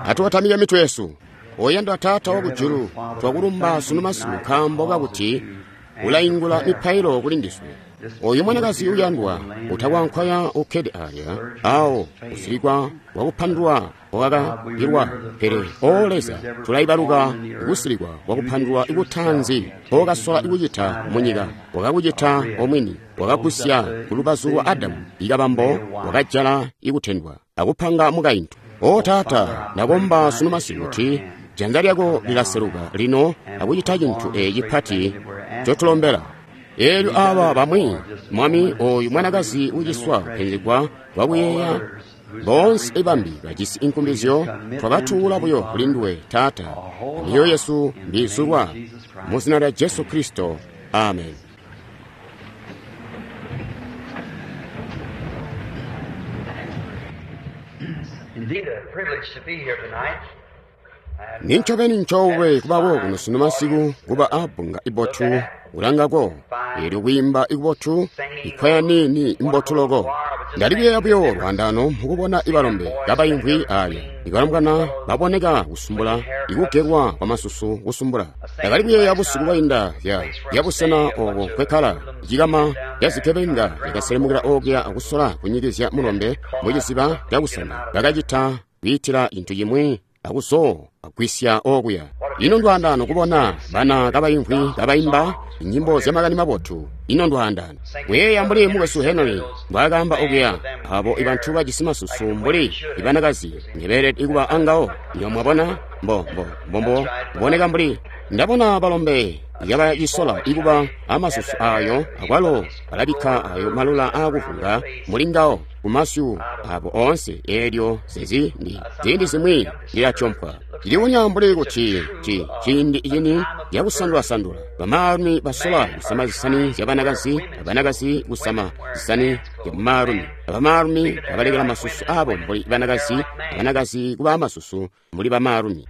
Atukotamike mitwe yesu. Oyandwa Taata wakujulu, twakulumba sunu masiku nkaambo kakuti ulaingula mipailo kuli ndiswe. Oyu mwanakazi uyandwa utakwankwaya ukkede alya awo kusilikwa kwakupandulwa kwakakilwa, pele o Leza, tulaibaluka kusilikwa kwakupandulwa kutaanzi kokasola kucita munyika, wakakucita omwini, wakagusya kulubazu lwa Adamu ikabambo, wakajala ikutendwa akupanga mukaintu. O Taata, ndakomba sunu masiku kuti janza lyako lilaseluka lino akucita cintu eci cipati ncotulombela. Eelyo aba bamwi, Mwami, oyu mwanakazi uciswa kupenzegwa kwakuyeeya, boonse bambi bajisi inkumbizyo, twabatuula buyo kuli nduwe Taata, myoyo yesu mbiizulwa mu zina lya Jesu Kristo, amen. Indeed, a privilege to be here tonight. Nincobeni ncoolwe kubako kuno sunu masiku kuba abbunga ibotu kulangako, eelyo kwiimba ikubotu, ikwaya niini imbotu loko. Ndali kuyeeya buyo lwaandaano mukubona ibalombe kabaimvwi alya, ibalombwana baboneka kusumbula, ikugelwa kwamasusu kusumbula. Ndakali kuyeeya busiku bwainda zya busena obo nkwekkala, cikama ca zikebenga zyakaselemukila okuya akusola kunyikizya mulombe muciziba cakusana. Bakacita kwiitila cintu cimwi akuzoo agwisya okuya. Ino ndwaandaano kubona bana kabaimvwi kabaimba nyimbo zyamakani mabotu. Ino ndwaandaano kuyeeya mbuli mukwesu Henry mbwaakaamba okuya, abo ibantu bajisi masusu mbuli ibanakazi ngebeelede kuba angawo. Nyo mwabona mbo mbo mbombo kuboneka mbuli ndabona balombe yabacisola ikuba amasusu ayo, akwalo balabikka ayo malula aakuvunga muli ngawo kumasyu abo oonse. Eelyo zezi ndi ziindi zimwi ndilatyompwa. Cilibonya mbuli kuti ciindi cini cakusandula-sandula. Bamaalumi basola kusama zisani zyabanakazi, abanakazi kusama zisani zyabamaalumi, abamaalumi babalekela masusu abo mbuli banakazi, abanakazi kuba amasusu mbuli bamaalumi.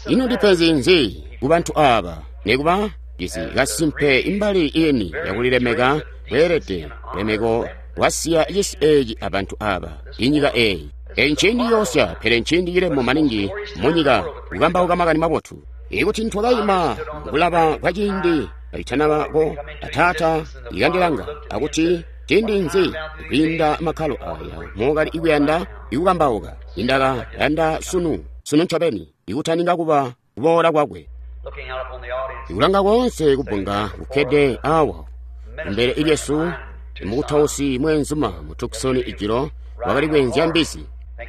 Ino ndipenzi nzi kubantu aaba? Nikuba jisi kasimpe imbali ini yakulilemeka kweelede lemeko lwasiya cisi eeci abantu aaba, inyika eeyi. Eeci nciindi yoosya, pele nciindi cilemu maningi munyika kukambauka makani mabotu. Ikuti ntwakaima mukulaba kwaciindi kacitanabako, Taata ikandilanga akuti ciindi nzi kwiinda makkalo aya mokali ikuyanda ikukambauka. Indaka yanda sunu, sunu ncobeni, ikutaninga kuba kuboola kwakwe. Looking out upon the audience, Ikulanga koonse kubunga kukkede awa kumbele lyesu, mukutausi mweenzuma mu Tucson ijilo wakali kweenzya mbizi.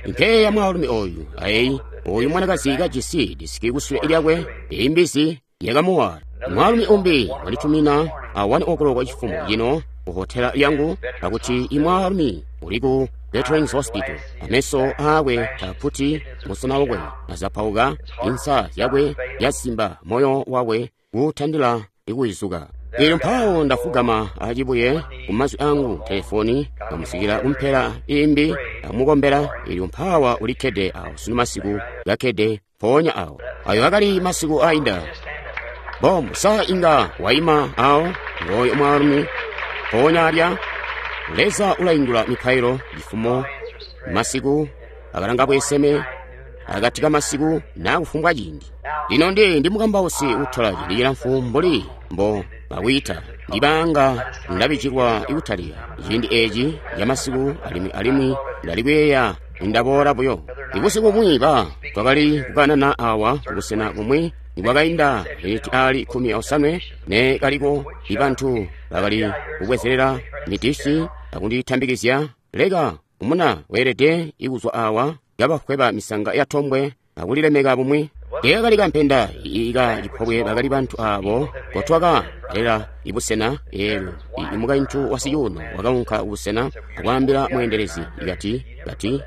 Nkeya mwaalumi oyu ayi oyu mwanakazi kajisi disiki kusule lyakwe, eyi mbizi yakamuwala. Mwaalumi umbi wanditumina a 1 o'clock chifumo cino ku hotela yangu akuti imwaalumi uli ku Veterans Hospital, ameso aakwe taputi, musana wakwe azapauka, insa yakwe yasimba, moyo wakwe kutandila ikuizuka. Eelyo mpawo ndafugama acibuye kumazwi angu telefoni kamusikila kumpela imbi amukombela. Eelyo mpawa ulikkede awo sunu masiku kakkede mpoonya awo. Ayo akali masiku ainda. Bom, sa inga waima awo ngoyo mwaalumi mpoonya alya. Leza ulaingula mipailo cifumo masiku akalanga bweseme akati ka masiku na kufumbwa ciindi. Lino ndi mukambausi utola ciindi cilamfu mbuli mbo bakwiita ndibanga ndabijilwa ikutalika ciindi eci camasiku, alimwi ndali kuyeeya ndaboola buyo. Ibusiku bumwi twakali kukanana awa kubusena bumwi nibwakainda miniti ali 18 ne kaliko ibantu bakali kubwezelela midisi akunditambikizya, leka umuna weelede ikuzwa awa kabakweba misanga ya tombwe akulilemeka bumwi. Teekali kampenda ika cipobwe bakali bantu abo kotwaka lela ibusena. Eelyo imukaintu wa sicuuno wakaunka kubusena akwaambila mweendelezi ikati kati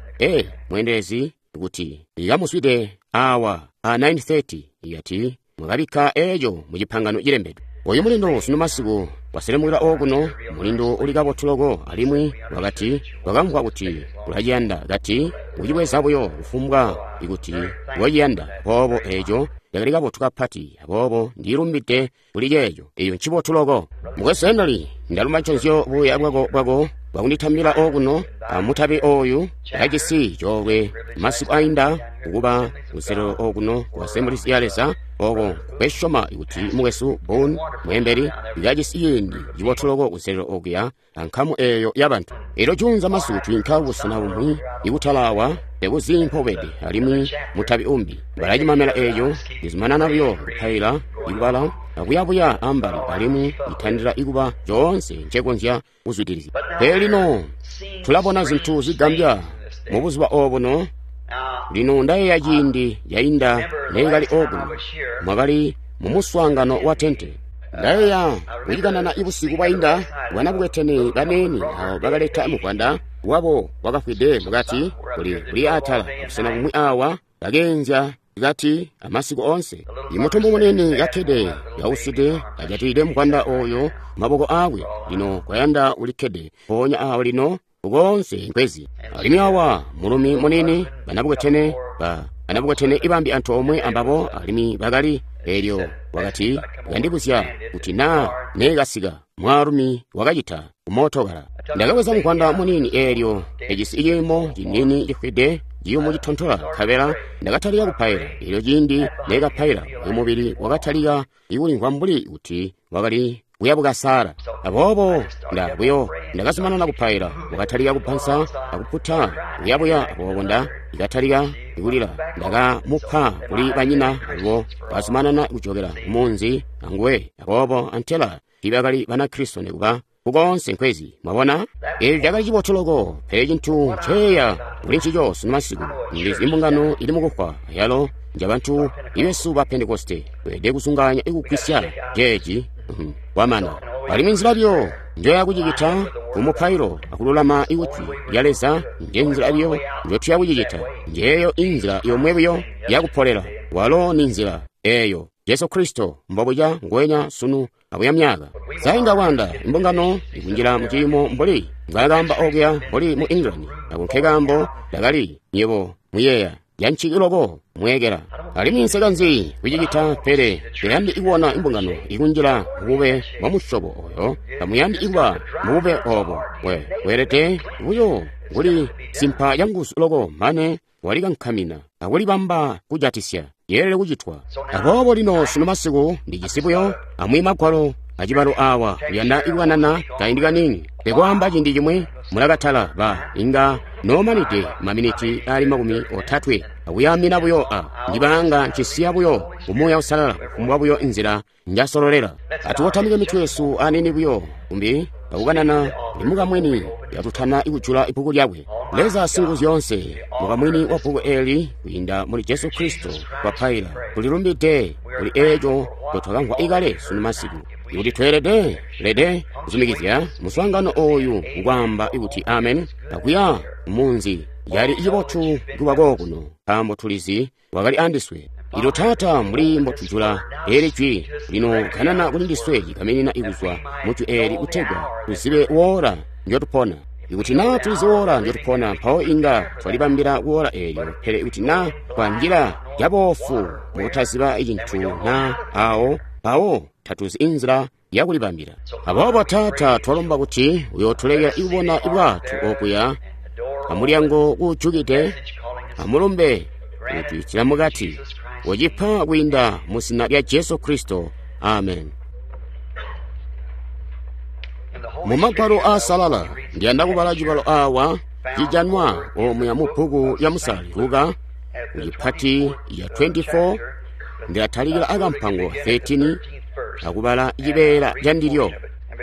mweendelezi kuti ikamuswide awa a 9:30 ikati mwakabikka eeco mu cipangano cilembedwe. Oyu mulindo sunu masiku waselemukila okuno, mulindo uli kabotu loko, alimwi wakati wakamvwa kuti ulaciyanda, kati ucibweza buyo kufumbwa ikuti waciyanda. Aboobo eeco cakali kabotu kapati, aboobo ndilumbide kuli ceeco. Eyo ncibotu loko. Mukwesu Henry, ndalumba nconzyo buya bwako bwakunditambila okuno amutabi oyu. Ndakajisi coolwe masiku ainda kukuba kuselelo okuno ku Assemblies ya Leza, oko nkwesyoma kuti mukwesu Boone mweembeli ndakajisi ciindi cibotu loko kuselelo okuya ankamu eyo yabantu. Elyo juunza masiku twiinka kubusena bumwi ikutala awa tekuzi mpobede, alimwi mutabi umbi balacimamela eeco. Ndizumanana buyo kupaila, ikubala akuyabuya ambali, alimwi itandila ikuba coonse ncekonzya kuzwidilizya. Pele lino tulabona zintu zigambya mubuzuba obuno. Lino ndayeeya ciindi cainda neekali okuno, mwakali mumuswaangano wa tente. Ndayeeya kucikanana ibusiku bwainda bwanabukwetene baneeni abo bakaleta muvwanda wabo wakafwide mukati kuli atala busena bumwi awa bakeenzya kati amasiku onse. Imutumbu munene kakkede kauside ajatilide muvwanda oyo maboko aakwe. Lino kwayanda ulikkede mpoonya awo lino ukoonse nkwezi. Alimwi awa mulumi munini banabukwetene ibambi antoomwe ambabo, alimwi bakali elyo wakati kandibuzya kuti naa neekasika mwaalumi wakacita kumootokala. Ndakabweza muvwanda munini eelyo ejisi ciimo cinini cifwide ciyumu citontola, nkabela ndakatalika kupaila. Elyo ciindi neekapaila, uyu mubili wakatalika ikulimvwa mbuli kuti wakali kuyabukasaala. Aboobo ndakazumanana kupaila, wakatalika kupansa akuputa kuyabuya. Aboobo ndakatalika kulila, ndakamupa kuli banyina, alubo bazumanana kujokela kumunzi anguwe. Aboobo antela tiibakali Banakristo nikuba kukoonse nkwezi. Mwabona, eco cakali cibotu loko. Pele cintu nceya kuli ncico sunu masiku, ndizi imbungano ili mukufwa, ayalo njabantu ibesu ba Pentekoste. Tweelede kuzungaanya ikugwisya ceeci kwamana. Alimwi nzila biyo njoya kucicita kumupailo akululama ikujwi lya Leza, nje nzila biyo njotuya kucicita. Njeeyo inzila yomwe buyo yakupolela, walo ni nzila eeyo Jesu Kristo mbobuca nguwenya sunu abuya myaka. Sainga kwanda imbungano ikunjila muciimo mbuli mbwakaamba okuya mbuli mu England. Ako nkekaambo ndakali nyebo muyeeya yanciki loko mweekela. Alimwi nsekanzi kucicita, pele teyandi ikuona imbungano ikunjila mubube bwa musyobo oyo. Tamuyandi ikuba mubube obo. Weelede buyo kuli simpa canguzu loko mane walikankamina akulibamba kujatisya yeelele kucitwa. Aboobo lino sunu masiku ndijisi buyo amwi magwalo acibalo awa kuyanda ikukanana kaindi kanini. Tekwaamba ciindi cimwi mulakatala ba inga noomanide maminiti ali 30 akuyamina buyo a ndibanga ncisiya buyo kumuuya usalala kufumbwa buyo inzila njasololela. Atukotamike mitwe yesu anini buyo kumbi akukanana limukamwini yatutana ikujula ibbuku lyakwe. Leza Singuzyoonse, mukamwini wa bbuku eli kwiinda muli Jesu Kristo twapaila, tulilumbide kuli eeco ncotwakamvwa ikale sunu masiku. Ikuti tweelede lede kuzumikizya muswaangano oyu kukwaamba kuti amen akuya munzi yali cibotu kuba kokuno, nkaambo tulizi wakali andiswe. Ilo Taata, mbuli mbotujula eli jwi lino kanana kuli ndiswe cikaminina ikuzwa mujwi eli kutegwa tuzibe woola njotupona. Ikuti naa tulizi woola njotupona, mpawo inga twalibambila kuwoola eelyo. Pele ikuti naa twanjila caboofu mukutaziba cintu naa awo, mpawo tatuzi inzila yakulibambila. Aboobo Taata, twalomba kuti uyootulekela ikubona ibwato okuya amulyango kuujukide, amulumbe kutwiitila mukati, ucipa kwiinda mu zina lya Jesu Kristo. Amen. Mu magwalo aasalala ndiyanda kubala cibalo awa cijanwa omuya mu bbuku ya Musali Luka kucipati ya 24. Ndilatalikila akampango 13 akubala cibeela candilyo.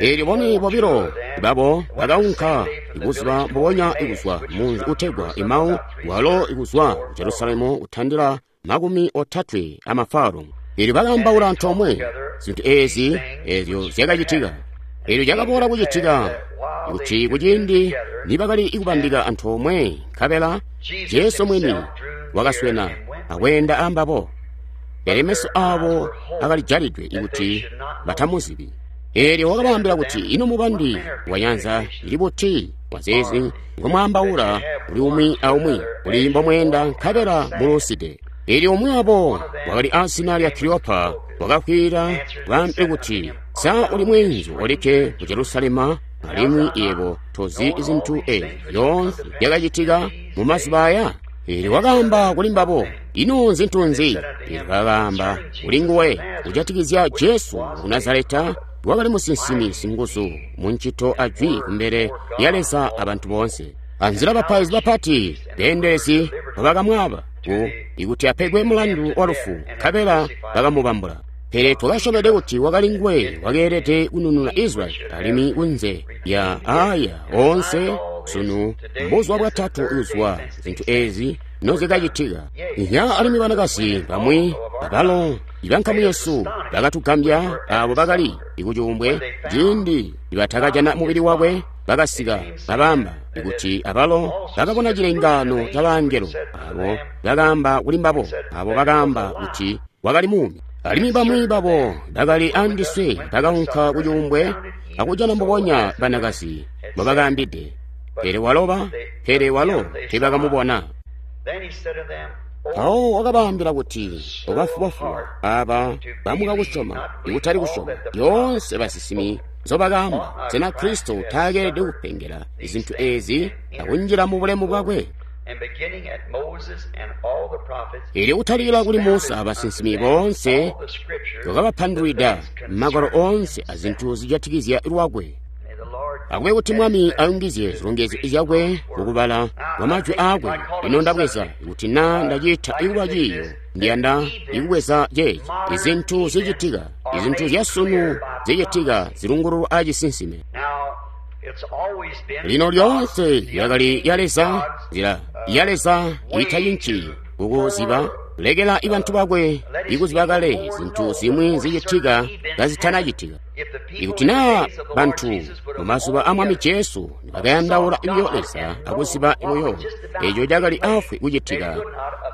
Eelyo bone bobilo babo bakaunka ibuzuba mbubonya ikuzwa munzi utegwa Emau, walo ikuzwa ku Jerusalemu kutandila 30 amafaru. Eelyo bakaambaula antoomwe zintu eezi eezyo zyakacitika. Eelyo cakaboola kucitika kuti kuciindi nibakali ikubandika antoomwe, nkabela Jesu mwini wakaswena akweenda ambabo, pele meso aabo akalijalidwe ikuti batamuzibi. Eelyo wakabaambila kuti, ino mubandi wanyanza ili buti wazeezi ngomwaambaula kuli umwi aumwi kuli mbomweenda nkabela muluuside? Eelyo umwi wabo wakali azina lya Kiliopa wakakwiila baambe kuti, sa uli mweenzu olikke mu Jerusalema Alimwi yebo tozi zintu ezi zyoonse zyakacitika mu mazuba aya? Eelyo wakaamba kuli mbabo, ino nzintu nzi? Eelyo bakaamba kuli nguwe kujatikizya Jesu ku Nazareta, wakali musinsimi singuzu mu ncito ajwi kumbele lya Leza abantu boonse. Anzila bapaizi bapati beendelezi bakamwaaba ikuti apegwe mulandu wa lufu, nkabela bakamubambula. Pele twakasyomede kuti wakali nguwe wakeelede kunununa Israyeli, alimwi kunze ya aya oonse sunu mbuzuba bwatatu kuzwa zintu ezi nozikacitika. Nya alimwi banakazi bamwi abalo ibankamu yesu bakatugambya abo bakali ikucuumbwe ciindi nibatakajana mubili wakwe bakasika babamba ikuti abalo bakabona cilengaano ca bangelo abo bakaamba kuli mbabo abo bakaamba kuti wakali muumi. Alimwi bamwi babo bakali andiswe bakaunka kucuumbwe akujana mbubonya banakazi mbobakaambide, pele walo teebakamubona. Mpawo wakabaambila kuti, obafubafuba aba bamuka kusyoma, ikutali kusyoma yoonse basinsimi nzobakaamba, sena Kristo taakeelede kupengela zintu ezi akunjila mu bulemu bwakwe? Eelyo kutalikila kuli Musa abasinsimi boonse wakabapandulwida magwalo oonse azintu zijatikizya lwakwe. Akube kuti Mwami ayungizye zilongezyo zyakwe mukubala kwa majwi aakwe. Lino ndabweza kuti naa ndaciita ikuba ciiyo, ndiyanda ikubweza ceeci. Izintu zicitika, izintu zyasunu zicitika zilungululwa aacisinsime. Lino lyoonse yakali ya Leza, nzila ya Leza itacinci kukuziba, lekela ibantu bakwe ikuziba kale zintu zimwi zicitika kazitanacitika. Ikuti naa bantu mu mazuba a Mwami Jesu nibakayandaula buyo Leza akuziba buyo eco cakali afwi kucitika,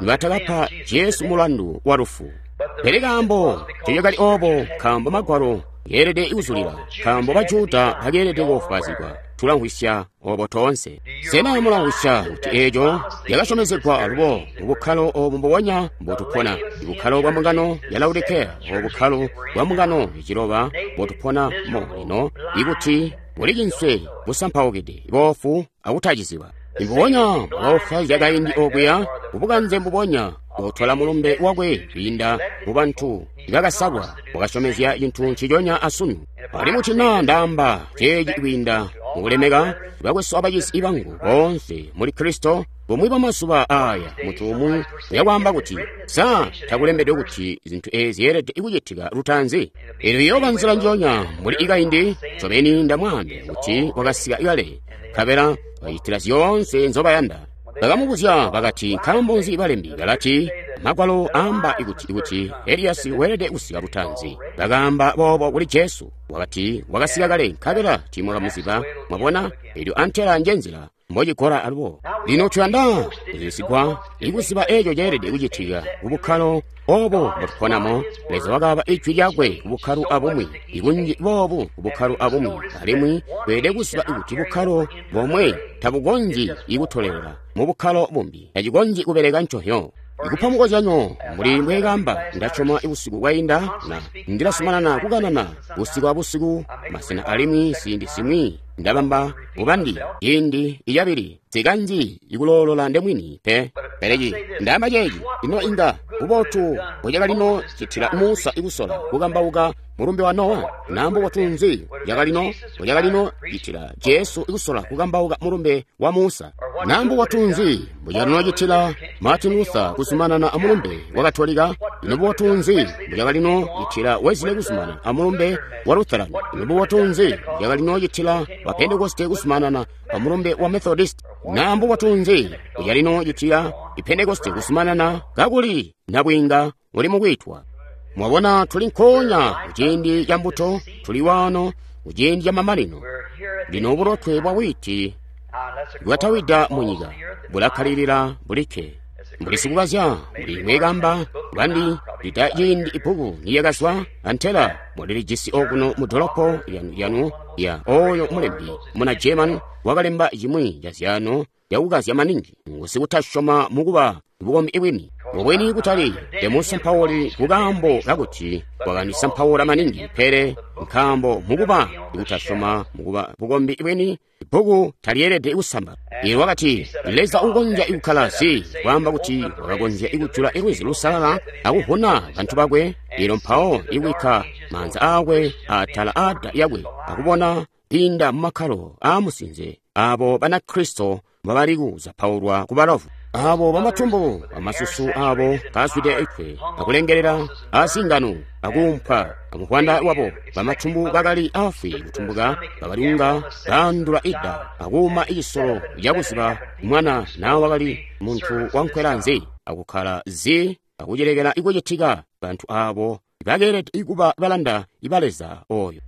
nibatakapa Jesu mulandu wa lufu. Pele kaambo ncecakali oobo nkaambo Magwalo yeelede kuzulila, nkaambo Bajuda bakeelede koofwaazigwa. Tulamvwisya obo toonse. Sena mulamvwisya kuti eeco yakasyomezegwa alubo mu bukkalo obu mbubonya mbotupona, ibukkalo bwa mbungano ya Laodikeya, obu bukkalo bwa mbungano yaciloba mbotupona mo lino, ikuti buli cinswe busampaukide, boofu akutaciziba. Mbubonya mbwakaofwaazya kaindi okuya, kubukanze mbubonya bwakutwala mulumbe wakwe kwiinda mu bantu ibakasalwa, wakasyomezya cintu nciconya asunu. Alimwi kuti naa ndaamba ceeci kwiinda mukulemeka bakwesu abacizi bangu boonse muli Kristo, bumwi bwamazuba aaya muntu umwi uyakwaamba kuti, sa takulembedwe kuti zintu ezi zyeelede kucitika lutaanzi? Eelyo iyooba nzila njoonya mbuli ikaindi. Ncobeni ndamwaambila kuti wakasika kale, nkabela bacitila zyoonse nzobayanda. Bakamubuzya bakati, nkaambo nzi balembi balati Magwalo aamba ikuti Eliyasi weelede kusika lutaanzi? Bakaamba boobo kuli Jesu. Wakati wakasika kale, nkabela tiimwakamuziba. Mwabona, eelyo antela njenzila mbocikola alubo. Lino tuyanda kuzibisigwa ikuziba eeco ceelede kucitika kubukkalo obo mbotuponamo. Leza wakaaba ijwi lyakwe kubukkalo abumwi, ikunji boobu kubukkalo abumwi, alimwi tweelede kuziba kuti bukkalo bomwe tabukonzyi ikutolelela mu bukkalo bumbi, tacikonzyi kubeleka ncohyo. Ikupa mukozyanyo, mbuli mbweekamba ndasyoma busiku bwainda, na ndilazumanana kukanana busiku abusiku masena, alimwi ziindi zimwi ndabamba mubandi ciindi icabili nsikanji ikuloolola ndemwini pe. Pele ndaamba ceeci ino inga bubotu bwecakalino citila Musa ikusola kukambauka mulumbe wa Nowa, na mbubotu nzi bwakalino bwecakalino citila Jesu ikusola kukambauka mulumbe wa Musa, na mbubotu nzi bwecakalino citila Martin Luther kuzumanana amulumbe wa Katolika, ino bubotu nzi bwecakalino citila Wesley kuzumanana amulumbe wa Lutheran, ino bubotu nzi bwecakalino citila wa Pentekoste kuzumanana amulumbe wa Methodist, na mbubotu nzi bwecakalino citila Pentekoste kuzumanana kakuli nabwiinga uli mukwitwa. Mwabona, tuli nkoonya kuciindi ca mbuto, tuli wano kuciindi ca mamanino. Lino bulotwe bwa wiiti bwatawida munyika bulakkalilila bulikke. Mbuli sikukazya, mbuli mbweekamba bandi lita ciindi ibbuku niyakazwa antela mulilijisi okuno mu dolopo lyanu ya oyo mulembi muna German wakalemba cimwi ca zyaano yakukazya maningi ngusikutasyoma mukuba bukombi bwini. Mubwini kutali temusampauli kukaambo kakuti wakandisampaula maningi, pele nkaambo mukuba kutasyoma mukuba bukombi bweni bbuku talyeelede kusamba. Iye wakati Leza ukonzya ikukkala zi kwaamba kuti wakakonzya ikujula lwizi lusalala akuvuna bantu bakwe, ilo mpawo ikubikka maanza aakwe atala aada yakwe akubona kwiinda mumakkalo aamusinze abo Banakristo mbabali kuzapaulwa ku balovu, abo bamatumbu amasusu abo kazwide ikwe akulengelela azingano akuumpwa amuvwanda wabo. Bamatumbu bakali afwi kutumbuka bakali bandula ida akuuma icisolo cakuziba mwana nawe wakali muntu wankwela nzi akukkala zi akucilekela ikucitika. Bantu abo bakeelede ikuba balanda iba Leza oyo.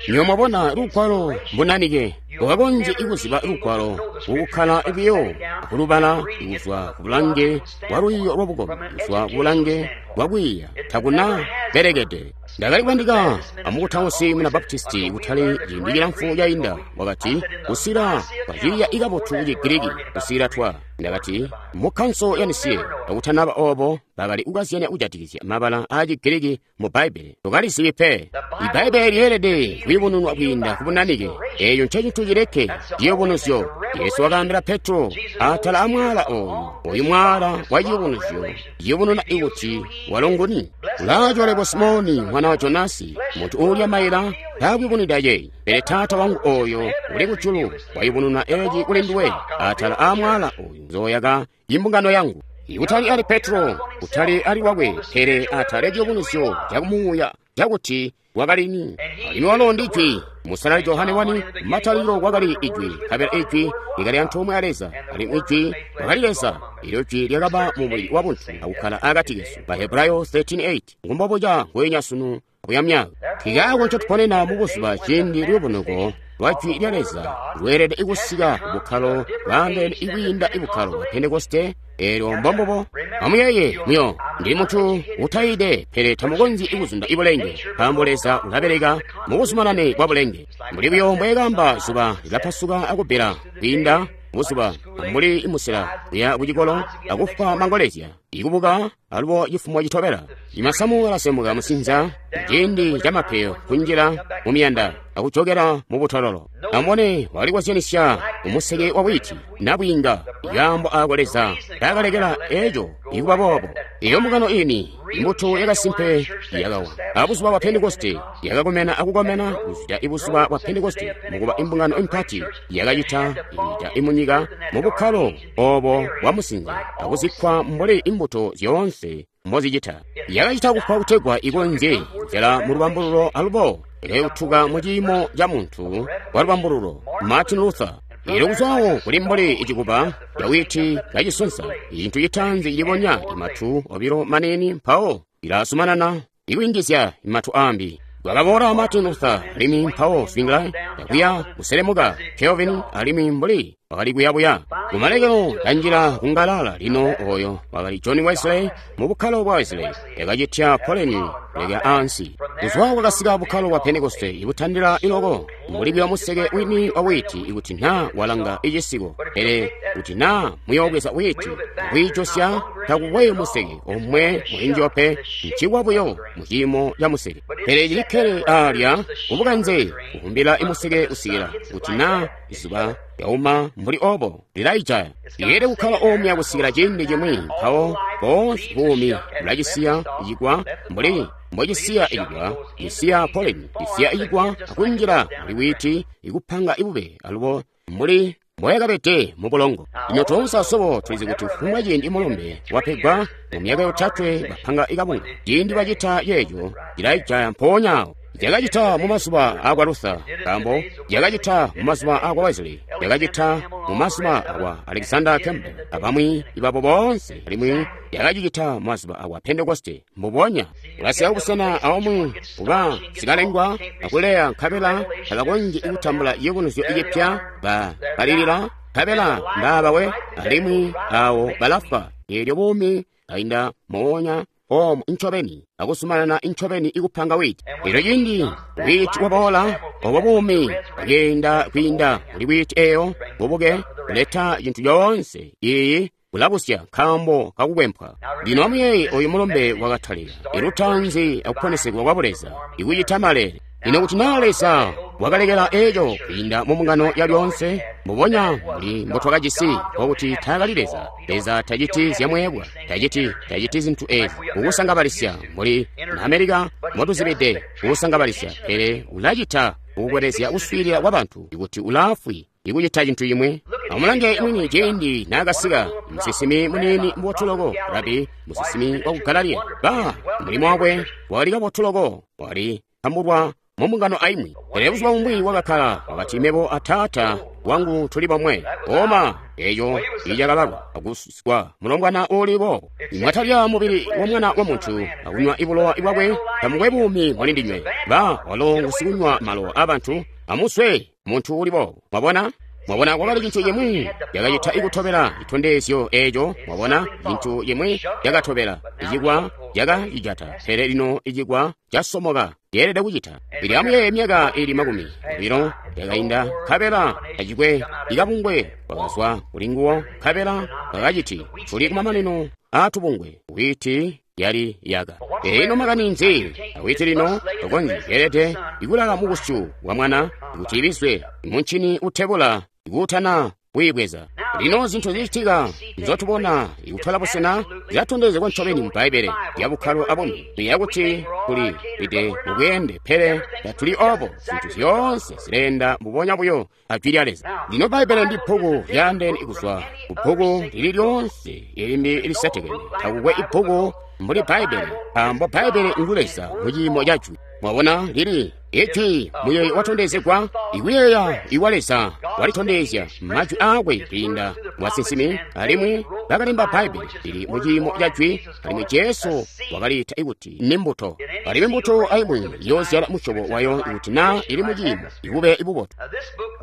Niyo mwabona lugwalo mbunanike ukakonzye ikuziba lugwalo ukukkala biyo akulubala kuzwa ku bulange bwa lwiiyo lwabukombi, kuzwa ku bulange bwa kwiiya takuna belekede. Ndakali kubandika amukutausi muna Baptisti kutali ciindi cilamfu cainda, wakati kusila kwaciiya ikabotu ku Chigiriki kusila twa. Ndakati mu kkanso ya Nisiye akutanaba obo bakali kukazyanya kujatikizya mabala aa Chigiriki mu Bbaibbele. Tukalizibi pe. Ibbaibbele lyeelede kuyubununwa kwiinda ku bunanike. Eeyo ncecintu cileke ciyubunuzyo. Yesu wakaambila Petro atala amwaala oyu, oyu mwaala wa ciyubunuzyo ciyubununa ikuti walo nguni. Ulaacwalebo Simoni mwana wa Jonasi, muntu uulya maila taakuyubunwida yeyi, pele Taata wangu oyo uli kujulu wayubununa eci kuli nduwe. Atala amwaala oyu nzooyaka imbungano yangu. Ikutali ali Petro, kutali ali wakwe, pele atala ciyubunuzyo cakumuuya cakuti wakalini. Alimwi walo ndi Ijwi. Musalali Johane 1, matalikilo kwakali Ijwi, nkabela Ijwi likali antoomwe a Leza, alimwi Ijwi wakali Leza. Ilyo Jwi lyakaba mu mubili wa buntu akukkala akati kesu. Bahebrayo 13:8. Ngumbobuca ngweenya sunu akuya myaka. Nkikaako ncotuponena mubuzuba ciindi luyubunuko lwa Jwi lya Leza lweelede kusika kubukkalo bwaandeene ikwiinda ibukkalo bwa Pentekoste. Eelyo mbombubo. Amuyeeye muyo ndili muntu utayide, pele tamukonzyi ikuzunda ibulenge, nkaambo Leza ulabeleka mubuzumanane bwa bulenge. Mbuli buyo mbweekamba zuba lilapasuka akubbila kwiinda buzuba, mbuli musela kuya kucikolo akufwa mangolezya, ikubuka alubo cifumo citobela. Imasamu alasemuka musinza ciindi camapeyo kunjila mumiyanda akujokela mubutololo. Amubone walikozyanisya umuseke wa witi nabwiinga ikaambo aako Leza taakalekela eco ikuba boobo. Iyo mbungano ini imbuto yakasimpe yakawa abuzuba bwa Pentekoste yakakomena akukomena kuzwida ibuzuba bwa Pentekoste mukuba imbungano impati yakacita inyika imunyika mubukkalo obo bwa musinza akuzikkwa mbuli imbuto zyoonse mbozicita. Yakacita kufwa kutegwa ikonzye kuzyala mu lubambululo alubo yakayutuka mu ciimo ca muntu wa lubambululo Martin Luther. Ilo kuzwawo kuli mbuli icikuba cawiti kacisonsa, icintu citaanzi cilibonya imatu obilo manini mpawo ilazumanana ikuyingizya imatu ambi. Kwakaboola Martin Luther alimwi mpawo Zwingli yakuya kuselemuka Calvin alimwi mbuli wakali kuyabuya. Kumalekelo kanjila kungalala lino oyo wakali John Wesley mu bukkalo bwa Wesley yakacitya poleni kuleka ansi. Kuzwa kwakasika bukkalo bwa Pentekoste ibutandila iloko mbuli buyo museke wini wa witi ikuti naa walanga icisiko, pele kuti naa muyoobweza witi akwiijosya takukwe museke omwe mulinjiyo pe, ncikwa buyo mu ciimo ca museke. Pele cilikkele alya kubukanze kuvumbila imuseke kusikila kuti naa izuba yauma mbuli obo lilaijaya. Iyele kukkala omuya kusikila ciindi cimwi mpawo boonse buumi bulacisiya icikwa mbuli mbocisiya icikwa, cisiya poleni, cisiya icikwa akunjila muli witi ikupanga ibube alubo mbuli mboyakabede mu bulongo. Lino toonse asobo tulizi kuti kufumbwa ciindi mulumbe wapegwa mu myaka yotatwe bapanga ikabunga. Ciindi bacita yeeco cilaijaya mpoonya awo. Yakacita mu mazuba akwa Luther, nkaambo yakacita mu mazuba akwa Wesley, yakacita mu mazuba akwa Alexander Campbell abamwi ibabo boonse, alimwi yakacicita mu mazuba akwa Pentekoste. Mbubonya ulasika kubusena aumwi kuba sikalengwa akuleya nkabela tabakonzyi kutambula ciyubunuzyo icipya, bakalilila nkabela mbaabawe, alimwi awo balafwa. Eelyo buumi kainda moonya omu ncobeni akuzumanana ncobeni ikupanga witi. Elyo ciindi witi waboola, obo buumi bwakeenda kwiinda kuli witi eyo bubuke kuleta cintu coonse iyi. Ulabusya nkaambo kakukwempwa. Lino amuyeeye oyu mulumbe wakatalika ilutaanzi akuponesegwa kwa Buleza, ikucita maleele. Lino kuti naa Leza wakalekela eco kwiinda mu mbungano ya lyoonse, mbubonya mbuli mbotwakajisi, nkokuti taakali Leza. Leza taciti zyamweebwa, taciti zintu ezi kukusangabalisya mbuli na Amerika mbotuzibide kukusangabalisya, pele ulacita kukukwelezya kuswiilila kwa bantu ikuti ulaafwi ikucita cintu cimwi. Amulange mwini ciindi naakasika musinsimi muniini mubotu loko, rabi, musinsimi waku Galilaya. Ba mulimo wakwe wakali kabotu loko, wakali tambulwa mu mbungano aimwi. Pele buzuba bumwi wakakkala, wakati, Mebo a Taata wangu tuli bomwe. Oma, eco icakabalwa akusikwa mulombwana uuli boobo. Mwatalya mubili wa Mwana wa Muntu akunywa ibulowa bwakwe, tamukwe buumi muli ndinywe. Ba walo ngusikunywa malowa abantu, amuswe muntu uuli boobo. Mwabona? Mwabona, kwakali cintu cimwi cakacita ikutobela citondezyo eco. Mwabona, cintu cimwi cakatobela icikwa cakacijata, pele lino icikwa casomoka. Yeelede kucita. Ili amuyeeye myaka ili 20 yakainda, nkabela tacikwe ikabungwe kwakazwa kuli nguwo, nkabela kakaciti tuli kumamanino aatubungwe. Whiiti yali yaka. Ino makani nzi? Awiti lino tokonzyi yeelede ikulala mu busyu bwa mwana kuti ibizwe muncini utebula ikuutana kuyibweza. Lino zintu zicitika nzotubona ikutola busena zilatondezegwa ncobeni mu Bbaibbele lya bukkalo abumwi. Tuyeeya kuti tuli lide mubweende, pele tatuli obo. Zintu zyoonse zileenda mbubonya buyo a Jwi lya Leza. Lino Bbaibbele ndi bbuku lyaandeene kuzwa ku bbuku lili lyoonse ilimbi lisetekene. Takukwe ibbuku mbuli Bbaibbele, nkaambo Bbaibbele ngu Leza mu ciimo ca Jwi. Mwabona, lili Ijwi muyeeyo watondezegwa, ikuyeeya iwa Leza walitondezya majwi aakwe kwiinda mu basinsimi, alimwi bakalemba Bbaibbele lili mu ciimo ca Jwi, alimwi Jesu wakaliita kuti ni mbuto. Alimwi mbuto aimwi iyoozyala musyobo wayo ikuti naa ili mu ciimo ibube ibubotu.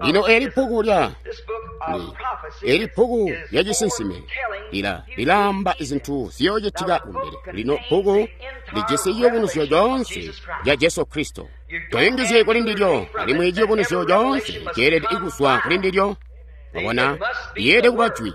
Lino eli bbuku lya eli bbuku lya cisinsime lilaamba zintu ziyoocitika kumbele. Lino bbuku lijisi ciyubunuzyo coonse ca Jesu Kristo. Toyungizye kuli ndilyo, alimwi ciyubunuzyo coonse ceelede kuzwa kuli ndilyo. Mwabona, yeelede kuba jwi.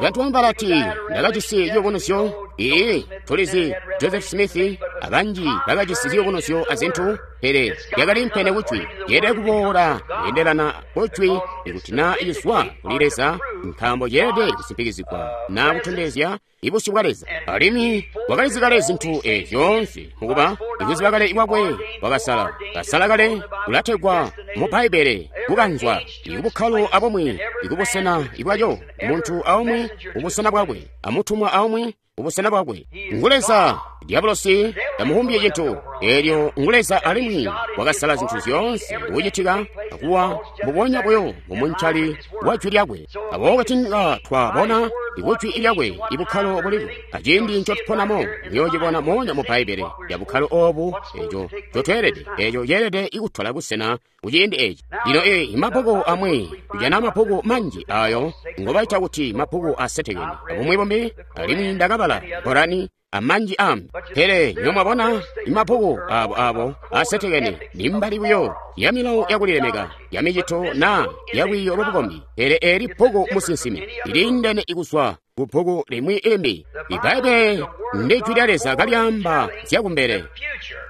Bantu bamwi balati, ndakajisi ciyubunuzyo. Ee, tulizi Joseph Smith abanji bakajisi ziyubunuzyo azintu, pele lyakali mpene kujwi. Yeelede kuboola kweendelana kujwi ikuti naa izwa kuli Leza, nkaambo yeelede kusimpikizigwa naa kutondezya ibusyu bwa Leza. Alimwi wakalizi kale zintu ezi zyoonse, mukuba ikuziba kale kwakwe wakasala. Kasala kale kulategwa mu Bbaibbele kukanzwa ikubukkalo abumwi ikubusena ibwaco, muntu aumwi ubusena bwakwe, amutumwa aumwi ubusena bwakwe. Ngu Leza. Diabolosi tamuhumbye cintu. Eelyo ngu Leza alimwi wakasala zintu zyoonse kucitika akuwa mbubonya buyo mumuncali wa Jwi lyakwe. Aboobo tinga twabona ikujwi lyakwe ibukkalo buliko aciindi ncotuponamo, muyoocibona moonya mu Bbaibbele lya bukkalo oobu eco ncotweelede, eco ceelede ikutola busena kuciindi eci. Lino mabbuku amwi kujana mabbuku manji ayo ngobaita kuti mabbuku asetekene abumwi bumbi, alimwi ndakabala Korani amanji ambi. Pele nyomwabona imabbuku abo asetekene ni mbali buyo ya milawo yakulilemeka ya micito naa ya lwiiyo lwabukombi. Pele eli bbuku musinsimi liliindene ikuzwa ku bbuku limwi limbi. Ibbaibbele ndi Jwi lya Leza kalyaamba zyakumbele.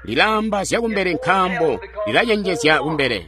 Lilaamba zyakumbele nkaambo lilacenjezya kumbele.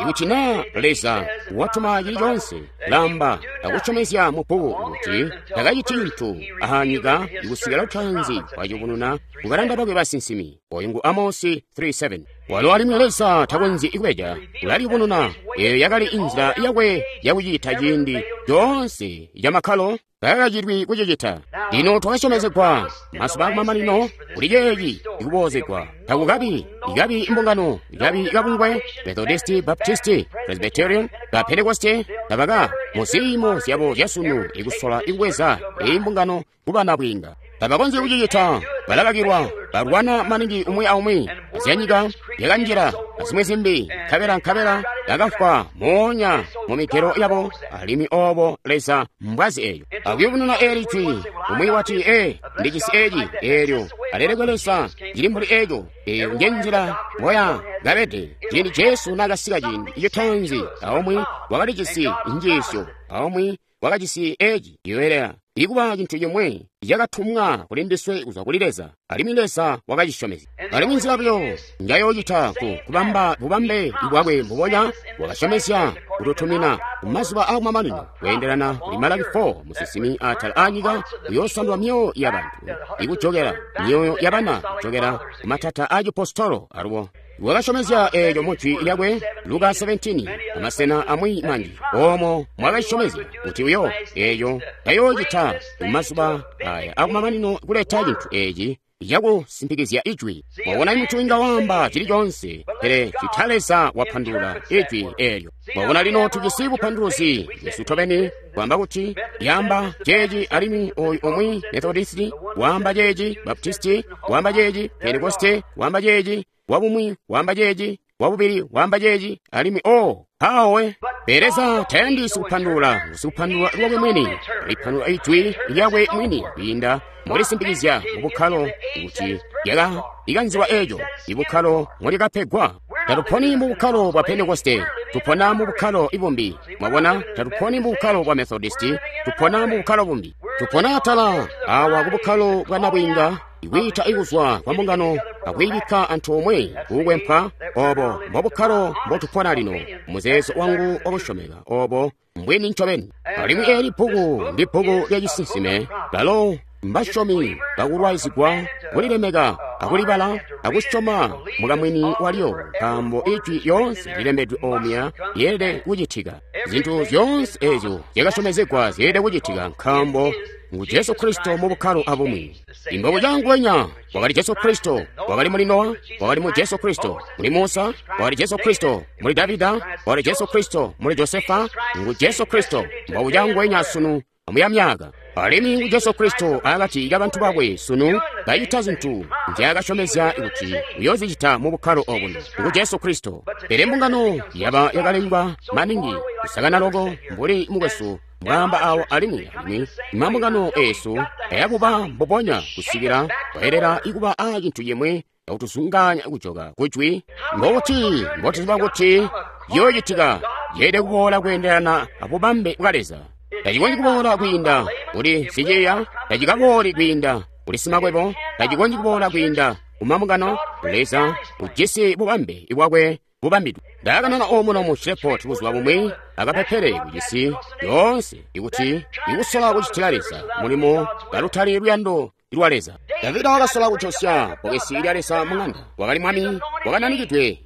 Ikuti naa Leza watuma cili coonse, lamba akusyomezya mu bbuku kuti takaciti cintu anyika ikusikila lutaanzi waciyubununa kubalanda bakwe basinsimi. Oyu ngu Amosi 3:7. Walo alimwi Leza takonzyi kubeja, ulaliyubununa. Eyo yakali inzila yakwe yakucita ciindi coonse camakkalo takakacilwi kucicita. Lino twakasyomezegwa mazuba akumamanino kuli ceeci ikuboozegwa. Takukabi ikabi mbungano, ikabi kabungwe, Methodisti, Baptisti, Presbyterian, ba Pentekoste tabaka mu ziimo zyabo zyasunu ikusola ikubweza eyi mbungano kuba nabwiinga. Tabakonzyi kucicita, balakakilwa, balwana maningi umwi aumwi, azyanyika yakanjila azimwi zimbi, nkabela bakafwa moonya mu migelo yabo, alimwi obo Leza mbwazi eyo. Akuyubununa eli jwi, umwi wati, ee, ndijisi eci, eelyo alelekwe Leza, cili mbuli eco. Eyo nje nzila mboya kabede ciindi Jesu naakasika ciindi citaanzi, aumwi wakalijisi njiisyo, aumwi wakajisi eci, yoelea. Ikuba cintu cimwe cakatumwa kuli ndiswe kuzwa kuli Leza, alimwi Leza wakacisyomezya. Alimwi nzila buyo njayoocita ku kubamba bubambe bwakwe mbubonya wakasyomezya kututumina kumazuba aakumamanino kweendelana kuli Malaki 4 musinsimi atala aanyika uyoosandula myoyo ya bantu ikujokela myoyo ya bana kujokela kumatata aacipostolo alubo. Wakasyomezya eeco mu jwi lyakwe Luka 17 amasena amwi manji oomo mwakasyomezya kuti uyo eeco tayoocita mumazuba aya akumamanino kuleta cintu eeci cakusimpikizya ijwi. Mwabona muntu inga waamba cili coonse, pele cita Leza wapandulula ijwi eelyo. Mwabona lino tujisi bupanduluzi bwesu tobeni kwaamba kuti yaamba ceeci alimwi oyu omwe Methodisti waamba ceeci, Baptisti waamba ceeci, Pentekoste waamba ceeci, wabumwi waamba ceeci, wabubili waamba ceeci, alimwi o mpawe. Pele Leza tayandi sikupandulula, sikupandulula lwakwe mwini, alipandulula ijwi lyakwe mwini kwiinda mulisimpikizya mubukkalo kuti lyaka likanzilwa eeco ibukkalo molyakapegwa. Tatuponi mu bukkalo bwa Pentekoste, tupona mu bukkalo ibumbi. Mwabona, tatuponi mu bukkalo bwa Methodisti, tupona mu bukkalo bumbi. Tupona atala awa ku bukkalo bwa nabwiinga, ikwiita ikuzwa kwa mbungano akwiibikka antoomwe kukwempwa. Obo mbobukkalo mbotupona lino, muzeezo wangu wakusyomeka obo mbwini ncobeni. Alimwi eeli bbuku ndi bbuku lya cisinsime, lalo mbasyomi bakulwaizigwa kulilemeka akulibala akusyoma mukamwini walyo, nkaambo ijwi lyoonse lilembedwe omuya lyeelede kucitika. Zintu zyoonse eezyo zyakasyomezegwa zyeelede kucitika, nkaambo ngu Jesu Kristo mu bukkalo abumwi. Imbogo canguwenya wakali Jesu Kristo, wakali muli Nowa, wakali mu Jesu Kristo, muli Musa, wakali Jesu Kristo, muli Davida, wakali Jesu Kristo, muli Josefa, ngu Jesu Kristo, mbogo canguwenya sunu amuya myaka. Alimwi ngu Jesu Kristo akati ka bantu bakwe sunu kacita zintu nzyaakasyomezya kuti uyoozicita mu bukkalo obuno. Ngu Jesu Kristo. Pele mbungano yaba yakalengwa maningi kusakana loko mbuli mukwesu mwaamba awo, alimwi alimwi mambungano eesu ayakuba mbubonya kusikila kwayelela ikuba a cintu cimwe akutuzungaanya kujoka kujwi. Mbokuti mbotuziba kuti ciyoocitika yeelede kuboola kweendelana abubambe bwa Leza. Tacikonzyi kuboola kwiinda kuli siciiya, tacikabooli kwiinda kuli simakwebo, tacikonzyi kuboola kwiinda kumambungano. Leza ujisi bubambe bwakwe bubambidwe. Ndakanana omuno mu Shreveport buzuba bumwi akapepele kucisi yoonse ikuti ikusola kucitila Leza mulimo kalutali luyando lwa Leza. Davida wakasola kucosya bbokesi lya Leza mung'anda. Wakali mwami wakananikidwe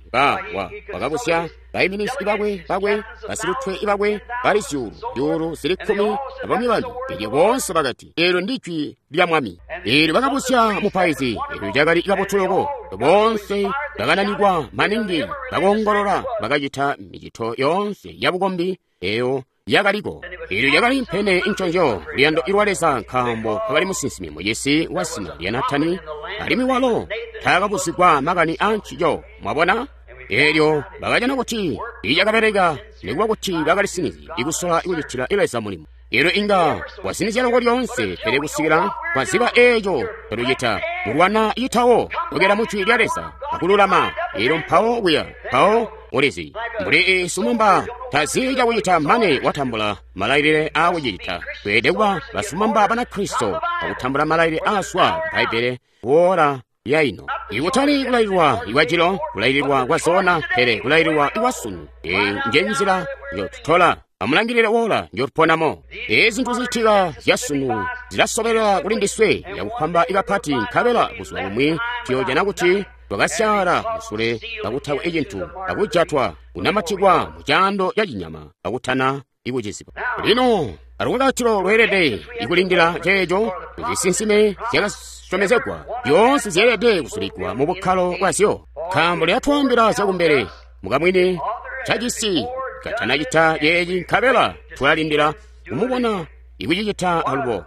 wakabusya baiminizi bakwe basilutwe bakwe bali zyuulu zili 10 abamwi bambi. Elyo boonse bakati eelyo ndi jwi lya mwami. Eelyo bakabusya mupaizi, eelyo cakali kabotu loko. Boonse bakananikwa maningi, bakoongolola, bakacita micito yoonse yabukombi eyo yakaliko. Eelyo lyakali mpene nconzyo luyando lwa Leza, nkaambo kwakali musinsimi mucisi wa zina lya Natani, alimwi walo taakabuzigwa makani aancico. Mwabona? Eelyo bakajana kuti icakabeleka nikuba kuti bakalisinizye ikusola kucitila Leza mulimo. Eelyo inga wasinizya loko lyoonse, pele kusikila kwaziba eeco tolucita mulwana itawo kukela mu jwi lya Leza akululama. Eelyo mpawo kuya mpawo ulizi mbuli sumumba tazi cakucita mane watambula malailile aakucita. Tweelede kuba basumamba Banakristo akutambula malailile aazwa Bbaibbele kuola yaino. Ikutali kulaililwa ikwajilo, kulaililwa kwa zona, pele kulaililwa ikwasunu. Eyi nje nzila njotutola. Amulangilile wola njotuponamo. Ezi zintu zicitika zyasunu zilasobelela kuli ndiswe yakupamba ikapati, nkabela buzuba bumwi tuyoojana kuti twakasyala musule kakutakwe icintu, akujatwa kunamatikwa mu caando ca cinyama akutana ikuciziba. Lino alukakatilo lweelede ikulindila ceeco zisinsime zyakasyomezegwa zyoonse zyeelede kusulikwa mu bukkalo bwazyo, nkaambo lyatwaambila zyakumbele mukamwini cacisi katanacita ceeci, nkabela tulalindila kumubona ikucicita alubo.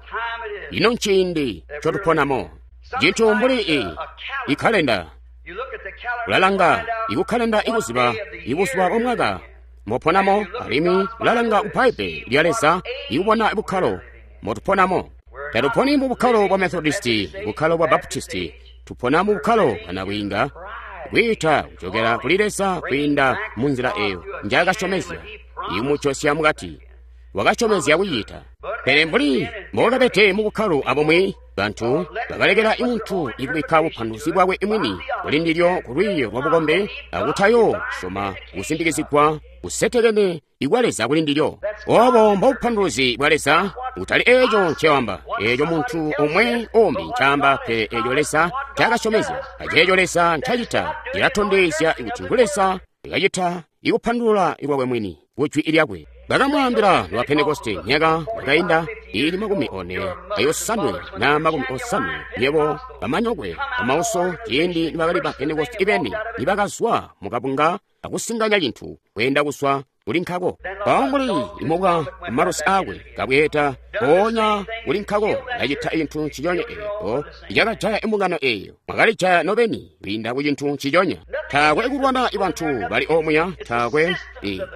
Ino nciindi ncotuponamo. Cintu mbuli ikkalenda, ulalanga ikukkalenda ikuziba ibuzuba bwa mwaka moponamo, alimwi ulalanga ku Bbaibbele lya Leza ikubona bukkalo motuponamo. Tatuponi mu bukkalo bwa Methodisti, bukkalo bwa Baptisti, tupona mu bukkalo bwa nabwiinga, kwiita kucokera kuli Leza kwiinda mu nzila eyo njaakasyomezya, ikumujosya mukati. wakasyomezya kucita. Pele mbuli mbokabede mu bukkalo abumwi, bantu bakalekela muntu ikubikka bupanduluzi bwakwe mwini kuli ndilyo ku lwiiyo lwa bukombe akutayo syoma kusindikizigwa kusetekene ikwa Leza kuli ndilyo. Obo mbobupanduluzi bwa Leza, kutali eco ncewamba, eco muntu umwe umbi ncaamba, pele eco Leza ncaakasyomezya, aceeco Leza ncacita cilatondezya kuti ngu Leza kacita ikupandulula lwakwe mwini ku jwi lyakwe. Bakamwaambila lwa Pentekoste myaka yakainda ili 45 na 50, nyebo bamanyokwe bamauso ciindi nibakali ba Pentekoste ibeni nibakazwa mukabunga akusinganya cintu kweenda kuswa kuli nkako. Mpawo mbuli imubwa malusi akwe kabweeta mpoonya kuli nkako kacita cintu nciconya eeco cakajaya imbungano eeyo. Mwakalijaya nobeni kwiinda ku cintu nciconya. Taakwe kulwana bantu bali omuya, taakwe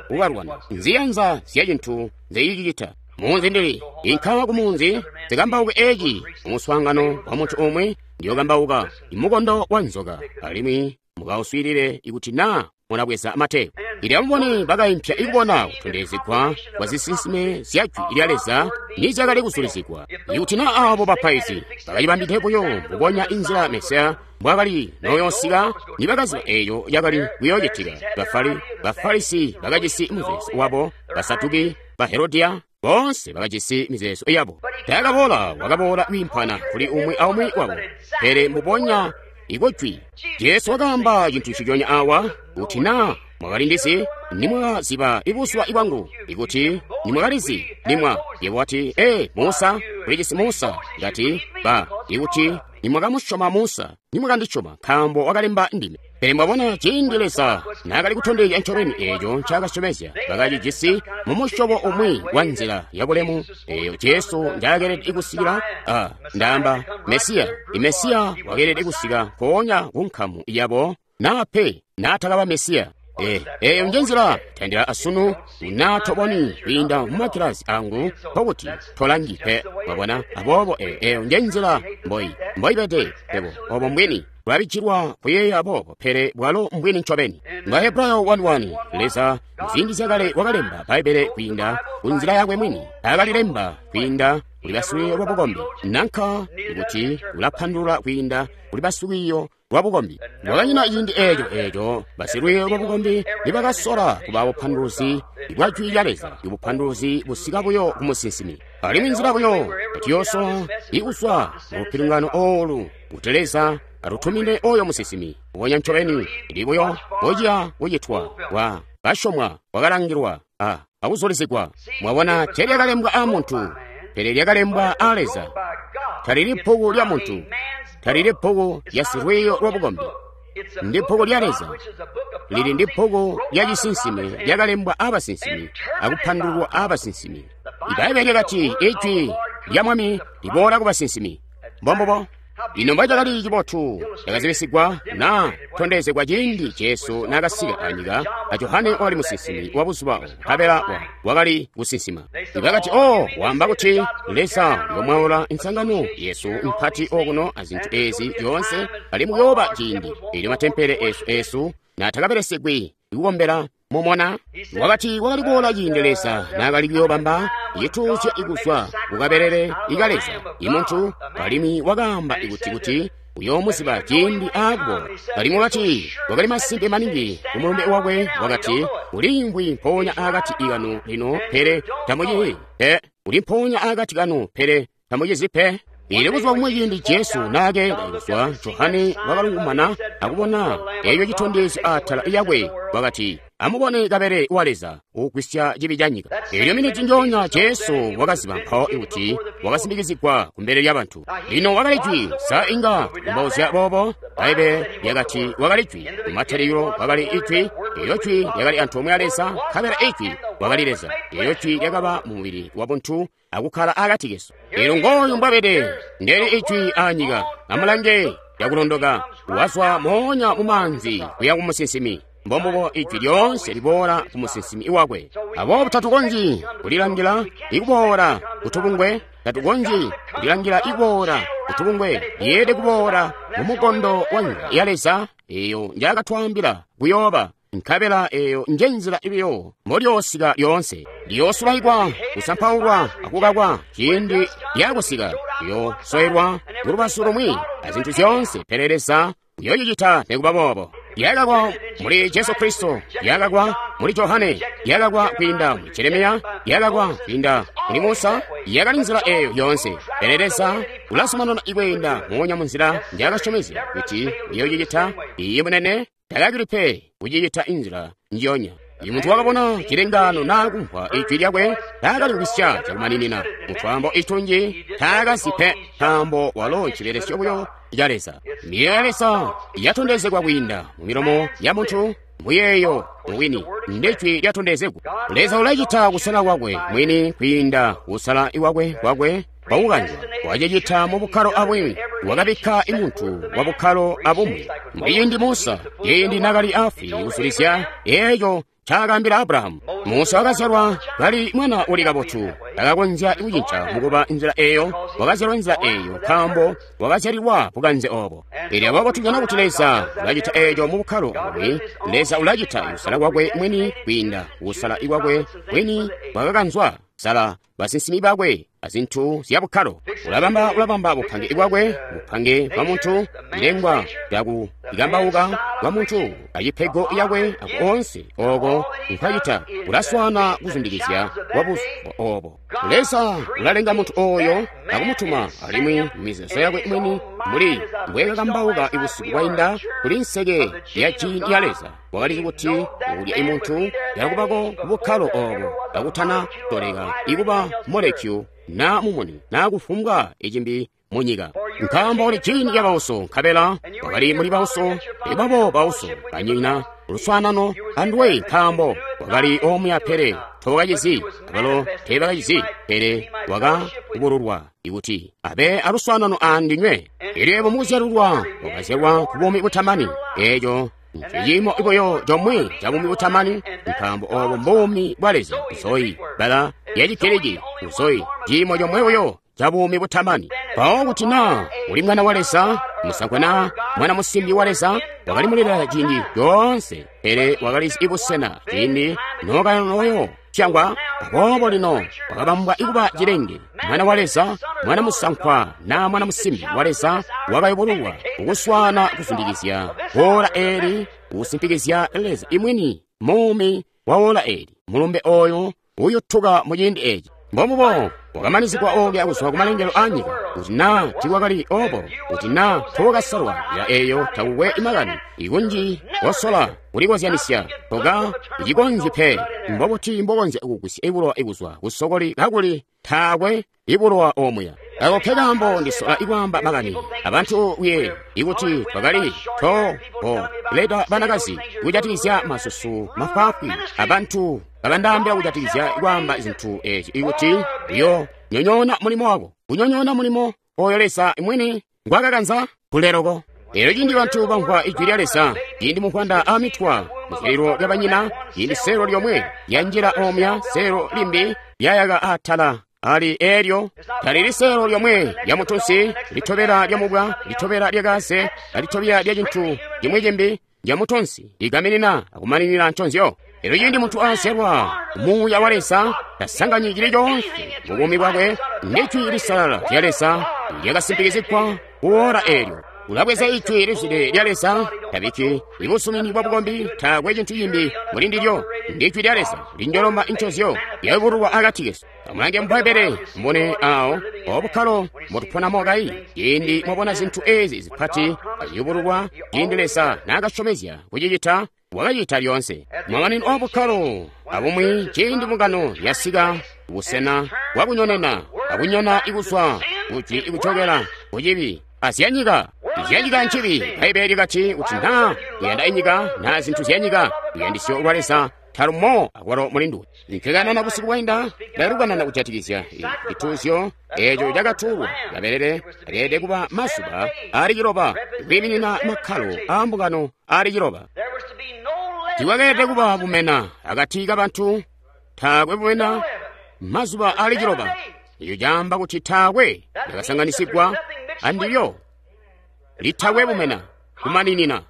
kubalwana. Nziyanza zya cintu nzeyicicita. Munzi ndili inka ku munzi zikambauke eci umuswaangano wa muntu umwe ndiyokambauka imukondo wa nzoka, alimwi mukauswiilile ikuti naa munabweza matepu. Ili amubone bakaimpya ikubona kutondezegwa kwa zisinsime zya jwi lya Leza nizyakali kuzulizigwa. Ikuti naa abo bapaizi bakacibambide buyo mbubonya inzila Mesiya mbwakali noyoosika, nibakaziba eeyo yakali kuyoocitika. Bafarisi bakajisi muzeezo wabo, Basaduki, Baherodiya, boonse bakajisi mizeezo yabo. Taakaboola wakaboola kwiimpana kuli umwi aumwi wabo, pele mbubonya ikujwi. Jesu wakaamba cintu nciconya awa, kuti naa mwakalindizi nimwakaziba ibuzuba bwangu, ikuti nimwakalizi nimwa. Yebo wati, ee, Musa, ulijisi Musa. Ngati, ba, ikuti nimwakamusyoma Musa, nimwakandisyoma, nkaambo wakalemba ndime. Pele mwabona ciindi Leza naakali kutondezya ncobeni eeco ncaakasyomezya, bakacijisi mumusyobo umwi wa nzila yabulemu eeyo Jesu njaakeelede kusikila. Ndaamba Mesiya. Imesiya wakeelede kusika mpoonya ku nkamu yabo, naa pe naatakaba Mesiya. Eeyo njenzila tandila asunu naa toboni kwiinda mumakilasi angu nkokuti tolangi pe. Mwabona? Aboobo eeyo njenzila mboibede pebo obo mbwini bwabijilwa kuyeeya boobo, pele bwalo mbwini ncobeni. Bahebrayo 1:1, Leza muziindi zyakale wakalemba Bbaibbele kwiinda kunzila yakwe mwini. Akalilemba kwiinda kuli basikwiiyo lwa bukombi, nanka kuti ulapandulula kwiinda kuli basikwiiyo lwa bukombi. Kwakanyina ciindi eeco basilwiiyo lwa bukombi nibakasola kuba bupanduluzi bwa jwi lya Leza, ibupanduluzi busika buyo ku musinsimi. Alimwi nzila buyo tuyoosola ikuzwa mu lupilingano oolu kuti Leza atutumine oyo musinsimi ubonya ncobeni ili buyo bociya kucitwa kwa kasyomwa, kwakalangilwa akuzulizigwa. Mwabona, teelyakalembwa a muntu, pele lyakalembwa a Leza. Talili bbuku lya muntu, talili bbuku lya silwiiyo lwa bukombi, ndi bbuku lya Leza. Lili ndi bbuku lya cisinsime lyakalembwa abasinsimi akupandululwa abasinsimi. Ibaibbele lyakati ijwi lya Mwami liboola ku basinsimi. Mbombubo. Ino mbocakali cibotu cakazibisigwa naa tondezegwa ciindi Jesu naakasika anyika, a Johane wakali musinsimi wa buzuba obo, nkabela wakali kusinsima. Bakati, oh, waamba kuti Leza uyomwaula insangano yesu mpati okuno azintu ezi zyoonse, alimwi kuyooba ciindi eelyo matempele esu naatakabelesegwi kukombela mumona. Wakati wakali kuboola ciindi Leza naakali kuyoobamba cituuzyo ikuzwa kukabelele ika Leza imuntu, alimwi wakaamba kuti uyoomuziba ciindi aakuboola. Alimwi wakati wakali masimpe maningi ku mulumbe wakwe, wakati uliimvwi mpoonya akati kanu lino, pele tamucizi pe. Uli mpoonya akati kanu, pele tamucizi pe. Ili buzuba bumwi ciindi Jesu naakeenda kuzwa, Johane wakalungumana akubona eeco citondezyo atala yakwe, wakati, amubone kabelele wa Leza uugwisya cibi ca nyika. Eelyo miniti njoonya Jesu wakaziba mpawo kuti wakasindikizigwa kumbele lya bantu. Lino wakali jwi, sa inga kumbauzya boobo? Bbaibbele lyakati wakali jwi, kumatalikilo wakali ijwi, eelyo jwi lyakali antoomwe a Leza, nkabela ijwi wakali Leza. Eelyo jwi lyakaba mu mubili wa buntu akukkala akati kesu. Eelyo ngooyu mbwabede, ndeli ijwi anyika. Amulange lyakulondoka, wazwa moonya mu maanzi kuya ku musinsimi. Mbombubo ijwi lyoonse liboola ku musinsimi wakwe. Aboobo tatukonzyi kulilangila ikuboola kutubungwe, tatukonzyi kulilangila ikuboola kutubungwe, lyeelede kuboola mu mukondo wa nyika ya Leza eyo njaakatwaambila kuyooba. Nkabela eyo nje nzila ibiyo mbolyoosika lyoonse. Liyoosulaikwa, kusampaulwa, akukakwa ciindi lyakusika. Liyoosoelwa kulubazu lumwi azintu zyoonse, pele Leza uyoocicita nikuba boobo. Lyakakwa muli Jesu Kristo, lyakakwa muli Johane, lyakakwa kwiinda muli Jeremiya, lyakakwa kwiinda muli Musa, yakali nzila eyo yoonse. Pele Leza ulazumanana ikweenda moonya munzila njaakasyomezya kuti uyoocicita. Iye munene takakili pe kucicita inzila njiyonya. Imuntu wakabona cilengaano naa kumvwa ijwi lyakwe taakali kubisya cakumaninina. Mutwaambo itunji taakazi pe, nkaambo walo ncibelesyo buyo ca Leza. Miyeeyo ya Leza yatondezegwa kwiinda mu milomo ya muntu, muyeeyo mwini ndijwi lyatondezegwa. Leza ulacita kusala kwakwe mwini kwiinda kusala iwakwe kwakwe kwakukanzwa. Wacicita mu bukkalo abumwi, wakabikka imuntu wa bukkalo abumwi. Muciindi Musa, ciindi nakali afwi kuzulizya eeco ncaakaambila Abrahamu. Musa wakazyalwa kali mwana uli kabotu, takakonzya kucinca mukuba nzila eyo. Wakazyalwa nzila eyo nkaambo wakazyalilwa bukanze obo. Elyo aboobo tujana kuti Leza ulacita eeco mu bukkalo abumwi. Leza ulacita kusala kwakwe mwini kwiinda kusala ikwakwe mwini kwakakanzwa sala basinsimi bakwe azintu zya bukkalo. Ulabamba, ulabamba bupange bwakwe, bupange bwa muntu, ilengwa lyaku ikambauka kwa muntu, acipego yakwe aku onse oko nkwacita ulaswana kuzundikizya kwa buzuba obo. Leza ulalenga muntu oyo akumutuma, alimwi mizeezo yakwe mwini muli mbwekakambauka ibusiku bwainda kuli nseke ya jini ya Leza. Wakalizi kuti ukulya imuntu yakubako kubukkalo obo kakutana toleka ikuba molekyu na mumuni na kufumbwa icimbi munyika, nkaambo uli jini ya bauso, nkabela wakali muli bauso, ibabo bauso banyina luswaanano anduwe, nkaambo wakali omuya pele tobakacizi, abalo teebakacizi, pele wakakubululwa ikuti abe aluswaanano andinywe. Elyo ebo mukuzyalulwa wakazyalwa ku buumi butamani. Eeco nciimo buyo comwe ca buumi butamani, nkaambo obo mbuumi bwa Leza. Zoe, bbala lya Chigiriki, Zoe, ciimo comwe buyo ca buumi butamani. Mpawo kuti naa uli mwana wa Leza, musankwa naa mwana musimbi wa Leza, wakali mulela ciindi coonse, pele wakalizi ibusena ciindi nookanoyo syangwa. Aboobo lino wakabambwa ikuba cilenge, mwana wa Leza, mwana musankwa naa mwana musimbi wa Leza, wakayubululwa kukuswana kuzundikizya woola eeli, kusimpikizya Leza imwini muumi wa woola eeli. Mulumbe oyo uyutuka mu ciindi eeci. Mbomubo wakamanizigwa oolya kuzwa kumalengelo a nyika, kuti naa tiikwakali obo, kuti naa tookasalwa nzila eyo takukwe makani ikunji kosola kulikozyanisya toka icikonzyi pe. Mbobuti mbokonzya kugwisya ibulowa ikuzwa kusokoli kakuli taakwe ibulowa omuya? Ako ke kaambo ndisola ikwaamba makani abantu kuye ikuti twakali to leta banakazi kujatikizya masusu mafwaafwi, abantu kabandaambila kujatikizya kwaamba zintu ezi ikuti uyo nyonyoona mulimo wako, kunyonyoona mulimo oyo Leza mwini ngwakakanza kuleroko. Elyo ciindi bantu bamvwa ijwi lya Leza, ciindi muvwanda amitwa muzyalilo lya banyina, ciindi seelo lyomwe lyanjila omya, seelo limbi lyayaka atala ali elyo talili seelo lyomwe lya mutunsi, litobela lya mubwa, litobela lya kaze, alitobela lya cintu cimwi cimbi lya mutunsi, ligaminina akumaninina nconzyo. Elyo ciindi muntu azyalwa Muuya wa Leza, tasanganyi cili coonse mu buumi bwakwe ndijwi lisalala lya Leza lyakasimpikizigwa kuora elyo. Ulabweza ijwi lizwide lya Leza, tabikki ibusumini bwa bukombi, taakwe cintu cimbi muli ndilyo. Ndijwi lya Leza linjoloma incozyo lyayubululwa akati kesu. Amulange mu Bbaibbele mubone awo obukkalo mbotuponamo kayi. Ciindi mwabona zintu ezi zipati aziyubululwa, ciindi Leza naakasyomezya kucicita, wakacita lyoonse. Mamanino obukkalo abumwi, ciindi mbungano yasika busena bwakunyonena akunyona ikuzwa kujwi ikujokela kucibi azyanyika. Zyanyika ncibi. Bbaibbele likati kuti naa kuyanda inyika naa zintu zyanyika, luyandisyo lwa Leza talumo akwalo mulinduwe. Nkekanana busiku bwainda, ndakalukanana kujatikizya cituuzyo eeco cakatuulwa kabelele akeelede kuba mazuba aali ciloba, kwiiminina makkalo aa mbungano aali ciloba. Tiikwakeelede kuba bumena akati kabantu, taakwe bumena mazuba aali ciloba. Eco caamba kuti taakwe lyakasanganisigwa andilyo, litakwe bumena kumaninina.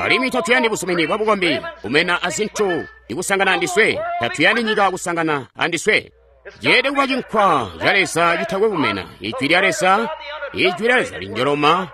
Alimwi tatuyandi busumini bwa bukombi kumena azintu ikusangana andiswe. Tatuyandi nyika kusangana andiswe. Jeede kuba cinkwa ca Leza citakwe bumena. Ijwi lya Leza, Ijwi lya Leza linjoloma,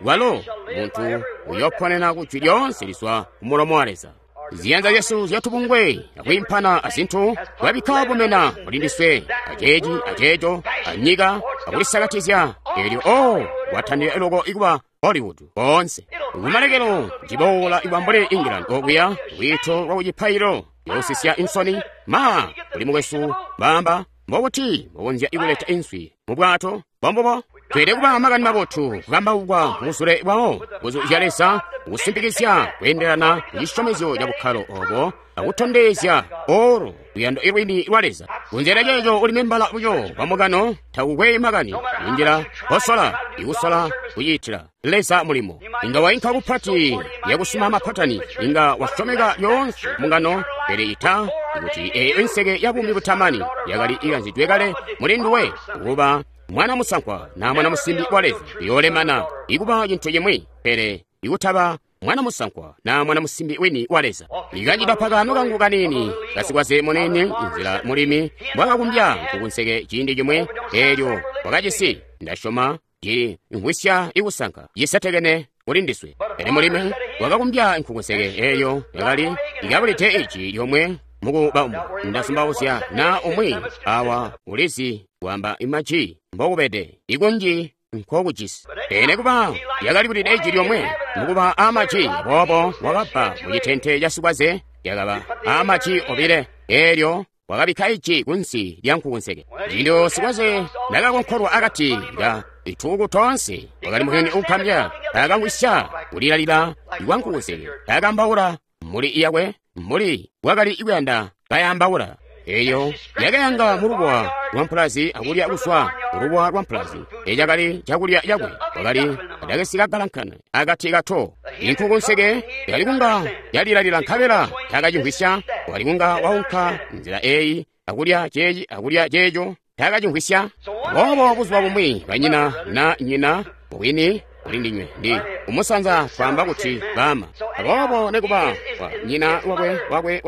walo muntu uyoponena ku jwi lyoonse lizwa ku mulomo wa Leza. Ziyanza zyesu zyatubungwe akwiimpana azintu twabikka bumena muli ndiswe, aceeci aceeco, anyika akulisakatizya. Eelyo o watandila loko ikuba Hollywood koonse. Kumalekelo ciboola iba mbuli England okuya lwiito lwa kucipaililo yoosisya insoni ma kuli mukwesu bamba mbokuti mukonzya ikuleta inswi mu bwato bombubo. Tweelede kuba makani mabotu kukambaukwa muzule bwawo nguzu zya Leza kusimpikizya kweendelana kucisyomezyo ca bukkalo obo akutondezya olo luyando ilwini lwa Leza. Kunzela ceeco uli membala buyo wa mukano takukwe makani injila kosola ikusola kuciitila Leza mulimo. Inga wainka kupati yakusuma mapatani, inga wasyomeka lyoonse mungano, pele ita kuti eyo inseke ya buumi butamani yakali ikanzidwe kale muli nduwe kuba mwana musankwa na mwana musimbi wa Leza yolemana ikuba cintu cimwi, pele ikutaba mwana musankwa na mwana musimbi wini wa Leza. Ikanjida pakano kangu kanini kasikwaze munene inzila mulimi mbwakakumbya nkukunseke ciindi cimwe eelyo wakacisi ndasyoma cili ngwisya ikusanka cisetekene kuli ndiswe. Pele mulimi wakakumbya nkukunseke eeyo yakali ikabulide iji lyomwe mukuba umwe. Ndasumbauzya na umwi awa ulizi kwamba imaji mbokubede ikunji nkokujisi. Pele kuba yakalibulide iji lyomwe mukuba amaji, aboobo wakabba mucitente ca sikwaze yakaba amaji obile. Eelyo wakabikka iji kunsi lya nkukunseke. Ciindi sikwaze nakakonkolwa akati ka ituku tonse wakali muyuni uukambya taakangwisya kulilalila kwa nkukunseke, taakambaula muli iyakwe mbuli wakali ikuyanda kayambaula. Eyo yakayanga mulubuwa lwa mpulazi akulya kuswa mulubuwa lwa mpulazi. Eyo cakali cakulya cakwe wakali adakesi kagalankana akati kato. Inkukunseke yakali kunga yalilalila nkabela taakacimvwisya. Wakali kunga waunka nzila eyi akulya ceeci akulya ceeco taakacimvwisya. Boobo buzuba bumwi banyina na nyina mubwini kuli ndinywe ndi kumusanza kwaamba kuti bama. Aboobo nekuba wa nyina wakwe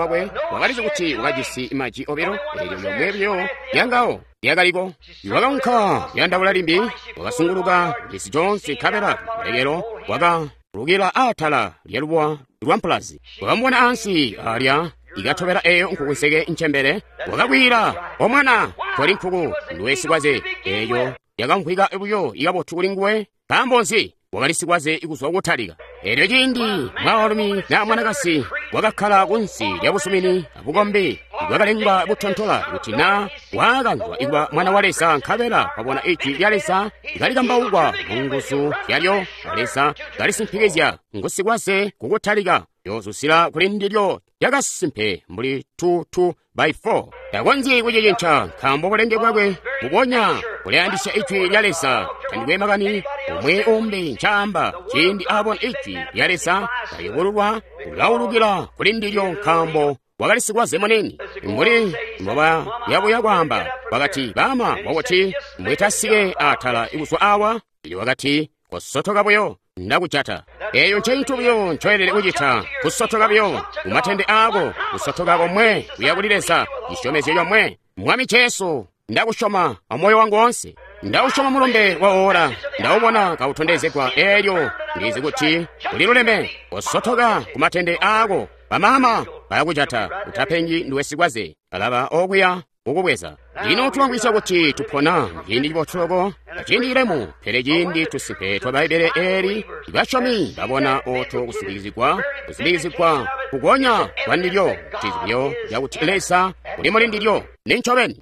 wakalizi kuti wakajisi maji obilo, eelyo yomwe buyo yangawo yakaliko. Wakaunka kuyandaula limbi, wakasunguluka cisi conse nkabela malekelo wakalukila atala lya lubuwa lwa mpulazi. Wakamubona ansi alya ikatobela eyo nkukunseke ncembele. Wakakwila, omwana toli nkuku nduwe sikwaze. Eyo yakamvwika buyo ikabotu kuli nguwe. Nkaambo nzi? Wakali sikwaze ikuzwa kutalika. Eelyo ciindi mwaalumi na mwanakasi wakakkala kunsi lya busumini abukombi bwakalengwa butontola kuti na waakanzwa ikuba mwana wa Leza nkabela wabona ijwi lya Leza likalikambaukwa mu nguzu zyalyo a Leza kalisimpikizya ngusikwaze kukutalika yozusila kuli ndilyo lyakasimpe mbuli 2 by 4. Takonzyi kucicinca nkaambo bulenge bwakwe bubonya bulayandisya ijwi lya Leza. Tandikwe makani umwi umbi ncaamba ciindi abona ijwi lya Leza kayubululwa ulaulukila kuli ndilyo nkaambo wakali sikwaze munene. Mbuli mboba yabuya kwaamba wakati bama wakuti mbwetasike atala ikuzwa awa. Ili wakati kosotoka buyo ndakujata. Eyo ncintu buyo ncoelele kucita, kusotoka buyo kumatende aako, kusotoka komwe kuya kuli Leza, cisyomezyo comwe. Mwami Jesu, ndakusyoma amoyo wangu wonse. Ndausyoma mulumbe wa ora, ndaubona kautondezegwa. Eelyo ndizi kuti uliluleme. Kosotoka kumatende aako, bamama bayakujata. Utapengi ndiwe sikwaze, alaba okuya kukubweza. Lino tulangwisya kuti tupona ciindi cibotuloko aciindi cilemu, pele ciindi tusimpe twa Bbaibbele eeli basyomi babona oto kusimbikizigwa kugonya kwa ndilyo, cizibyo cakuti Leza uli muli ndilyo nincobeni.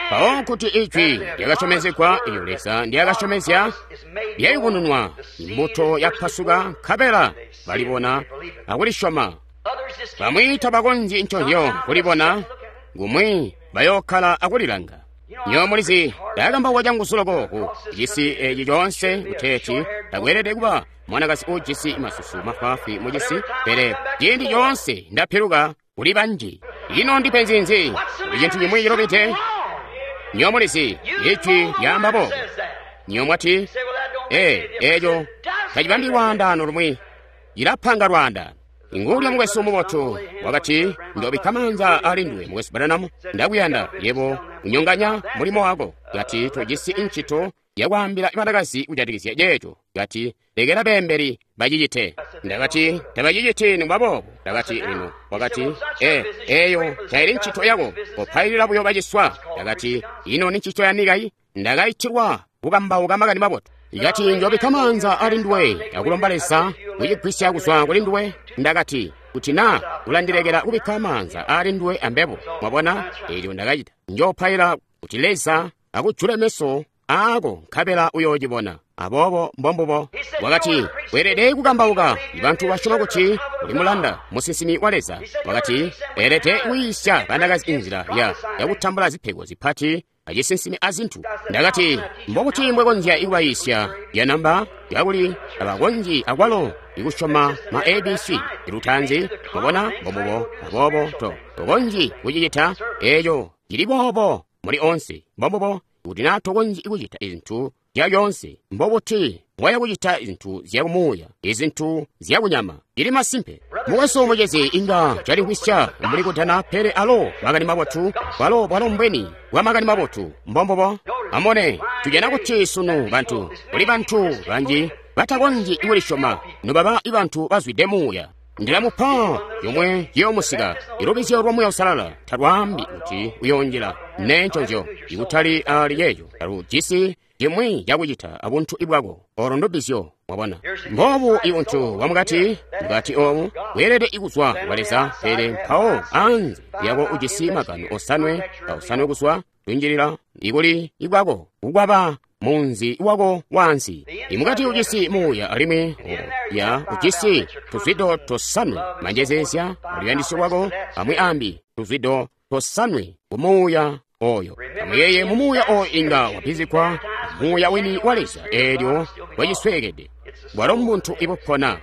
Mpawo kuti ijwi lyakasyomezegwa iyo Leza ndyakasyomezya lyayubununwa, imbuto yapasuka nkabela balibona akulisyoma. Bamwi tabakonzyi nconzyo kulibona, kumwi bayokkala akulilanga. Nyo mulizi ndakambauka canguzu loko ku cisi eci coonse kuteeti takweelede kuba mwanakazi uujisi masusu mafwaafwi mu cisi, pele ciindi coonse ndapiluka kuli banji. Ino ndipenzi nzi? Kuli cintu cimwi cilubide. Nyo mulizi ijwi lyaamba boobo. Nyo mwati, eeco tacibambi lwaandaano lumwi. Ilapanga lwaanda. Nguulya mukwesu mubotu wakati, ndobikka maanza ali nduwe, mukwesu Branham, ndakuyanda yebo unyonganya mulimo wako. Kati tojisi ncito yakwaambila banakazi kujatikizya ceeco. Kati lekela beembeli bacicite. Ndakati tabaciciti nikuba boobo. Ndakati lino, wakati eyo taili ncito yako, kopailila buyo baciswa. Ndakati ino ni ncito yanikayi? Ndakaitilwa kukambauka makani mabotu. Ikati njobikka maanza ali nduwe akulomba Leza kucigwisya kuzwa kuli nduwe. Ndakati kuti na ulandilekela kubikka maanza ali nduwe ambebo. Mwabona, eelyo ndakacita. Njopaila kuti Leza akujule meso aako nkabela uyoocibona. Aboobo mbombubo. Wakati weelede kukambauka. Bantu basyoma kuti uli mulanda musinsimi wa Leza. Wakati weelede kuyiisya banakazi inzila yakutambula zipego zipati acisinsimi azintu. Ndakati mbokuti mbwekonzya ikubayiisya yanamba yakuli abakonzyi akwalo ikusyoma ma ABC ilutanzi. Mwabona, mbombubo. Aboobo tokonzyi kucicita eeco cili boobo muli onse. Mbombubo. Kuti na tokonzyi kucita izintu zyalyonse, mbobuti mbwaya kucita izintu zyakumuuya, izintu zyakunyama? Cili masimpe. Mukwesu mucezi inga calimvwisya mbuli kudana, pele alo makani mabotu, bwalo bwalo mbweni bwa makani mabotu. Mbombubo. Amone, tujana kuti sunu bantu, kuli bantu banji batakonzyi kulisyoma, nobaba bantu bazwide muuya. Ndilamupa yomwe yoomusika. Ilubizyo lwa Muuya Uusalala talwaambi kuti uyoonjila nenconzyo, ikutali ali yeeyo. Talujisi cimwi cakucita abuntu bwako. Olo ndubizyo, mwabona. Mboobu ibuntu bwamukati, mukati oobu bweelede ikuzwa kwa Leza, pele mpawo anze lyako ujisi magano osanwe aosanwe kuzwa kunjilila ikuli ibwako kukwaba munzi wako wansi. Imukati ujisi muuya alimwi ya ujisi tuzwido tosanwe, manjezezya aluyandisyo lwako amwi ambi tuzwido tosanwe kumuuya oyo. Amuyeye mumuuya oyo inga wapizikwa muuya wini wa Leza eelyo wacisweekede. Bwalo mbuntu ibupona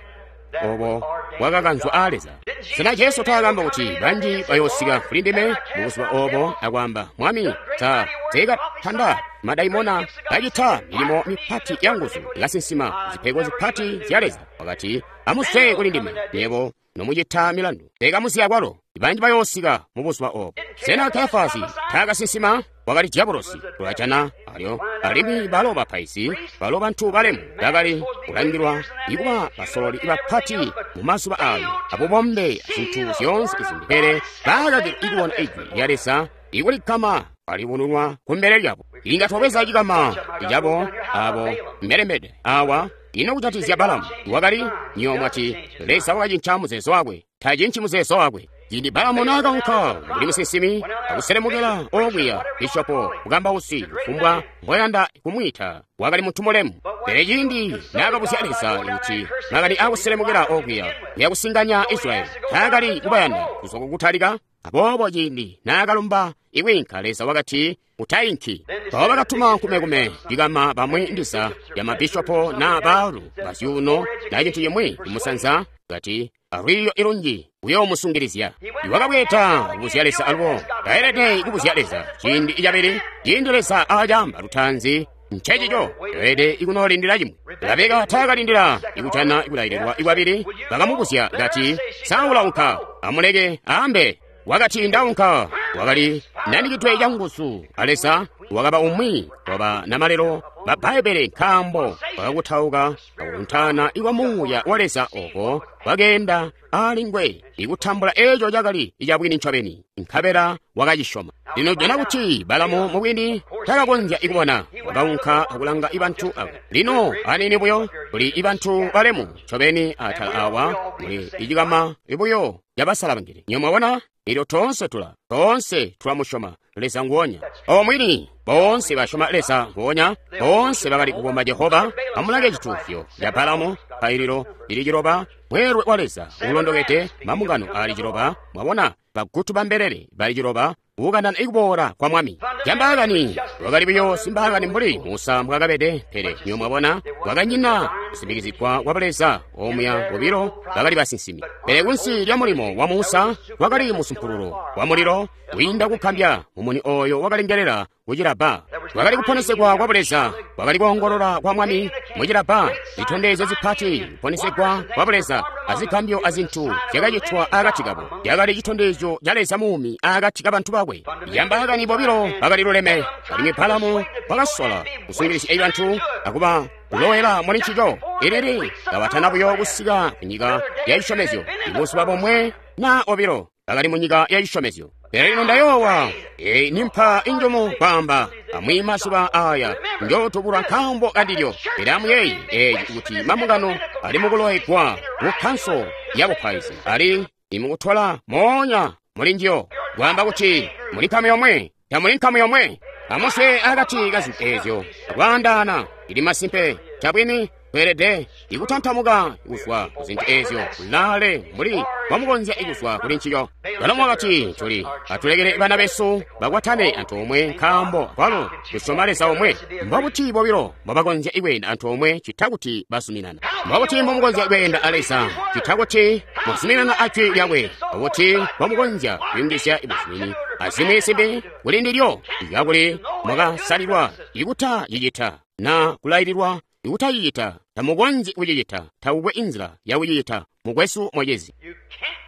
obo bwakakanzwa a Leza. Sena Jesu taakamba kuti banji bayoosika kuli ndime mubuzuba obo akwaamba, Mwami, ta teekatanda madaimona, kacita milimo mipati ya nguzu, kasinsima zipego zipati zya Leza. Wakati, amuzwe kuli ndime nywebo nomucita milandu. Teekamuziya kwalo. Banji bayoosika mubuzuba obo. Sena Kefasi taakasinsima? Wakali diabolosi. Tulajana alyo alimwi balo bapaizi, balo bantu balemu bakali kulangilwa ikuba basololi bapati mu mazuba ayo abubombe azintu zyoonse izimbi, pele baakakilwa ikubona ijwi lya Leza ikulikama alibununwa kumbele lyabo. Inga twabweza cikama cabo abo mbelembede awa. Ino kucatizya Balamu wakali nyo mwati Leza wakacinca muzeezo wakwe. Tacinci muzeezo wakwe. Ciindi Balamu naakaunka mbuli musinsimi akuselemukela okwiya bishopo mukambausi kufumbwa mboyanda kumwiita, wakali muntu mulemu. Pele ciindi naakabuzya Leza kuti makani akuselemukela okwiya kuyakusinganya Israyeli, taakali kubayanda kuzwa kukutalika. Aboobo ciindi naakalumba ikwiinka, Leza wakati utainki. Mpawo bakatuma nkumekume cikama bamwi ndiza ya mabishopo na baalu bazyuuno na cintu cimwi kumusanza, kati alwiiyo ilunji uyoomusungilizya. Iwakabweta kubuzya Leza alubo taelede kubuzya Leza ciindi icabili. Ciindi Leza aacamba lutaanzi ncecico elede ikunoolindila cimwi. Rabeka taakalindila ikujana ikulaililwa ikwabili. Bakamubuzya kati, sa ulaunka? Amuleke aambe. Wakati ndaunka. Wakali nanikidwe canguzu a Leza. Wakaba umwi waba namalelo ba Bbaibbele, nkaambo wakakutauka akukuntana ikwa muuya wa Leza oko wakeenda alingwe ikutambula eco cakali icabwini ncobeni, nkabela wakacisyoma. Lino jana kuti Balamu mubwini takakonzya ikubona. Wakaunka akulanga ibantu abo. Lino anini buyo kuli ibantu balemu ncobeni atala awa muli icikama buyo cabasalabangili. Nyo mwabona? Elyo toonse tulamusyoma Leza nguonya. Obo mwini boonse basyoma Leza nguonya, boonse bakali kukomba Jehova. Amulange cituuzyo ca Balamu, paililo lili ciloba, mweelwe wa Leza ulondokede, mambungano ali ciloba. Mwabona, bagutu ba mbelele bali ciloba, ukanana ikuboola kwa Mwami. Cambaakani wakali buyo simbaakani mbuli Musa mbwakabede, pele nyo mwabona wakanyina kusimbikizigwa kwa Leza. Omuya bobilo bakali basinsimi, pele kunsi lya mulimo wa Musa wakali musumpululo wa mulilo wiinda kukambya. Mumuni oyo wakalengelela kucilabba. Kwakali kuponesegwa kwa Buleza, kwakali koongolola kwa Mwami mucilabba, zitondezyo zipati, kuponesegwa kwa Buleza, azigambyo azintu zyakacitwa akati kabo. Cakali citondezyo ca Leza muumi akati kabantu bakwe. Yambaakani bobilo bakali luleme, alimwi Balamu wakasola kusungilizya bantu akuba kulowela muli ncico. Ilili kabatana buyo kusika ku nyika ya cisyomezyo, ibuzuba bomwe na obilo bakali mu nyika ya cisyomezyo. Pele lino ndayoowa, eyi nimpa injumu kwaamba, amwi mazuba aya njootubulwa nkaambo kandilyo. Pele amuyeeye eeci kuti mambungano ali mukulowegwa ku kkanso ya bupaizi, ali imukutola moonya muli njiyo, kwaamba kuti muli nkamu yomwe, tamuli nkamu yomwe. Amuswe akati ka zintu eezyo, akwaandaana, ili masimpe, cabwini tweelede ikutantamuka kuzwa ku zintu eezyo kulaale mbuli mbomukonzya kuzwa kuli ncico. Balamu wakati, tuli atulekele bana besu bakwatane antoomwe nkaambo kwalo tusyoma Leza omwe. Mbobuti bobilo mbobakonzya kweenda antoomwe cita kuti bazuminana? Mbobuti mbomukonzya kweenda a Leza cita kuti muzuminana a Jwi lyakwe? Mbobuti mbomukonzya kuyungizya buzumini azimwi zimbi kuli ndilyo kakuli mwakasalilwa ikutacicita na kulaililwa ikutacicita? Tamukonzyi kucicita, takukwe inzila yakucicita, mukwesu mucizi.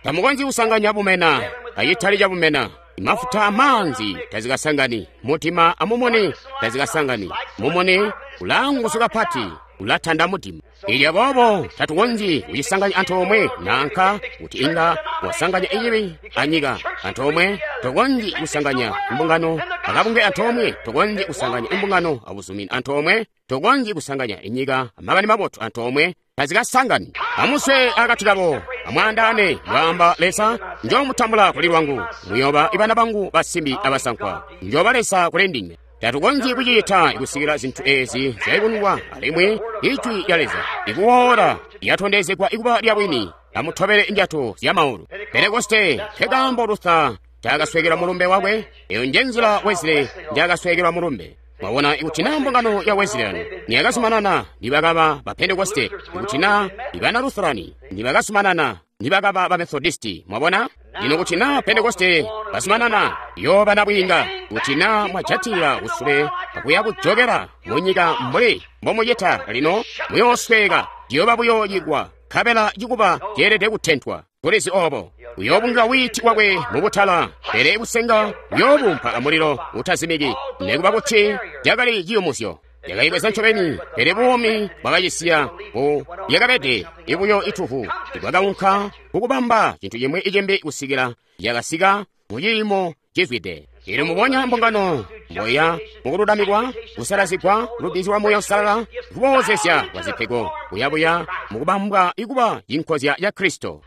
Tamukonzyi kusanganya bumena acitali cabumena. Mafuta amaanzi tazikasangani, mudima amumuni tazikasangani. Mumuni ulaanguzu kapati, ulatanda mudima. Ilyo boobo tatukonzyi kucisanganya antoomwe nanka kuti inga wasanganya icibi anyika antoomwe. Tokonzyi kusanganya imbungano akabunge antoomwe, tokonzyi kusanganya imbungano abuzumini antoomwe, tokonzyi kusanganya inyika amakani mabotu antoomwe, tazikasangani. Amuswe akati kabo, amwaandaane, mbwaamba Leza, njoomutambula kuli lwangu, muyooba ibana bangu basimbi abasankwa, njooba Leza kuli ndinywe. Tatukonzyi kucita kusikila zintu eezi zyayubununwa alimwi Ijwi lya Leza ikuwoola lyatondezegwa ikuba lyabwini. Amutobele ndyato zyamaulu. Pentekoste nkekaambo Luther ncaakasweekelwa mulumbe wakwe. Eyo njenzila Wesley njaakasweekelwa mulumbe. Mwabona, ikuti naa mbungano ya Wesleyan niyakazumanana nibakaba ba Pentekoste, ikuti naa ibana Lutherani nibakazumanana nibakaba ba Methodisti. Mwabona? Lino kuti naa Pentekoste bazumanana yooba nabwiinga, kuti naa mwajatila kusule akuya kujokela mu nyika mbuli mbomucita lino, muyoosweeka, ciyooba buyo cikwa, nkabela cikuba ceelede kutentwa. Tulizi obo. Uyoobunga wiiti wakwe mubutala, pele busenga uyoobumpa amulilo utazimiki. Nikuba kuti cakali ciyumusyo, yakayibweza ncobeni, pele buumi bwakacisiya bu lyakabede ibuyo ituvu ibwakaunka kukubamba cintu cimwi icimbi kusikila yakasika mu ciimo cizwide. Elyo mubonya mbungano mboya mukululamikwa, kusalazigwa, lubbizyo lwa Muuya Uusalala, kuboozesya kwa zipego, kuyabuya mukubambwa ikuba cinkozya ca Kristo.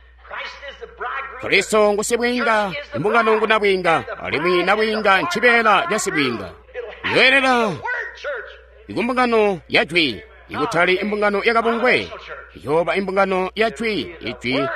Kristo ngu sibwiinga, imbungano ngu nabwiinga, alimwi nabwiinga ncibeela ca sibwiinga. Yoelela ikumbungano ya Jwi, ikutali imbungano yakabungwe, yooba imbungano ya Jwi. Ijwi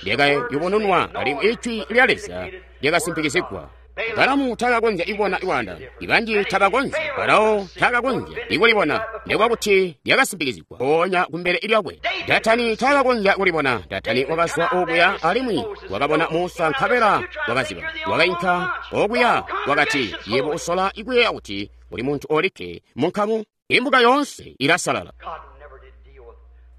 lyakayubununwa alimwi Ijwi lya Leza lyakasimpikizigwa. Balamu takakonzya kubona lwaandaano. Ibanji tabakonzyi. Farao takakonzya ikulibona, nikuba kuti lyakasimpikizigwa mpoonya kumbele lyakwe. Datani takakonzya kulibona. Datani wakazwa okuya alimwi wakabona Musa nkabela wakaziba. Wakainka okuya wakati, yebo usola ikuyeeya kuti uli muntu olikke munkamu, imbuga yoonse ilasalala.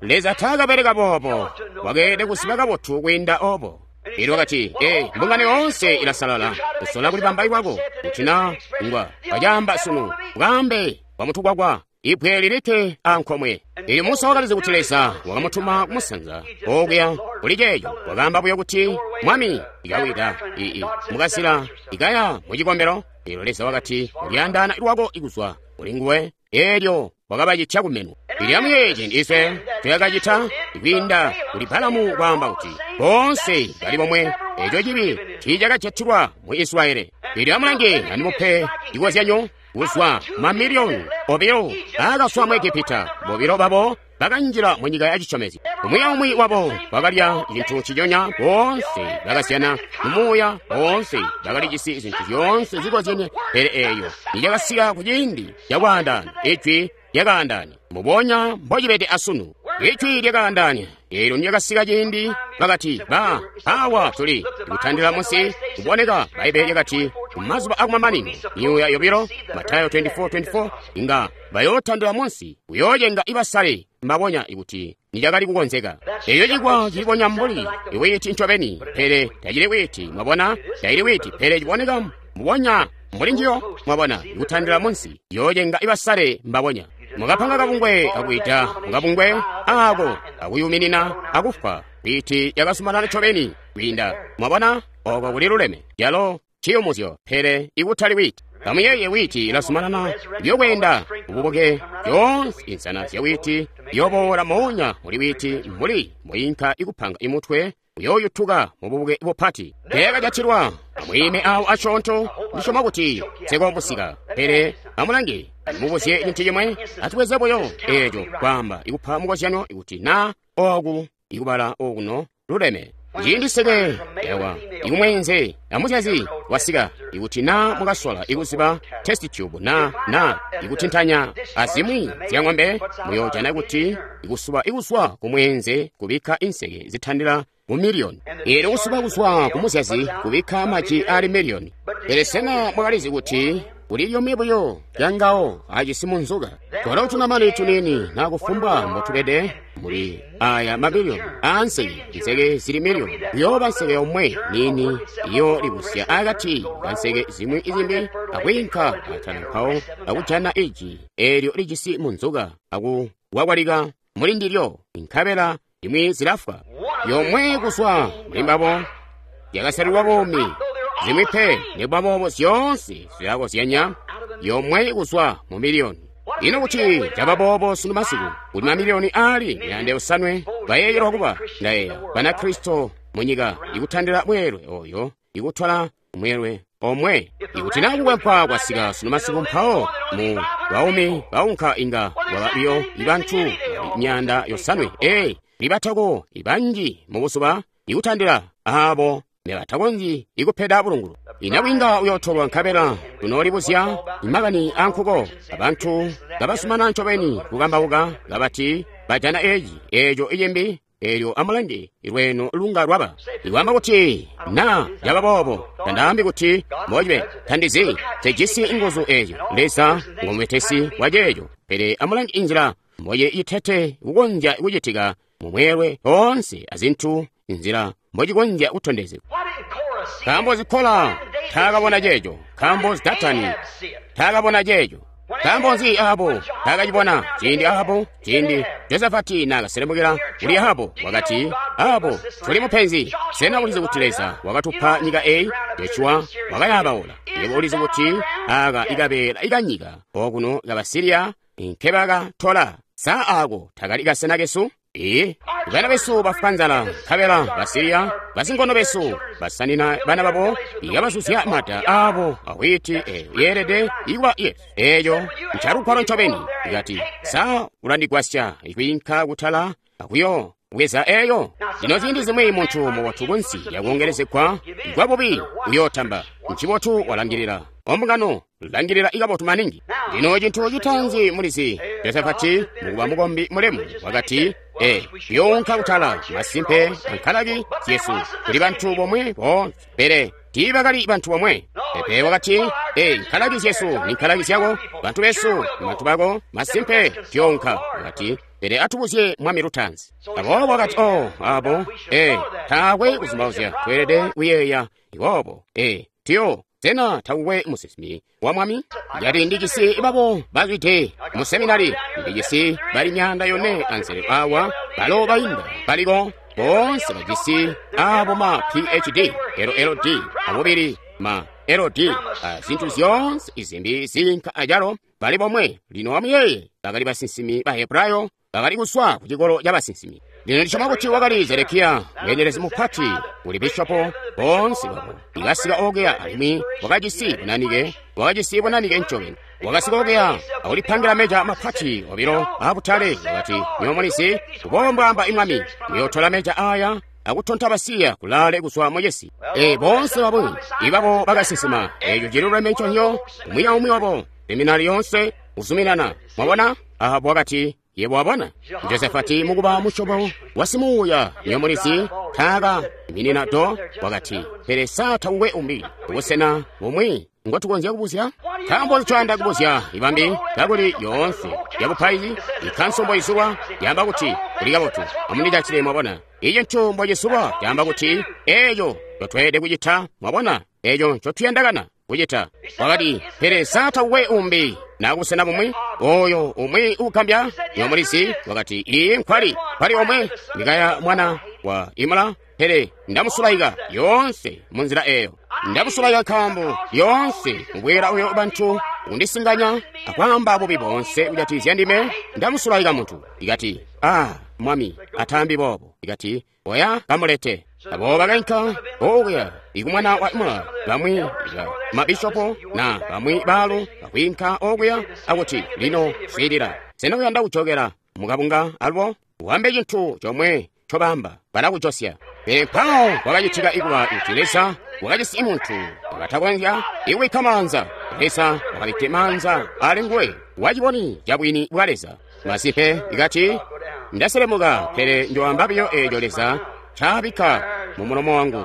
Leza takabeleka boobo, wakeelede kuziba kabotu kwiinda obo. Elyo wakati, ee, mbungano yoonse ilasalala, usola kulibamba lwako, kuti na ngwa kacaamba sunu, bwaambe bwamutukwakwa, ibwe lilikke ankomwe. Elyo Musa wakalizi kuti Leza wakamutuma kumusanza okuya kuli ceeco. Wakaamba buyo kuti, Mwami, ikawida ii mukazila ikaya mu cikombelo. Elyo Leza wakati, ulyaandaana lwako ikuzwa kuli nguwe. Elyo wakabacitya kumenwa. Elyo amuyeeye ciindi iswe tuyakacita kwiinda kuli Balamu kwaamba kuti boonse bali bomwe. Eco cibi tiicakajatilwa mu Israyeli. Elyo amulange andimupe cikozyanyo kuzwa mamiliyoni obilo aakazwa mu Egepita, bobilo babo bakanjila mu nyika ya cisyomezyo. Umwi aumwi wabo bakalya cintu nciconya, boonse bakazyana mumuuya, boonse bakalijisi zintu zyoonse zikozyenye. Pele eeyo nicakasika ku ciindi cakwaandaana, Ijwi lyakaandaana, mbubonya mbocibede asunu. Ijwi lyakaandaana. Eelyo nilyakasika ciindi, bakati, ba awa tuli kutandila munsi kuboneka. Bbaibbele lyakati Kumazuba akumamanino, myuuya yobilo, Matayo 24:24, inga bayootandila munsi, kuyoocenga ibasale mbabonya ikuti nicakali kukonzeka. Eyo cikwa cilibonya mbuli iwiiti ncobeni, pele tacili wiiti, mwabona, tacili wiiti, pele ciboneka mbubonya mbuli njiyo, mwabona, ikutandila munsi, yoocenga ibasale mbabonya. Mukapanga kabungwe akwiita mukabungwe ako akuyuminina akufwa. Wiiti yakasumanana ncobeni kwiinda, mwabona, oko kuli luleme. Yalo ciyumuzyo, pele ikutali wiiti. Kamuyeeye wiiti ilasumanana yokweenda ububuke yoonse insana zya wiiti yoboola moonya muli wiiti mbuli muyinka ikupanga imutwe uyooyutuka mububuke bupati. Teekajatilwa amwiime awo asyoonto, ndisyoma kuti nsekomusika. Pele amulange, mubuzye cintu cimwe, atubweze buyo eeco kwaamba ikupa mukozyano ikuti na oku ikubala okuno luleme. Ciindi seke yawa ikumweenze amuzyazi wasika ikuti na mukasola ikuziba test tube na ikutintanya azimwi zya ng'ombe, muyoojana kuti ikusuba ikuzwa kumweenze kubikka inseke zitandila mu miliyoni. Eelyo kusuba kuzwa kumuzyazi kubikka maji ali miliyoni. Pele sena mwakalizi kuti kuli lyomwe buyo lyangawo ajisi munzuka? Twalo tunamani tuniini na kufumbwa mbotubede muli aya mabiliyoni aanseke, nseke zili miliyoni, kuyooba nseke yomwe niini iyo libusya akati kanseke zimwi izimbi akwiinka atala mpawo akujana iji eelyo lijisi munzuka akuwakwalika muli ndilyo, nkabela imwi zilafwa. Yomwe kuzwa muli mbabo yakasalilwa buumi, zimwi pe nikuba boobo zyoonse zilakozyanya, yomwe kuzwa mu miliyoni. Ino kuti caba boobo sunu masiku, kuti mamiliyoni aali 500 bayeeyelwa kuba ndayeeya Banakristo munyika ikutandila mweelwe oyo ikutwala mweelwe omwe. Ikuti na kukwempwa kwasika sunu masiku mpawo mu baumi baunka inga bwaba biyo ibantu 500 libatako ibanji mubuzuba ikutandila abo nebatakonzyi ikupeda bulungulu. Inabwinga uyootolwa nkabela tunoolibuzya imakani ankuko abantu kabasumana ncobeni kukambauka kabati bajana eeci eeco icimbi. Eelyo amulange lweno lunga lwaba ikwaamba kuti na yaba boobo, tandaambi kuti mbocibele, tandizi, tejisi nguzu eezyo. Leza ngomubetesi wa ceeco. Pele amulange inzila mboye itete kukonzya kucitika mumweelwe oonse azintu, inzila mbocikonzya kutondezegwa. Nkaambo Zikola taakabona ceeco, nkaambo Datani taakabona ceeco, nkaambo nzi Ahabu taakacibona? Ciindi Ahabu, ciindi Josafati naakaselemukila kuli Ahabu, wakati, Ahabu, tuli mupenzi. Sena ulizi kuti Leza wakatupa nyika eyi? Joshua wakayaabaula. Yebo ulizi kuti aka ikabeela ikanyika okuno kabasiriya nkebakatola. Sa ako takali kasena kesu? Ee, bana besu bafwa nzala, nkabela Basiriya basinkono besu basanina bana babo ikabasuzya mata abo awiti eyo yeelede ikuba yesu. Eeyo ncalukwalo ncobeni. Ikati, sa ulandigwasya ikwiinka kutala akuyo bweza eyo? Lino ziindi zimwi muntu mubotu kunsi yakuongelezegwa kwabubi uyootamba. Ncibotu walangilila ombungano, langilila ikabotu maningi. Lino cintu citaanzi mulizi, Josafati mukuba mukombi mulemu wakati, younka kutala masimpe ankalaki zyesu kuli bantu bomwe boonse, pele tiibakali bantu bomwe. Pepe wakati, nkalaki zyesu ni nkalaki zyako, bantu besu ni bantu bako, masimpe tuyounka. Wakati, pele atubuzye mwami lutaanzi. Aboobo wakati, abo, taakwe kuzumbauzya, tweelede kuyeeya iwobo, tuyo. Sena takukwe musinsimi wa mwami? Yati ndijisi babo bazwide mu seminari, ndijisi bali 400 anzele awa balo bainda baliko boonse bajisi abo ma PhD, LLD, abubili ma LD, zintu zyoonse izimbi zinka ajalo bali bomwe. Lino amuyeye bakali basinsimi ba Hebrayo bakali kuswa ku cikolo ca basinsimi. Lino ndisyoma kuti wakali Zedekiya mweendelezi mupati kuli bishopo boonse babo ikasika okuya, alimwi wakajisi bunanike ncobeni. Wakasika okuya akulipangila meja mapati obilo aabutale. Wakati, nywebo mulizi, kuboobo mbwaamba imwami, muyootola meja aya akutonta basiya kulaale kuzwa mucisi. Boonse babo ibabo bakasinsima eeco ciluleme nconyo, umwi aumwi wabo seminari yoonse kuzuminana. Mwabona? Ahabu wakati, yebo wabona? Josafati mukuba musyobo wa simuuya, nywebo mulizi, Taaka iminina do. Wakati, pele sa takukwe umbi busena bumwi ngotukonzya kubuzya? Nkaambo ncoyanda kubuzya ibambi kakuli yoonse yabupaizi ikanso mboizulwa yaamba kuti kuli kabotu. Amundijatile, mwabona. Ici nco mbocizulwa caamba kuti eeco ncotweelede kucita, mwabona, eeco ncotuyandakana kucita. Wakati, pele sa takukwe umbi na kubusena bumwi oyo umwi ugambya nyomulizi. Wakati, iyi nkwali nkwali omwe Mikaya mwana wa Imula, pele ndamusulaika yoonse munzila eyo. Ndamusulaika nkaambo yoonse mubwera uyo bantu kundisinganya akwaamba bubi boonse kujatikizya ndime. Ndamusulaika muntu. Ikati, ah, mwami ataambi boobo. Ikati, oya kamulete. Abo bakainka okuya ikumwana wa Imula, bamwi mabishopo na bamwi baalu bakwiinka okuya akuti, lino swiilila, sena uyanda kujokela mukabunga alubo? Wambe cintu comwe ncobaamba, balakujosya. Pele mpawo kwakacitika ikuba kuti Leza wakajisi muntu wakatakonzya ikubikka maanza. Leza wakabikkile maanza ali nguwe waciboni cabwini bwa Leza. Masimpe ikati, ndaselemuka, pele njoamba biyo eeco Leza ncaabikka mu mulomo wangu.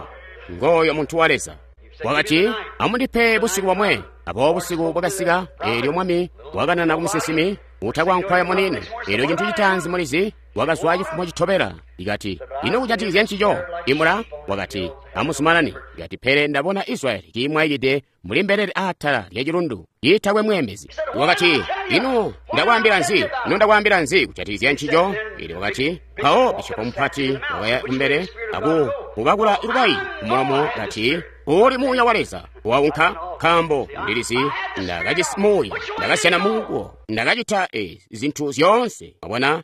Ngooyo muntu wa Leza. Wakati, amundipe busiku bomwe. Aboobo busiku bwakasika, eelyo mwami wakanana kumusinsimi utakwankwaya munini. Eelyo cintu citaanzi mulizi wakazwa cifumo citobela. Ikati, ino kujatikizya ncico? Imula wakati, amuzumanane. Ikati, pele ndabona Israyeli kiimwaikide muli mbelele atala lya cilundu iitakwe mweembezi. Wakati, ino ndakwaambila nzi? Ino ndakwaambila nzi kujatikizya ncico? Eelyo wakati, mpawo bishopo mupati wakaya kumbele aku mubakula lubayi kumulomo, kati, uli muuya wa Leza waunka, nkaambo ndilizi ndakajisi muuya, ndakasyana munguwo, ndakacita zintu zyoonse. Mwabona,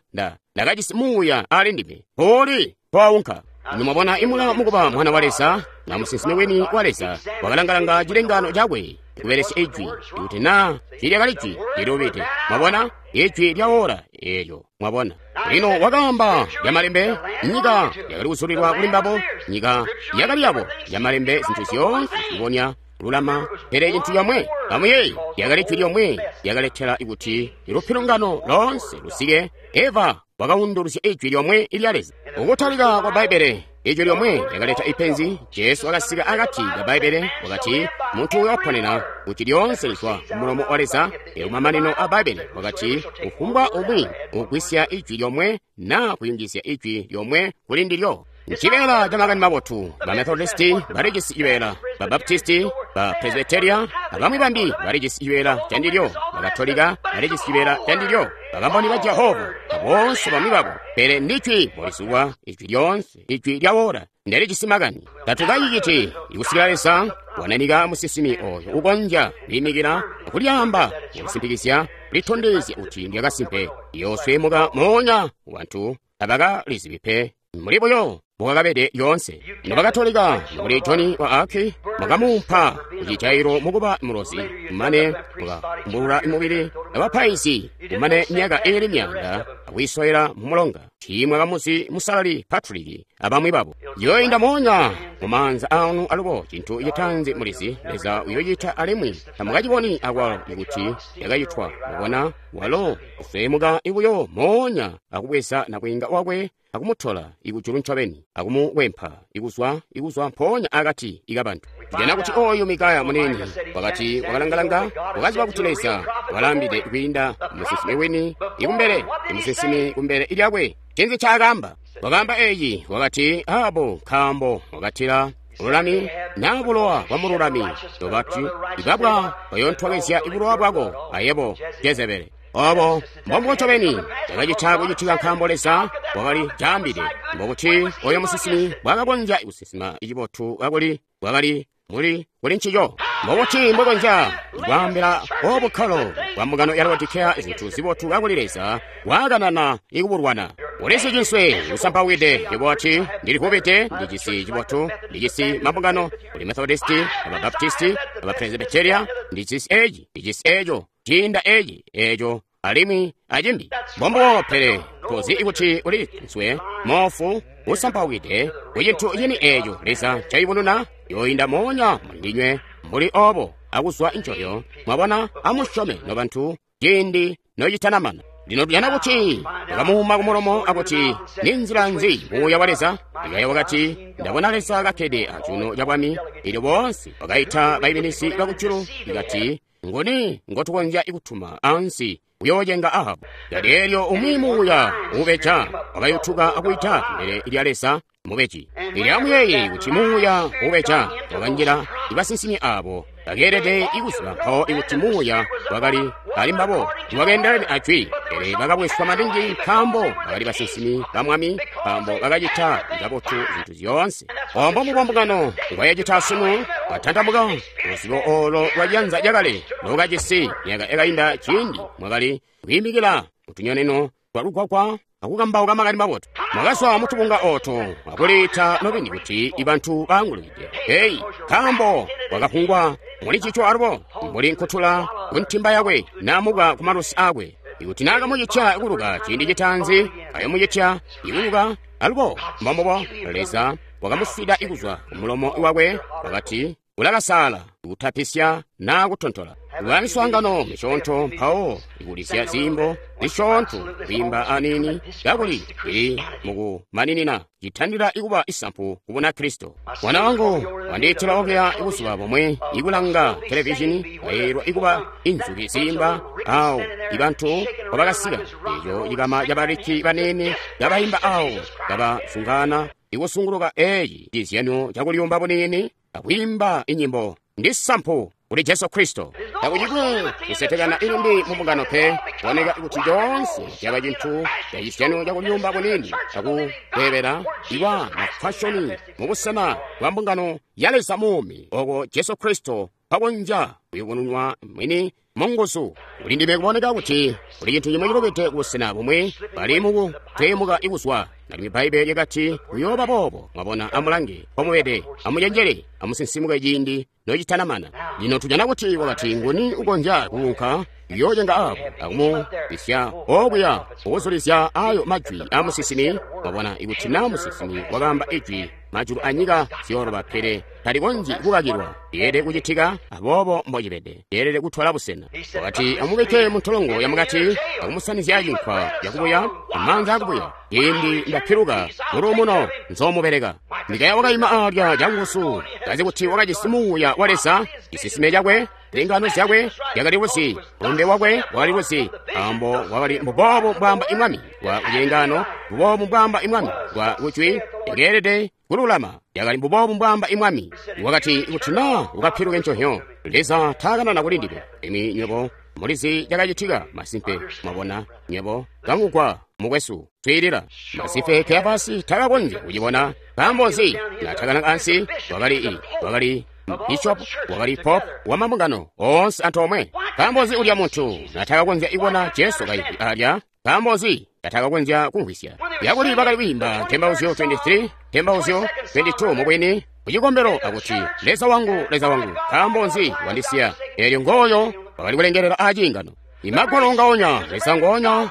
ndakajisi muuya ali ndime. Uli waunka. Nimwabona Imula mukuba mwana wa Leza na musinsimi wini wa Leza wakalangalanga cilengano cakwe kubelesya ijwi, kuti naa tiilyakali jwi lilubide. Mwabona, ijwi lya ora eelyo. Mwabona, lino wakaamba lyamalembe, nyika yakali kuzulilwa kuli mbabo, nyika yakali yabo lyamalembe, zintu zyoonse zibonya lulama. Pele cintu comwe, amuyeeye, lyakali jwi lyomwe lyakaletela kuti lupilungano loonse lusike. Eva wakaunduluzya ijwi lyomwe lya Leza. Ukutalika kwa Bbaibbele, ijwi lyomwe lyakaleta ipenzi. Jesu wakasika akati ka Bbaibbele, wakati muntu uyoponena kuti lyoonse lizwa kumulomo wa Leza. Kumamanino a Bbaibbele wakati kufumbwa umwi ugwisya ijwi lyomwe na kuyungizya ijwi lyomwe kuli ndilyo. Ncibeela ca makani mabotu. Ba Methodisti balijisi cibeela, ba Baptisti, ba Presbyteria abamwi bambi balijisi cibeela ca ndilyo, ba Katolika balijisi cibeela ca ndilyo, Bakamboni ba Jehova aboonse bamwi babo. Pele ndijwi mbolizulwa, ijwi lyoonse, ijwi lya ora ndelijisi makani. Tatukaciciti ikusikila Leza wananika musinsimi oyo ukonzya kwiimikila kulyaamba, kulisimpikizya, kulitondezya kuti ndyakasimpe. Iyoosweemuka moonya bantu tabakalizibi pe. Muli buyo mbokakabede lyoonse. Nobakatolika mbuli Joni wa Aki mwakamuumpa kucijailo mukuba mulozi, kumane mukakumbulula mubili abapaizi, kumane myaka iili myaanda akwiisowela mumulonga. Tiimwakamuzi Musalali Patrick abamwi babo. Yoinda moonya mumaanza aanu alubo. Cintu citaanzi mulizi, Leza uyocita alimwi tamukaciboni akwalo kuti yakacitwa. Mwabona, walo usweemuka ibuyo moonya akubweza nabwiinga wakwe akumutola ikujulu ncobeni, akumukwempa ikuzwa mpoonya akati ikabantu. Tujana kuti oyu Mikaya munini wakati wakalangalanga, wakaziba kuti Leza walaambide kwiinda musinsimi wini ikumbele, imusinsimi kumbele lyakwe. Cinzi ncaakaamba? Wakaamba eeci, wakati, abo nkaambo wakatila bululami na bulowa bwa mululami, nobati ibabwa bayontwakezya bulowa bwako ayebo Jezebele. Obo mbombubo ncobeni cakacita kucitika, nkaambo Leza wakali caambide. Mbokuti oyo musinsimi bwakakonzya kusinsima cibotu kakuli bwakali muli kuli ncico. Mbokuti mbwekonzya kwaambila obukkalo bwa mbungano ya Laodikea zintu zibotu kakuli Leza waakanana ikubulwana. Ulisi cinswe usampawide, yebo wati, ndilivubide, ndijisi cibotu, ndijisi mabungano, kuli Methodisti, aba Baptisti, aba Presbyteria, ndijisi eci, ndijisi eco, ciinda eci, eco, alimwi acimbi. Mbombubo, pele tozi kuti uli nswe moofu usampawide kucintu cini eco Leza ncayubununa. Yoinda moonya mulindinywe mbuli obo akuzwa ncoyo. Mwabona, amusyome nobantu ciindi nocitanamana. Lino tuyana kuti wakamuuma kumulomo akuti, ninzila nzi muuya wa Leza? Mikaya wakati, ndabona Leza kakkede acuuno ca bwami. Elyo boonse bakaita baiminizi bakujulu, ikati, nguni ngotukonzya kutuma ansi kuyoocenga Ahabu? Kati elyo umwi muuya uubeja wakayutuka akuita kumbele lya Leza mubeji. Elyo amuyeeye kuti muuya uubeja wakanjila ibasinsimi abo bakeelede ikuziba mpawo ikuti muuya wakali ali mbabo wakeendelene ajwi, pele bakabweswa maningi nkaambo bakali basinsimi ba Mwami, nkaambo bakacita kabotu zintu zyoonse. Ombo mubombukano ngwayacita sunu watantamuka luzibo olo lwa ciyanza cakale lokajisi myaka yakainda ciindi mwakali kwiimikila mutunyoneno twa lukwakwa akukambauka makani mabotu. Mwakazwa mutubunga oto akuliita nobeni kuti ibantu baangulukide. Heyi, nkaambo wakafungwa muli cico alubo mbuli nkutula kuntimba yakwe namuka ku malusi akwe. Ikuti naakamucitya kuluka ciindi citaanzi, ayomucitya ikuluka alubo. Mbombubo Leza wakamuswida ikuzwa kumulomo wakwe, wakati ulakasaala kutapisya naa kutontola. Kuba miswaangano misyoonto mpawo ikulizya ziimbo zisyoonto kwiimba aniini kakuli ili mukumaninina citandila ikuba isampu ku Bunakristo. Mwana wangu wandiitila okuya buzuba bumwe ikulanga televizhini kayeeyelwa ikuba inzuki ziimba awo ibantu kwabakasika eco cikama cabaliki baniini kabaimba awo kabasungana ikusunguluka eeci cizyano cakuliyumba buniini akwiimba inyimbo ndi sampu kuli Jesu Kristo. Takucikwe kusetekana ilimbi mumbungano pe, kuboneka kuti coonse caba cintu cacizyano cakuliyumba buniini akutebela iwa mafashoni mubusena bwa mbungano ya Leza muumi oko Jesu Kristo pakonzya kuyubununwa mwini munguzu. Kuli ndime kuboneka kuti kuli cintu cimwe cilubide kubusena bumwe bali mukuteemuka ikuzwa. Nalimwi Bbaibele lyakati kuyooba boobo. Mwabona, amulange mpomubede, amucenjele, amusinsimuke ciindi nocitanamana. Lino tujana kuti wakati nguni ukonzya kuunka kuyoocenga abo akumubisya okuya ukuzulizya ayo majwi amusinsimi. Mwabona, ikuti na musinsimi wakaamba ijwi, majulu anyika ziyooloba, pele talikonzyi kukakilwa. Lyeelede kucitika, aboobo mbocibede. Lyeelede kutola busena. Wakati amubikke muntolongo yamukati akumusanizya cinkwa cakubuya amaanza akubuya. Ciindi ndapiluka muluumuno nzoomubereka. Mikaya wakaima alya canguzu, kazi kuti wakajisi muuya wa Leza, cisisime cakwe, zilengano zyakwe zyakali luzi, mulumbe wakwe wakali luzi, nkaambo wakali mbuboobu mbwaamba imwami wa kucilengano, mbuboobu mbwaamba imwami wa kujwi, yakeelede kululama, yakali mbuboobu mbwaamba imwami. Wakati kuti naa ukapiluke nconhyo, Leza taakanana kuli ndime. Imi nywebo mulizi cakacitika masimpe. Mwabona nywebo kamugwa mukwesu swiilila masimpe. Keyafasi takakonzya kucibona. Nkaambo nzi? Naatakana ansi wakali wakali bishop, wakali pop wa mambungano oonse antoomwe. Nkaambo nzi ulya muntu natakakonzya kubona Jesu kaimvwi alya? Nkaambo nzi natakakonzya kumvwisya yakuli bakali kwiimba Ntembauzyo 23, Ntembauzyo 22 mubwini kucikombelo akuti Leza wangu, Leza wangu, nkaambo nzi wandisiya? Eelyo ngooyo wakali kulengelela aciingano. Imagwalo ngaonya, Leza ngoonya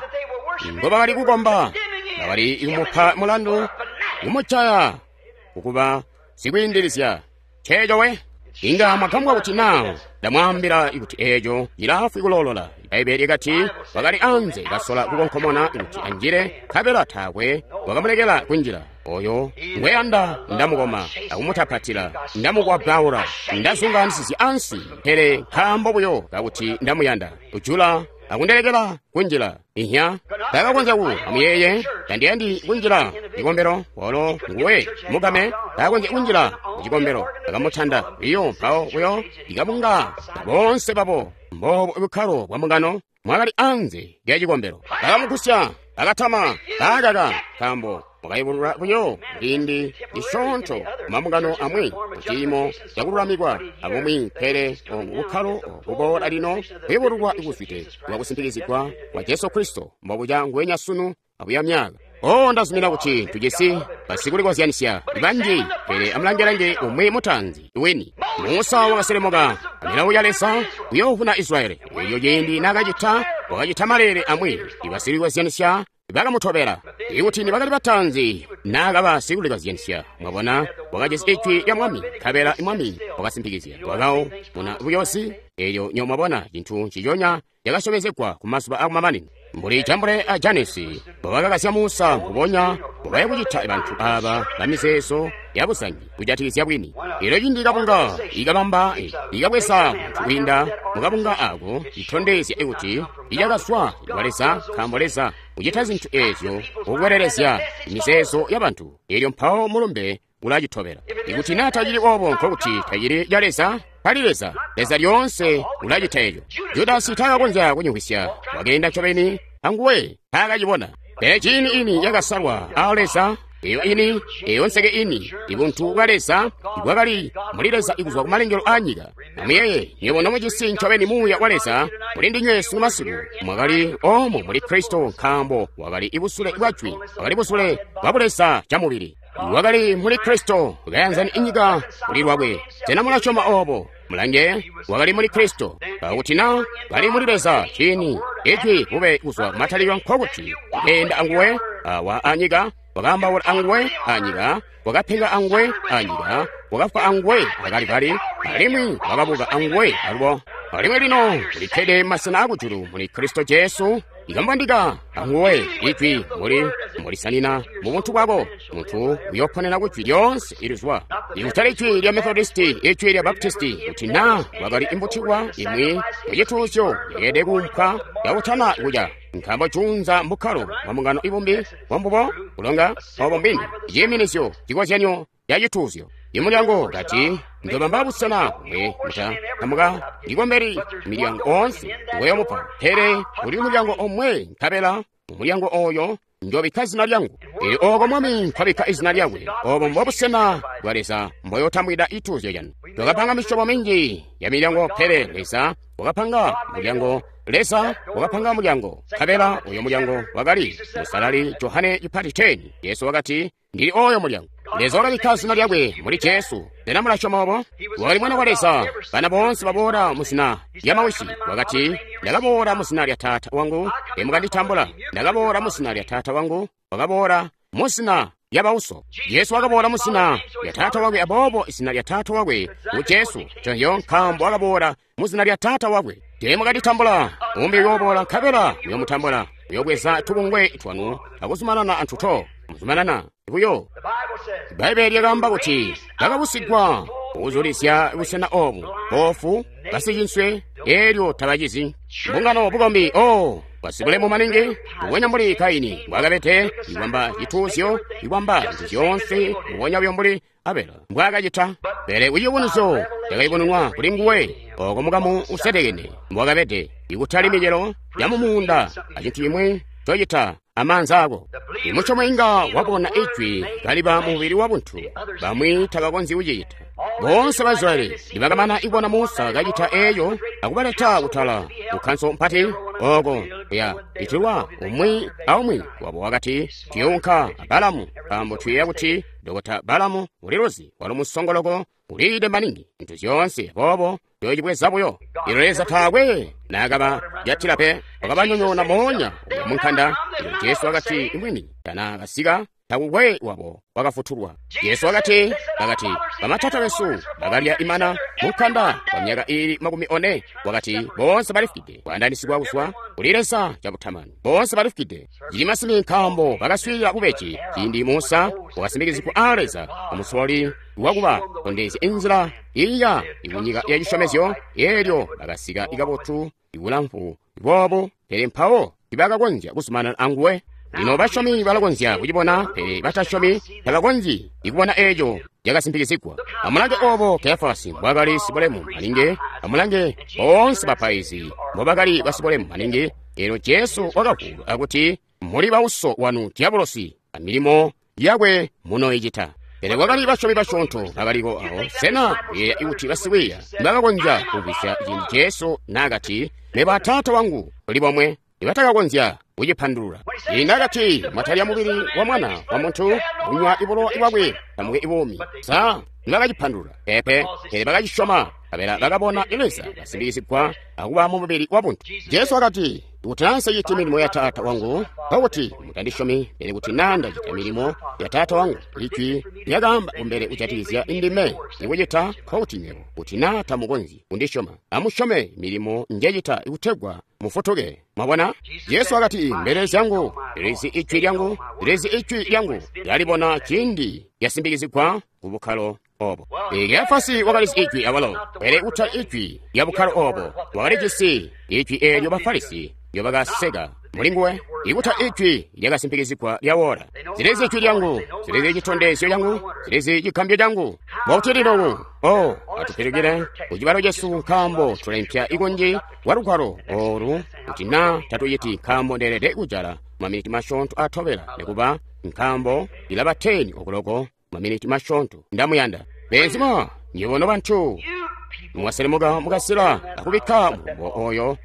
ngobakali kukomba, bakali kumupa mulandu, kumucaya kukuba sikwiindilizya. Nceeco we. Inga mwagambwa kuti naa ndamwaambila kuti eeco cilaafwi kuloolola. Ibaibbele lyakati wakali anze kasola kukonkomona kuti anjile, nkabela taakwe wakamulekela kunjila. Oyo ngweyanda ndamukoma akumutapatila, ndamukwabbaula, ndazunganisizya ansi, pele nkaambo buyo kakuti ndamuyanda. Ujula akundelekela kunjila. Inya takakonzya ku amuyeeye, tandiyandi kunjila cikombelo, walo nguwe mugame takakonzya kunjila mucikombelo. Akamutanda biyo mpawo buyo ikabunga boonse babo. Mboobu bukkalo bwa mbungano mwakali anze lya cikombelo. Bakamugusya, bakatama, bakaka, nkaambo mwakayubulula buyo ciindi cisyoonto mambungano amwi muciimo cakululamikwa abumwi, pele obu bukkalo buboola lino kuyubululwa kuzwide lwakusimpikizigwa kwa Jesu Kristo mbobuca nguwenya sunu abuya myaka. O ndazumina kuti tujisi basikulikozyanisya banji, pele amulange-lange umwi mutaanzi wini. Musa wakaselemuka amilawo ya Leza kuyoovuna Israyeli. Eeyo ciindi naakacita, wakacita maleele amwi. Ibasikulikozyanisya bakamutobela. Ikuti nibakali bataanzi naakaba sikulikozyanisya, mwabona, wakajisi ijwi lya Mwami, nkabela Mwami wakasimpikizya. Wakawo muna buyosi. Eelyo nyo mwabona cintu nciconya cakasyomezegwa ku mazuba akumamanino. Mbuli Jambure a Janesi mbobakakasya Musa, mbubonya mbobaya kucita bantu aba bamizeezo yabuzangi kujatikizya bwini. Elyo cindi kabunga ikabamba ikabweza muntu kwiinda mukabunga ako, itondezya kuti icakazwa kwa Leza, nkaambo Leza ucita zintu ezyo kukwelelezya mizeezo ya bantu. Elyo mpawo mulumbe ulacitobela. Ikuti naa tacili obo, nkokuti tacili ca Leza, tali Leza. Leza lyoonse ulacita eco. Judasi taakakonzya kunyumvwisya, wakeenda ncobeni anguwe taakacibona. Pele ciini ini yakasalwa a Leza, eyo ini, eyo nseke ini, ibuntu bwa Leza ibwakali muli Leza ikuzwa ku malengelo a nyika. Amuyeeye, nywebo nomujisi ncobeni Muuya wa Leza muli ndinywe sunu masiku, mwakali omo muli Kristo, nkaambo wakali ibusule bwa Jwi, wakali busule bwa Buleza camubili. Wakali muli Kristo, kayanzani inyika kuli lwakwe. Sena mulasyoma obo? Mulange, wakali muli Kristo. Pakuti na kali muli Leza, ciini Ijwi bube kuzwa kumatalikilo, nkokuti wakeenda anguwe awa anyika, wakaambaula anguwe anyika, wakapenga anguwe anyika, wakafwa anguwe akalivali, alimwi wakabuka anguwe alubo. Alimwi lino ulikkede masena akujulu muli Kristo Jesu, ikambandika anguwe Ijwi muli mulisanina mu buntu bwako. Muntu uyoponera ku Jwi lyoonse ilizwa, ikutali ijwi lya Methodisti, ijwi lya Baptisti. Kuti na wakali imbutikwa imwi mucituuzyo yakeede kuumpwa kakutana kuca, nkaambo juunza mbukkalo bwa mbungano ibumbi bwambubo kulonga obo mbwini, ciiminizyo, cikozyanyo ya cituuzyo. Imulyango kati, ndobamba busena bumwe muta tamuka ndikombeli milyango oonse ngoyomupa, pele uli mulyango omwe, nkabela mumulyango oyo njobikka zina lyangu. Elyo oko Mwami nkwabikka izina lyakwe, obo mbobusena bwa Leza mboyotambwida ituuzyo canu. Twakapanga misyobo minji ya milyango, pele Leza wakapanga mulyango. Leza wakapanga mulyango, nkabela uyo mulyango wakali Musalali Johane Chipati 10. Yesu wakati, ndili oyo mulyango. Leza wakabikka zina lyakwe muli Jesu. Sena mulasyoma obo? Wakali Mwana wa Leza. Bana boonse baboola mu zina lya mawisi. Wakati, ndakaboola mu zina lya Taata wangu, temukanditambula. Ndakaboola mu zina lya Taata wangu, wakaboola mu zina lya bauso. Yesu wakaboola mu zina lya Taata wakwe, aboobo izina lya Taata wakwe ngu Jesu. Conyo nkaambo wakaboola mu zina lya Taata wakwe. Temukanditambula. Umbi uyoboola, nkabela muyomutambula. Uyobweza tubungwe twanu akuzumanana antuto. Muzumanana buyo. Bbaibbele lyakaamba kuti bakabusigwa kuzulizya busena obu, boofu, basicinswe, elyo tabacizi. Mbungano bukombi o basibulemu maningi, mbubonya mbuli Kaini mbwakabede, ikwamba cituuzyo, ikwamba zintu zyoonse, mbubonya buyo mbuli Abela mbwakacita. Pele kuciyubunuzyo cakayubununwa kuli nguwe, oko mukamu usetekene mbwakabede, ikutali micelo ya mumuunda acintu cimwi cocita amaanza ako. Imuchomo inga wabona ijwi kaliba mubili wa buntu, bamwi tabakonzyi kucicita. Boonse ba Israyeli nibakamana ibona Musa kacita eyo akubaleta kutala kukhanso mpati oko kuya itilwa, umwi aumwi wabo wakati, tuyounka a Balamu, nkaambo tuyeeya kuti Dokota Balamu uliluzi, walo musongoloko, uliide maningi zintu zyoonse, aboobo tuyocibweza buyo. Ilo Leza taakwe naakaba jatila pe, wakabanyonyoona moonya uya munkanda. Ilo Jesu wakati imwini tana kasika, takukwe wabo wakafutulwa. Jesu wakati, bakati bamatata besu bakalya imana munkanda kwa myaka iili 40. Wakati boonse balifukide kwaandanisigwa kuzwa kuli Leza cabutamani. Boonse balifukide. Cili masimi nkaambo bakaswiilila bubeji ciindi Musa wakasindikizigwa a Leza amusololi wakuba tondezya inzila iya ikunyika ya cisyomezyo. Elyo bakasika ikabotu ibulamfu boobu, pele mpawo tibakakonzya kuzumanana anguwe. Lino basyomi balakonzya kucibona, pele batasyomi tabakonzyi ikubona eeco cakasimpikizigwa. Amulange obo Kefasi mbwakali sibulemu maningi, amulange boonse bapaizi mbobakali basibulemu maningi. Elyo Jesu wakavuula akuti, muli bauso wanu Diabolosi, amilimo yakwe munoicita. Pele kwakali basyomi basyoonto bakaliko awo. Sena muyeeya kuti basikwiiya bakakonzya kumvwisya ciindi Jesu naakati, mebo a Taata wangu tuli bomwe? Nibatakakonzya kucipandulula. Ciindi akati, mwatalya mubili wa Mwana wa Muntu, kunywa ibulowa bwakwe, tamuke ibuumi. Sa nibakacipandulula? Peepe, pele bakacisyoma, nkabela bakabona Leza kasindikizigwa akuba mu mubili wa buntu. Jesu wakati, Kuti naa nseciti milimo ya Taata wangu, nkokuti mutandisyomi, pele kuti naa ndacita milimo ya Taata wangu, ijwi lyakaamba kumbele kujatikizya ndime ikucita, nkokuti nywebo, kuti naa tamukonzyi kundisyoma, amusyome milimo njecita kutegwa mufutuke. Mwabona? Jesu wakati, mbelele zyangu zilizi ijwi lyangu, zilizi ijwi lyangu, lyalibona ciindi lyasimbikizigwa ku bukkalo obo. Kefasi wakalizi ijwi awalo, pele kutali ijwi lya bukkalo obo. Wakalijisi ijwi eelyo Bafarisi ndyo mulinguwe, ikuta ijwi lyakasimpikizigwa lyawora. Zilizi ijwi lyangu, zilizi citondezyo cangu, zilizi cikambyo cangu. Mbokuti lino o atupilukile kucibalo cesu, nkaambo tulempya ikunji kwa lugwalo olu, kuti naa tatuciti, nkaambo ndeelede kujala maminiti masyoonto atobela, nikuba nkaambo ilaba 10 okuloko maminiti masyoonto. Ndamuyanda beenzima nywebo nobantu, mwaselemuka mukasila akubikka mulumbo oyo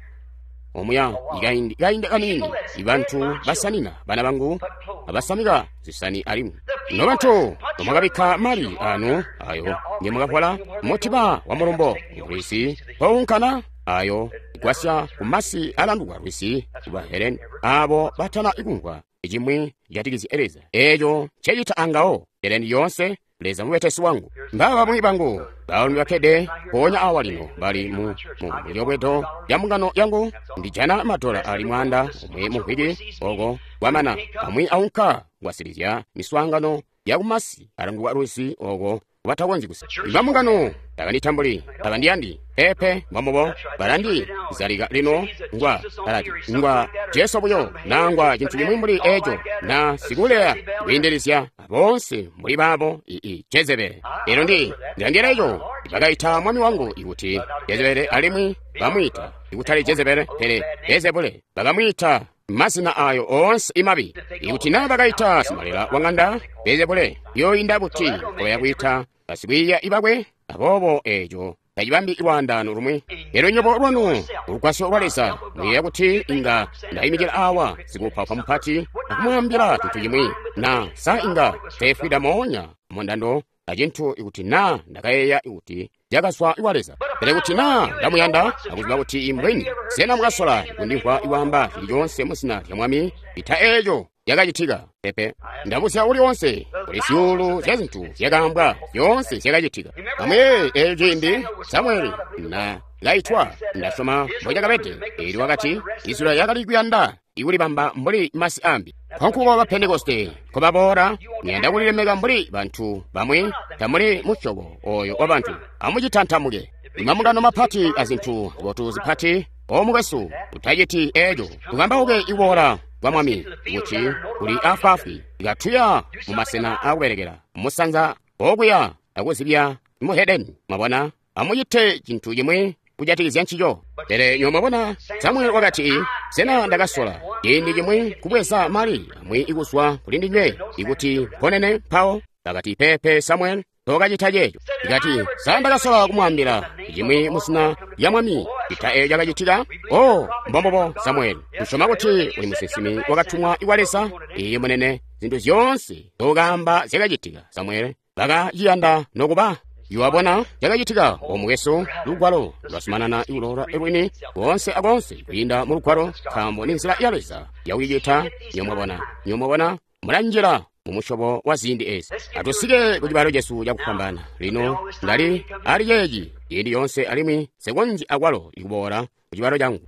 omuya ikaindi kaindi kanini. Ibantu basanina bana bangu abasamika zisani alimwi nobantu nomwakabikka mali anu ayo ngemwakapola mutiba wa mulumbo lwisi pounkana ayo igwasya kumasi alandukwa lwisi kuba Helen abo batana ikumvwa icimwi cijatikizya Leza eeco ncecita angawo Helen yoonse. Leza mubetesi wangu. Mbaba bamwi bangu baalumi bakkede mpoonya awa lino bali mu mulyobwedo lya mbungano yangu. Ndijana madola ali 1,000 mu mvwiki oko kwamana amwi aunka kuwasilizya miswaangano yakumasi alangulwa lwisi oko batakonzyi kusa. Ibambungano tabanditambuli, tabandiyandi pepe mbambubo balandi zalika lino ngwa alati ngwa Jesu buyo na ngwa cintu cimwi mbuli eco na sikuleya kwiindilizya boonse mbuli baabo ii Jezebele. Elo ndi ndilandila eco bakaita mwami wangu ikuti Jezebele alimwi bamwiita ikutali Jezebele pele Bezebule. Bakamwiita mazina ayo oonse imabi. Ikuti naa bakaita simalela wang'anda Bezebule, yoyinda buti koya kuita basikwiiya ibakwe? Aboobo eco tacibambi lwaandaano lumwi. Lero nywebo lwanu ulugwasyo lwa Leza muyeeya kuti inga ndayimikila awa sikuupaupa mupati akumwaambila cintu cimwi, na sa inga teefwida moonya mundando acintu ikuti naa ndakayeeya kuti cakazwa kwa Leza. Pele kuti naa ndamuyanda akuziba kuti imbweni, sena mukasola kundimvwa iwaamba cili coonse muzina lya Mwami? Ita eeco yakacitika pepe. Ndabuzya uli onse, kuli zyuulu zya zintu zyakaambwa, zyoonse zyakacitika. Amuyeeye eeco ciindi Samueli na kaitwa, ndasyoma mbocakabede. Eli wakati Israeli yakali kuyanda ikulibamba mbuli masi ambi. Nkonkuko ba Pentekoste nkobaboola, muyanda kulilemeka mbuli bantu bamwi, tamuli musyobo oyo wa bantu. Amucitantamuke. Imambungano mapati azintu zibotu zipati, omukwesu, utaciti eeco. Tukambauke iboola kwa Mwami kuti kuli afwaafwi, ikatuya mumasena akubelekela musanza okuya akuzibya muhedeni. Mwabona, amucite cintu cimwi kujatikizya ncico. Pele nywebo mwabona, Samuel wakati, sena ndakasola ciindi cimwi kubweza mali amwi ikuzwa kuli ndinywe ikuti mponene mpawo? Bakati, pepe Samuel, tokacita ceeco. Ikati, sa ndakasola kumwaambila cimwi muzina lya Mwami ita eeco cakacitika? O, mbombobo Samuel, tusyoma kuti uli musinsimi wakatumwa iwa Leza. Iye munene, zintu zyoonse zokaamba zyakacitika. Samuel bakaciyanda nokuba iwabona cakacitika. Omukwesu, lugwalo lwasumanana ikuloola lwini koonse akoonse kwiinda mu lugwalo, nkaambo ni nzila ya Leza yakucicita. Nywebo mwabona, mulanjila mumusyobo wa ziindi ezi. Atusike ku cibalo cesu cakufwambaana lino. Ndali ali ceeci ciindi yoonse alimwi nsikonzyi akwalo ikuboola ku cibalo cangu.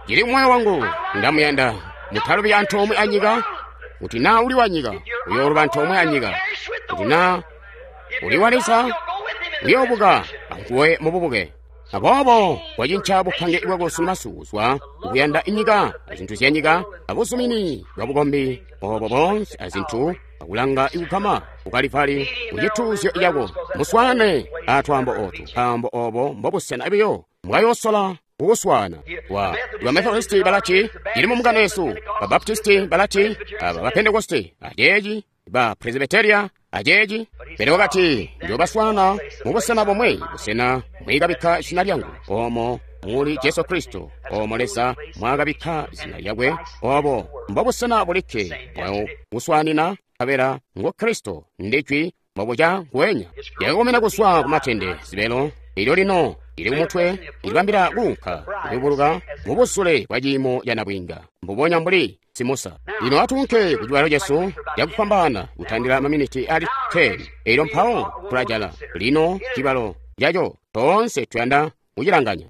Cili moyo wangu, ndamuyanda. Mutalubi antoomwe anyika, kuti naa uli wa nyika uyooluba antoomwe anyika, kuti naa uli wa Leza uyoobuka anguwe mububuke. Aboobo wacinca bupange bwako sunu kuzwa kukuyanda inyika azintu zya nyika abuzumini bwa bukombi obo boonse azintu akulanga ikugama kukalivali kucituuzyo cako. Muswaane atwaambo otu, nkaambo obo mbobusena biyo mbwayosola kukuswaana. Wa Bamethodisti balati ili mu mbungano yesu, ba Baptisti balati, aba ba Pentekoste aceeci, ba Presbyteria aceeci. Pele wakati njoobaswaana mubusena bomwe, busena mwikabikka zina lyangu, omo muli Jesu Kristo, omo Leza mwakabikka zina lyakwe. Obo mbobusena bulikke mwakuswaanina, nkabela ngo Kristo ndijwi mbobuca nguwenya. Yakakomena kuzwa kumatende zibelo Elyo lino ili kumutwe ilibambila kuunka kuyubuluka mubusule bwa ciimo ca nabwiinga, mbubonya mbuli simusa. Lino atuunke ku cibalo cesu cakufwambaana kutandila maminiti ali 10. Elyo mpawo tulajala lino cibalo caco toonse tuyanda kucilanganya.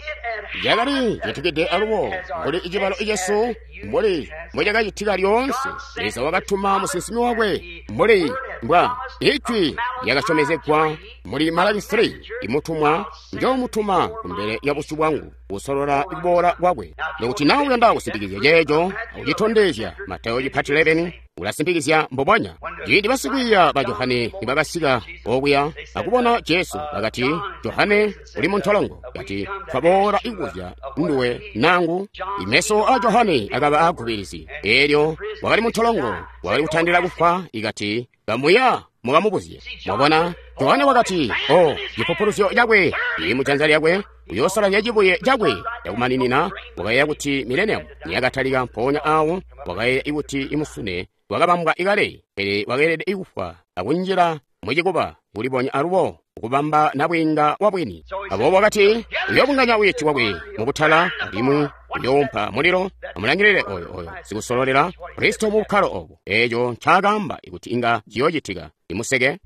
Cakali citikide alubo mbuli cibalo cesu mbuli mbocakacitika lyoonse. Leza wakatuma musinsimi wakwe mbuli mbwa ijwi lyakasyomezegwa muli Malaki 3, imutumwa njoomutuma kumbele ya busyu bwangu kusolola kuboola kwakwe. Nokuti nawe uyanda kusimpikizya ceeco akucitondezya, Matayo chipati 11 ulasimpikizya mbubonya. Ciindi basikwiiya ba Johane nibakasika okuya akubona Jesu, bakati, Johane uli muntolongo. Kati, twaboola ikuzya nduwe nangu. Imeso a Johane akaba aagubirizi. Elyo wakali muntolongo, wakali kutandila kufwa. Ikati, kamuya mukamubuzye. Mwabona, Johane wakati, o, cipupuluzyo cakwe cili mujanza lyakwe, uyoosalazya cibuye cakwe cakumaninina. Wakayeeya kuti mileniamu niyakatalika mpoonya awo, wakayeeya kuti imusune wakabambwa ikale, pele wakeelede kufwa akunjila mucikuba kulibonya alubo kubamba nabwiinga wabwini. Aboobo wakati uyoobunganya wiiti wakwe mubutala alimwi uyoompa mulilo. Amulangilile oyo sikusololela Kristo mu bukkalo obo. Eeco ncaakaamba kuti inga ciyoocitika. Imuseke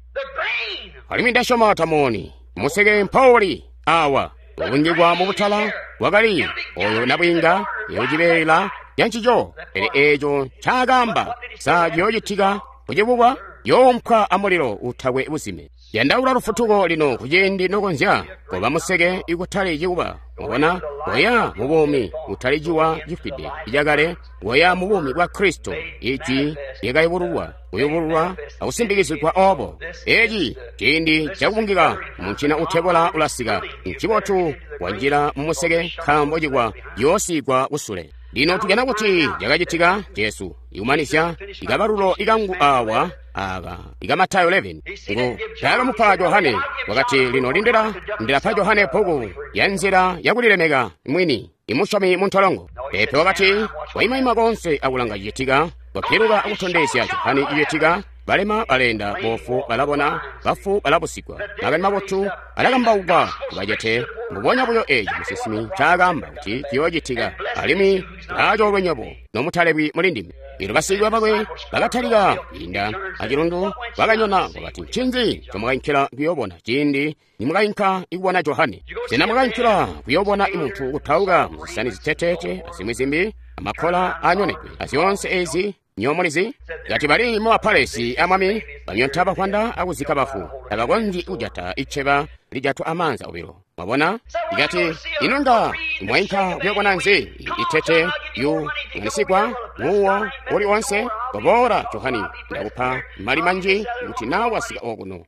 alimwi ndasyoma tamoni museke mpawuli awa ubungikwa mubutala wakali oyo nabwiinga yocibeela cancico. Pele eeco ncaakaamba sa ciyoocitika kucibubwa yoompwa amulilo utakwe buzime. Yandaula lufutuko lino kuciindi nokonzya koba museke ikutali cikuba. Wabona, koya mu buumi utali ciwa cifwide icakale, koya mu buumi bwa Kristo, ijwi lyakayubululwa, kuyubululwa akusimpikizigwa obo. Eci ciindi cakubungika muncina utebola ulasika. Ncibotu wanjila mu museke nkaambo cikwa ciyoosigwa kusule. Lino tujana kuti cakacitika Jesu ikumanizya ikabalulo ikangu awa aka ika Matayo 11 ngo taakamupa Johane. Wakati, lino lindila ndilapa Johane bbuku ya nzila yakulilemeka mwini imusyomi muntolongo. Pepe wakati waimaima konse akulanga cicitika, wapiluka akutondezya Johane cicitika. Balema balenda, bofu balabona, bafu balabusigwa, makani mabotu alakambaukwa kubacete. Mbubonya buyo eeci musinsimi ncaakaamba kuti ciyoocitika. Alimwi laacoolwe nywebo nomutalebwi muli ndime. Elyo basikwiiya bakwe bakatalika kwiinda acilundu, bakanyona. Wakati, ncinzi ncomwakainkila kuyoobona ciindi nimwakainka ikubona Johane? Sena mwakainkila kuyoobona muntu kutauka muzisani ziteteete azimwi zimbi, amakkola aanyonedwe azyoonse ezi? Nyomulizi kati bali mu bapalesi amwami banyonta bakwanda akuzika bafu, tabakonzyi kujata iceba lijatwa amaanza obilo. Mwabona, ikati ino nga mwainka kuyobona nzi itete yu ng'anisigwa muwo uli onse? Koboola Johani, ndakupa mali manji kuti nawe wasika okuno.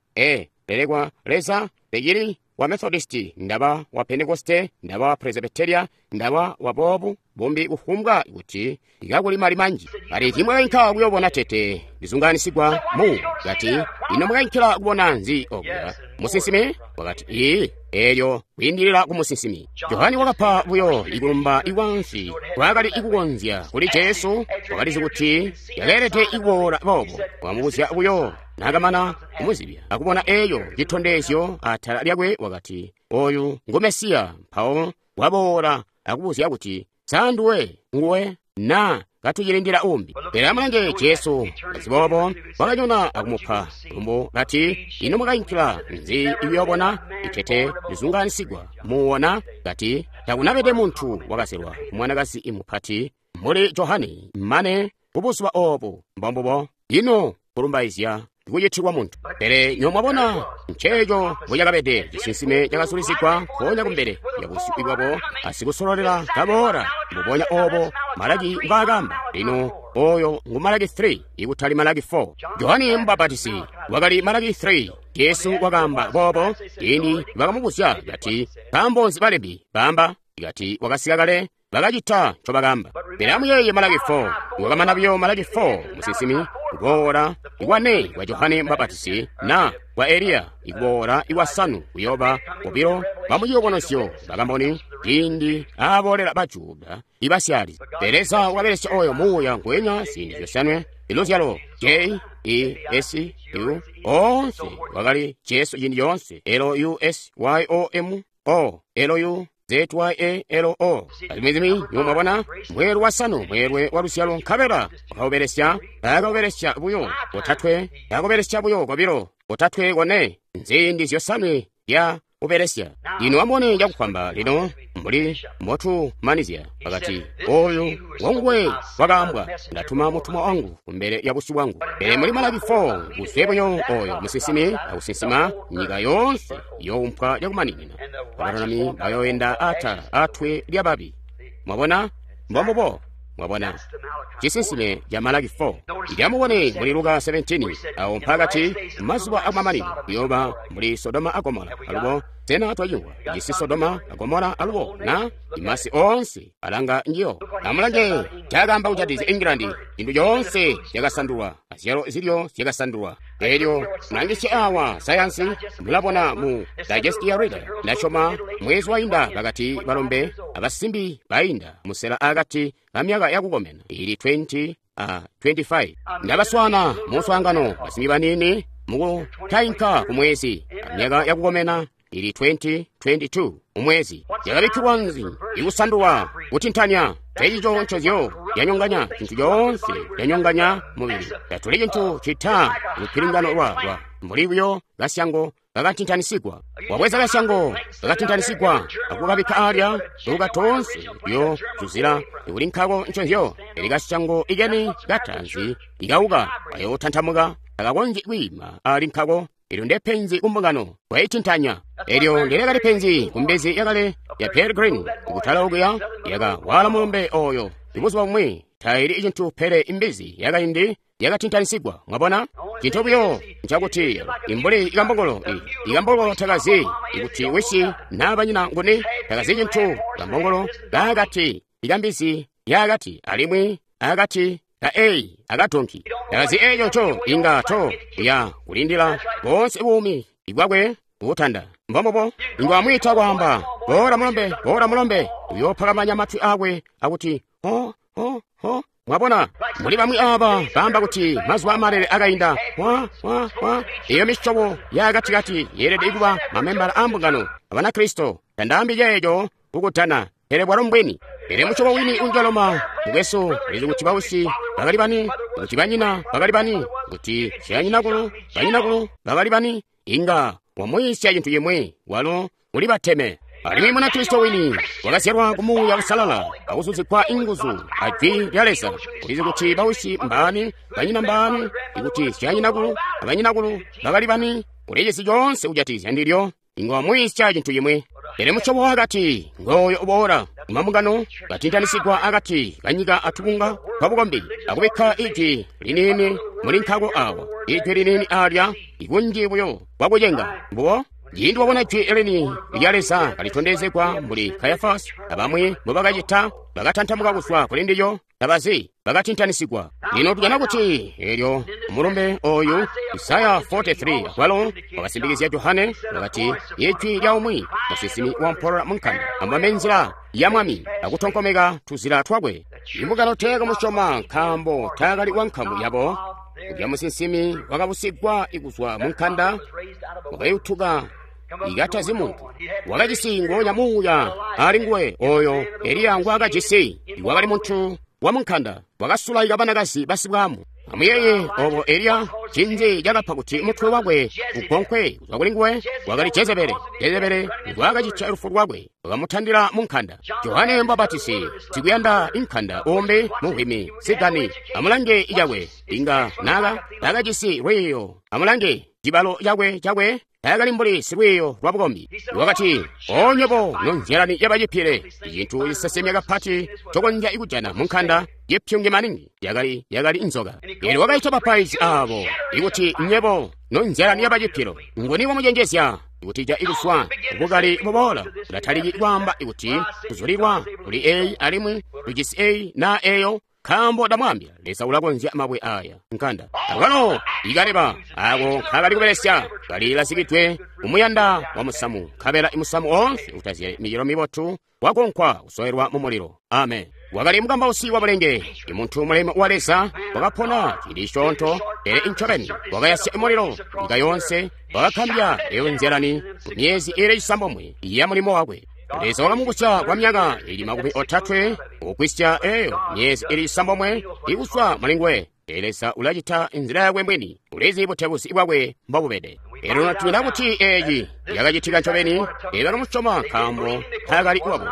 Lelekwa Leza pekili wa Methodisti, ndaba wa Pentekoste, ndaba wa Presbyteria, ndaba wa bobu bumbi, kufumbwa kuti ikakuli mali manji. Kati timwakainka kuyobona tete lizunganisigwa mu. Kati ino mwakainkila kubona nzi okuya? Musinsimi? Wakati ii, elyo kwiindilila ku musinsimi. Johani wakapa buyo ikulumba ikwansi kwakali ikukonzya kuli Jesu. Wakalizi kuti yakeelede ikuboola boobo. Wakamubuzya buyo naakamana kumuzibya akubona eyo citondezyo atala lyakwe, wakati oyu ngu Mesiya. Mpawo waboola akubuzya kuti sa nduwe nguwe na katucilindila umbi? Pele amulange Jesu aziboobo wakanyona akumupa lumbu kati, ino mwakainkila nzi ikuyoobona itete lizunganisigwa muwona? Kati takunabede muntu wakazelwa mwanakazi imupati mbuli Johane mane kubuzuba obu. Mbombubo ino kulumbaizya kucitilwa muntu. Pele nyomwabona nceeco mbucakabede cisinsime cakazulizigwa mpoonya kumbele ya busyu bwabo asikusololela kaboola mbubonya obo Malaki mbwaakaamba. Lino oyo ngu Malaki 3 ikutali Malaki 4. Johane Mubapatisi wakali Malaki 3. Jesu wakaamba boobo ciindi bakamubuzya kati, nkaambo nzi balembi baamba kati wakasika kale? Bakacita ncobakaamba. Pele amuyeeye Malaki 4. Wakamana buyo Malaki 4 musinsimi kuboola ikwane kwa Johane Mubapatisi na kwa Eliya ikuboola ikwasanu kuyoba bobilo bamuciyubunosyo bakamboni ciindi aaboolela Bajuda ibasyali. Pele Leza wakabelesya oyo muuya ngwenya ziindi zyosanwe. Iluzyalo J E S U onse wakali Jesu ciindi coonse. L U S Y O M. O L U Z Y A L O. Alimwi zimwi nywebo mwabona mweelwe wasanu, mweelwe wa luzyalo, nkabela wakaubelesya, akaubelesya buyo kotatwe, akubelesya buyo kobilo, kotatwe, kone, nziindi zyosanwe lya ubelesya. Lino amubone cakufwamba lino mbuli mbotumanizya. Wakati, oyu ngonguwe wakaambwa, ndatuma mutumwa wangu kumbele ya busyu bwangu. Pele muli Malaki 4, kuzwe buyo oyo musinsimi akusinsima, nyika yoonse iyoumpwa cakumaninina. Abalulami bayoenda atala atwe lyababi. Mwabona? Mbombubo. Mwabona? Cisinsime ca Malaki 4. Amubone muli Luka 17, awo mpakati mazuba akumamanino kuyooba mbuli Sodoma a Gomora. Alubo sena twacimvwa jisi Sodoma a Gomora alubo na imasi oonse alanga njiyo. Amulange cakaamba kujatikizya England, cintu coonse cakasandulwa, azyalo zilyo zyakasandulwa. Elyo mulangisye awa sayansi, mulabona mu Digest ya Reader, ndasyoma mwezi wainda bakati balombe abasimbi bainda musela akati ka myaka yakukomena ili 20 a 25. Ndabaswana mu muswaangano basimbi baniini mukutainka ku mwezi myaka yakukomena ili 20 22 umwezi. Yakabikkilwa nzi ikusandulwa kutintanya tencico ncozyo yanyonganya cintu coonse, yanyonganya mubili. Tatuli cintu cita lupilingano lwa mbuli buyo kasyango kakatintanisigwa. Wabweza kasyango kakatintanisigwa akukabikka alya tuuka toonse yo tuzila ikuli nkako ncozyo. Eli kasyango ikeni katanzi ikauka kayotantamuka takakonzyi kwiima ali nkako. Elyo ndepenzi kumbungano kwayitintanya. Elyo ndelekali penzi kumbezi yakale ya Peregrine kutala okuya yaka wala mulombe oyo. Ibuzuba bumwi taili cintu pele imbizi yakaindi yakatintanisigwa. Mwabona? Cintu buyo ncakuti imbuli ikambongolo ikambongolo takazi ikuti wisi na banyina nguni, takazi cintu. Kambongolo kakati ikambizi yakati alimwi akati ka ei akadonki takazi eco nco inga to ya kulindila bonse buumi ibwakwe butanda. Mbombubo inga wamwiita kwaamba bora mulombe, bora mulombe, uyophakamanya matwi akwe akuti ho ho ho. Mwabona, muli bamwi aba baamba kuti mazuba amalele akainda. Wa wa wa iyo misyobo yakatikati yeelede kuba mamembala a mbungano abanakristo. Tandaambi ceeco kukutana, pele bwalo mbwini. Pele musyobo wini unjaloma mukwesu ulizi kuti bausi bakali bani, kuti banyina bakali bani, kuti syanyinakulu banyinakulu bakali bani. Inga wamuyisya cintu cimwi walo uli bateme. Alimwi Munakristo wini wakazyalwa ku Muuya Uusalala akuzuzikwa inguzu a Jwi lya Leza. Ulizi kuti bausi mbaani, banyina mbaani, ikuti syanyinakulu abanyinakulu bakali bani. Ulijisi coonse kujatikizya ndilyo. Inga wamuyisya cintu cimwi. Pele musyobo wakati ngooyo uboola mambungano katintanisigwa akati kanyika atubunga twabukombi akubikka ijwi liniini muli nkako awa, ijwi liniini alya, ikunji buyo bwakucenga. Mbubo ciindi wabona jwi lini lya Leza kalitondezegwa mbuli Kayafasi abamwi mbobakacita, bakatantamuka kuzwa kuli ndilyo, tabazi, bakatintanisigwa. Lino tujana kuti elyo mulumbe oyu Isaya 43 akwalo wakasimbikizya Johane, wakati ijwi lya umwi musinsimi wampolola munkanda, amubambe nzila ya Mwami akutonkomeka tuzila twakwe. Imbungano teekamusyoma nkaambo taakali wa nkamu yabo. Ulya musinsimi wakabusigwa kuzwa munkanda, wakayutuka ikatazi muntu, wakajisi nguonya muuya ali nguwe oyo Eliya ngwaakajisi. Wakali muntu wa munkanda, wakasulaika banakazi basibwamu. Amuyeye obo Eliya, cinzi cakapa kuti mutwe wakwe ugonkwe kuzwa kuli nguwe? Wakali Jezebele. Jezebele ngwaakacitya lufu lwakwe, wakamutandila munkanda. Johane Mubapatizi sikuyanda inkanda umbi muhwimi sigani. Amulange icakwe inga naka takajisi lwiiyo. Amulange cibalo cakwe cakwe taakali mbuli silwiiyo lwa bukombi. Wakati, onywebo nonzyalani yabacipile, icintu cisesemya kapati cokonzya kujana munkanda cipyungi maningi yakali inzoka. Elyo wakaita bapaizi abo ikuti nywebo nonzyalani yabacipilo, nguni wamucenjezya kuti ja ikuswa bukali buboola? Ulataliki kwaamba ikuti tuzulilwa kuli eyi alimwi tujisi eyi na eyo, nkaambo ndamwaambila, Leza ulakonzya mabwe aya nkanda. Akwalo ikaleba ako nkakali kubelesya kalilazikidwe kumuyanda wa musamu, nkabela imusamu oonse utazyali micelo mibotu wakonkwa kusoelwa mu mulilo. Amen. Wakali mukambausi wa bulenge, imuntu mulemu wa Leza, wakapona ciindi cisyoonto, pele incobeni wakayasya mulilo nyika yoonse, wakakambya eyo nzyalani mu myezi iili cisambomwe ya mulimo wakwe. Leza wakamubusya kwa myaka ili 30 kugwisya eyo myezi ili cisambomwe ikuzwa mulinguwe. Leza ulacita inzila yakwe mwini, ulizi butebuzi bwakwe mbobubede. Elyo tubona kuti eeci yakacitika ncobeni, bakamusyoma nkaambo taakali wabo.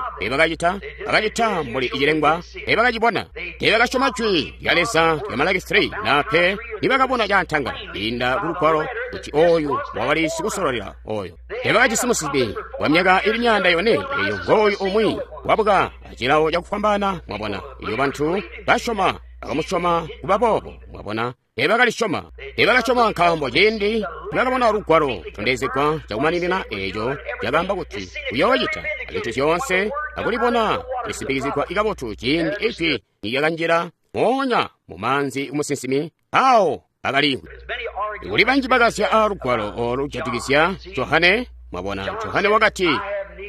Bakacita mbuli cilengwa, bakacibona. Teebakasyoma jwi lya Leza lya Malaki 3 na pe nibakabona caantangala kwiinda ku lugwalo kuti oyu wakali sikusololela oyo. Teebakajisi musinsimi wa myaka ili 400, eyo ngooyu umwi wabuka acilawo cakufwambaana, mwabona. Iyo bantu basyoma bakamusyoma kuba boobo, mwabona. Teebakalisyoma. Teebakasyoma nkaambo ciindi nibakabona lugwalo tondezegwa cakumaninina eeco cakaamba kuti uyoocita azintu zyoonse akulibona lisimpikizigwa kabotu ciindi ijwi nilyakanjila moonya mu maanzi kumusinsimi awo bakaliimvwi. Kuli banji bakazya a lugwalo olu lujatikizya Johane, mwabona. Johane wakati,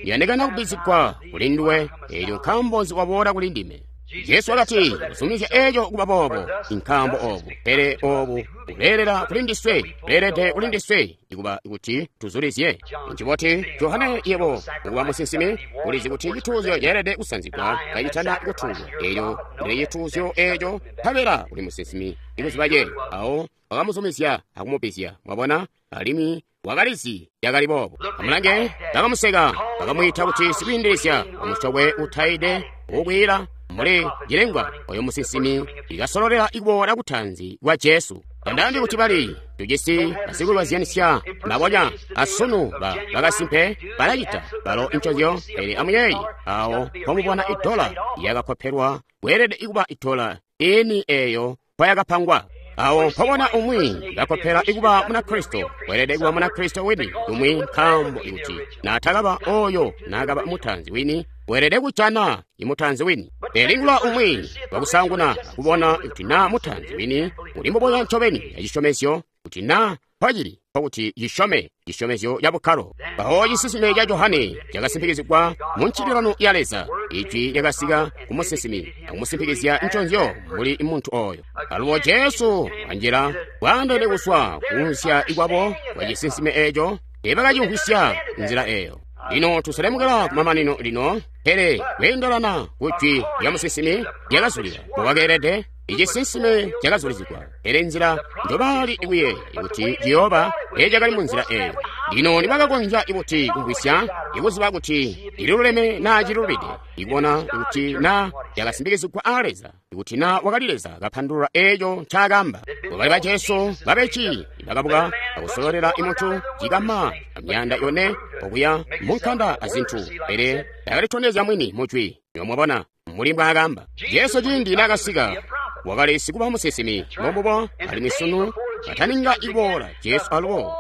ndiyandikana kubbizigwa kuli nduwe, eelyo nkaambo nzi waboola kuli ndime? Jesu wakati, kuzumizya eeco kuba boobo, nkaambo oobu, pele oobu buleelela kuli ndiswe, buleelede kuli ndiswe ikuba kuti tuzulizye. Nciboti Johane yebo ukuba musinsimi, ulizi kuti cituuzyo ceelede kusanzigwa kacitana kutuulwa. Eelyo ndile cituuzyo eeco, nkabela uli musinsimi ikuziba ceeco. Awo wakamuzumizya akumubbizya, mwabona, alimwi wakalizi yakali boobo. Amulange, bakamuseka, bakamwiita kuti sikwiindilizya, wamusokwe utaide ukwiila mbuli cilengwa oyo musinsimi ikasololela ikuboola kutaanzi kwa Jesu. Tandaambi kuti bali tujisi basikulwazyanisya mbabonya asunu bakasimpe balacita balo incozyo, pele amuyeeye awo mpomubona idola yakakkopelwa kweelede ikuba idola ini eeyo mpoyakapangwa. Awo mpobona umwi kakkopela ikuba Munakristo, weelede kuba Munakristo wini umwi nkaambo ikuti naatakaba oyo naakaba mutanzi wini, weelede kujana imutanzi wini. Pele lingula umwi wakusaanguna akubona kuti naa mutanzi wini uli mbubonya ncobeni acisyomezyo, kuti naa mpocili nkokuti cisyome cisyomezyo ca bukkalo. Mpawo cisinsime ca Johane cakasimpikizigwa mu ncililano ya Leza. Ijwi lyakasika ku musinsimi akumusimpikizya nconzyo mbuli muntu oyo. Alubo Jesu wanjila bwaandeene kuzwa kunsya ikwabo kwa cisinsime eeco, teebakacimvwisya nzila eeyo. Lino tuselemukela kumamanino lino, pele kweendelana ku jwi lya musinsimi lyakazulila mbobakeelede, icisinsime cakazulizigwa, pele nzila njobaali kuyeeya kuti ciyooba teecakali munzila eeyo. Lino nibakakonzya kuti kumvwisya, ikuziba kuti ililuleme naa cilulubide, ikubona kuti naa cakasimpikizigwa a Leza, kuti naa wakali Leza kapandulula eeco ncaakaamba. Bakali ba Jesu babeci bakabuka akusololela imuntu cikama 400 okuya munkanda azintu, pele takalitondezya mwini mujwi. Mwabona mbuli mbwaakaamba Jesu ciindi naakasika, wakali sikuba musinsimi mbombubo, alimwi sunu kataninga iboola Jesu alubo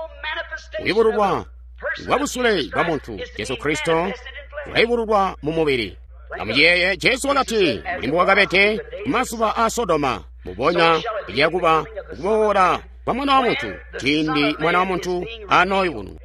kuyubululwa kwa busule bwa muntu Jesu Kristo ulayubululwa mu mubili. Amuyeeye Jesu wakati mbuli mbowakabede kumazuba a Sodoma, mbubonya liyakuba kuboola kwa Mwana wa Muntu ciindi Mwana wa Muntu anooyubununwa.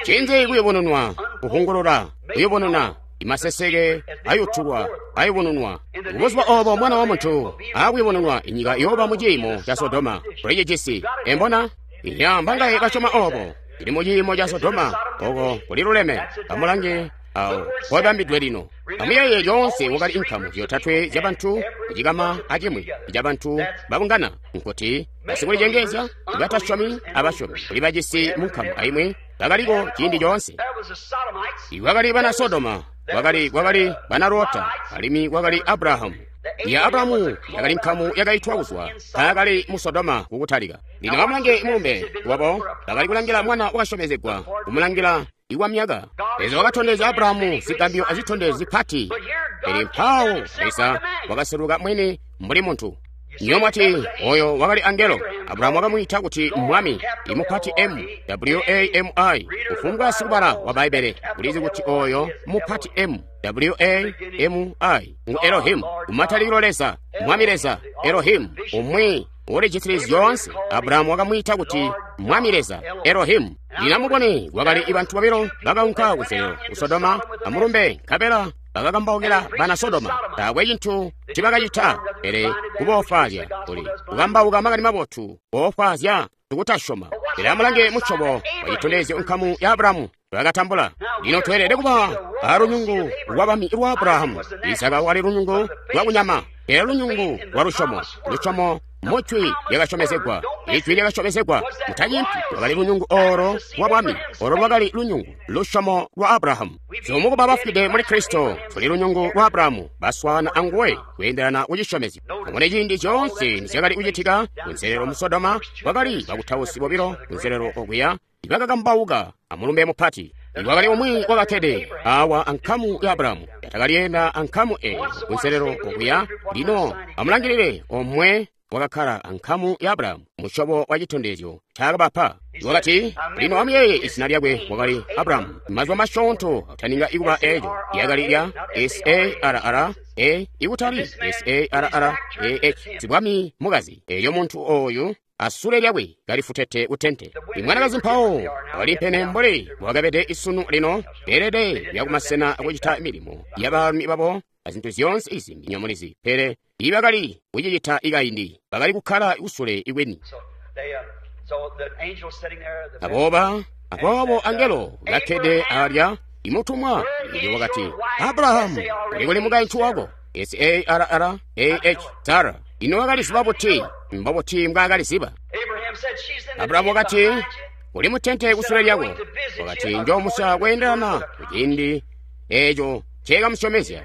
Ncinzi kuyubununwa? Kuhungulula, kuyubununa, imaseseke ayutulwa, ayubununwa. Kubuzuba oobo Mwana wa Muntu aakuyubununwa, inyika iyooba mu ciimo ca Sodoma. Tulicijisi. Embona? Iya, mbangaye basyoma oobo? Ili mu ciimo ca Sodoma, oko kuliluleme. Amulange awo mpobambidwe lino. Amuyeeye lyoonse wakali inkamu zyotatwe zyabantu kucikama acimwi cabantu babungana, nkuti basikulicengeezya, batasyomi abasyomi kuli bajisi munkamu aimwi bakaliko ciindi coonse. Kwakali bana Sodoma, kwakali bana Lota, alimwi kwakali Abrahamu. Ya Abrahamu yakali nkamu yakaitwa kuzwa taakali mu Sodoma kukutalika. Lino amulange mulumbe wabo, bakali kulangila mwana wakasyomezegwa, kumulangila ikwa myaka. Leza wakatondezya Abrahamu zigambyo azitondezyo zipati, pele mpawo Leza wakaseluka mwini mbuli muntu. Niyo mwati oyo wakali angelo. Abrahamu wakamwiita kuti Mwami, imupati M, W-A-M-I. Kufumbwa sikubala wa Bbaibbele ulizi kuti oyo mupati M, W-A-M-I ngu Elohimu, kumatalikilo Leza, Mwami Leza, Elohimu, umwi ulijisili zyoonse. Abrahamu wakamwiita kuti Mwami Leza, Elohimu. Lino amubone, kwakali bantu babilo bakaunka kuselelo ku Sodoma amulumbe, nkabela bakakambaukila bana Sodoma. Taakwe cintu ncibakacita pele kuboofwaazya kuli kukambauka makani mabotu, boofwaazya tukutasyoma. Pele amulange musyobo wacitondezyo nkamu ya Abrahamu bakatambula. Lino tweelede kuba alunyungu lwabami lwa Abrahamu. Isaka wali lunyungu lwa kunyama, pele lunyungu lwa lusyomo. Lusyomo mujwi lyakasyomezegwa, ijwi lyakasyomezegwa. Mutanyimpi lwakali lunyungu oro lwa bwami, oro lwakali lunyungu lusyomo lwa Abrahamu. Zyomukuba bafwide muli Kristo tuli lunyungu lwa Abrahamu, baswaana anguwe kweendelana kucisyomezyo. Amune ciindi zyoonse nizyakali kucitika kunselelo mu Sodoma, kwakali bakutausi bobilo kunselelo okuya ibakakambauka amulumbe mupati. Iwakali umwi wakakkede awa ankamu ya Abrahamu, yatakaliyenda ankamu eyo kunselelo okuya. Lino amulangilile omwe wakakkala ankamu ya Abrahamu, musyobo wa citondezyo ncaakabapa. Wakati, lino amuyeeye izina lyakwe wakali Abrahamu. Mazuba masyoonto taninga ikuba eeco lyakali lya S-A-R-R-A ikutali S-A-R-R-A-H, sibwami mukazi. Elyo muntu ooyu asule lyakwe kalifutete kutente. Imwanakazi mpawo walimpene mbuli bwakabede isunu lino, beelede kuya kumasena akucita milimo ya baalumi babo azintu zyoonse izimbi nyomulizi. Pele ibakali kucicita ikaindi, bakali kukkala kusule ikweni. Aboobo angelo kakkede alya imutumwa elyo wakati, Abrahamu, uli kuli mukaintu wako? S-A-R-R-A-H, Sara. Ino wakaliziba buti? Mbobuti mbwaakaliziba? Abrahamu wakati, uli mutente kusule lyako. Wakati, njoomuswaya kweendelana kuciindi eeco nceekamusyomezya,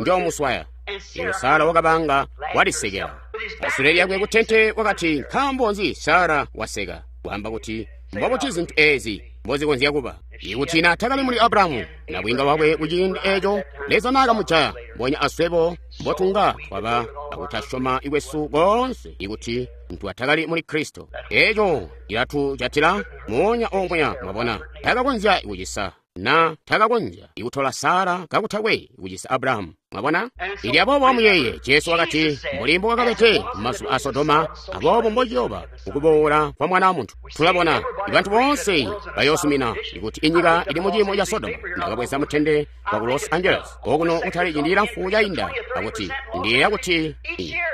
njoomuswaya. Elyo Sara wakabanga walisekela asule lyakwe kutente. Wakati, nkaambo nzi Sara waseka? Kwaamba kuti, mbobuti zintu eezi mbozikonzya kuba? Ikuti naatakali muli Abrahamu nabwiinga wakwe kuciindi eeco, Leza naakamujaya. Mbonya aswebo mbotunga twaba akutasyoma kwesu koonse ikuti ntwatakali muli Kristo. Eeco cilatujatila moonya omweya. Mwabona, takakonzya kucisa na takakonzya ikutola Sara kakutakwe kucisa Abrahamu. Mwabona? Ili aboobo amuyeeye, Jesu wakati, mbuli mbwakabede mumazuba a Sodoma, aboobo mbociyooba ukuboola kwa Mwana wa Muntu. Tulabona ibantu boonse bayoosumina ikuti inyika ili muciimo ca Sodoma. Ndakabweza mutende wa ku Los Angeles okuno kutali ciindi cilamfu cainda, akuti ndiyeeya kuti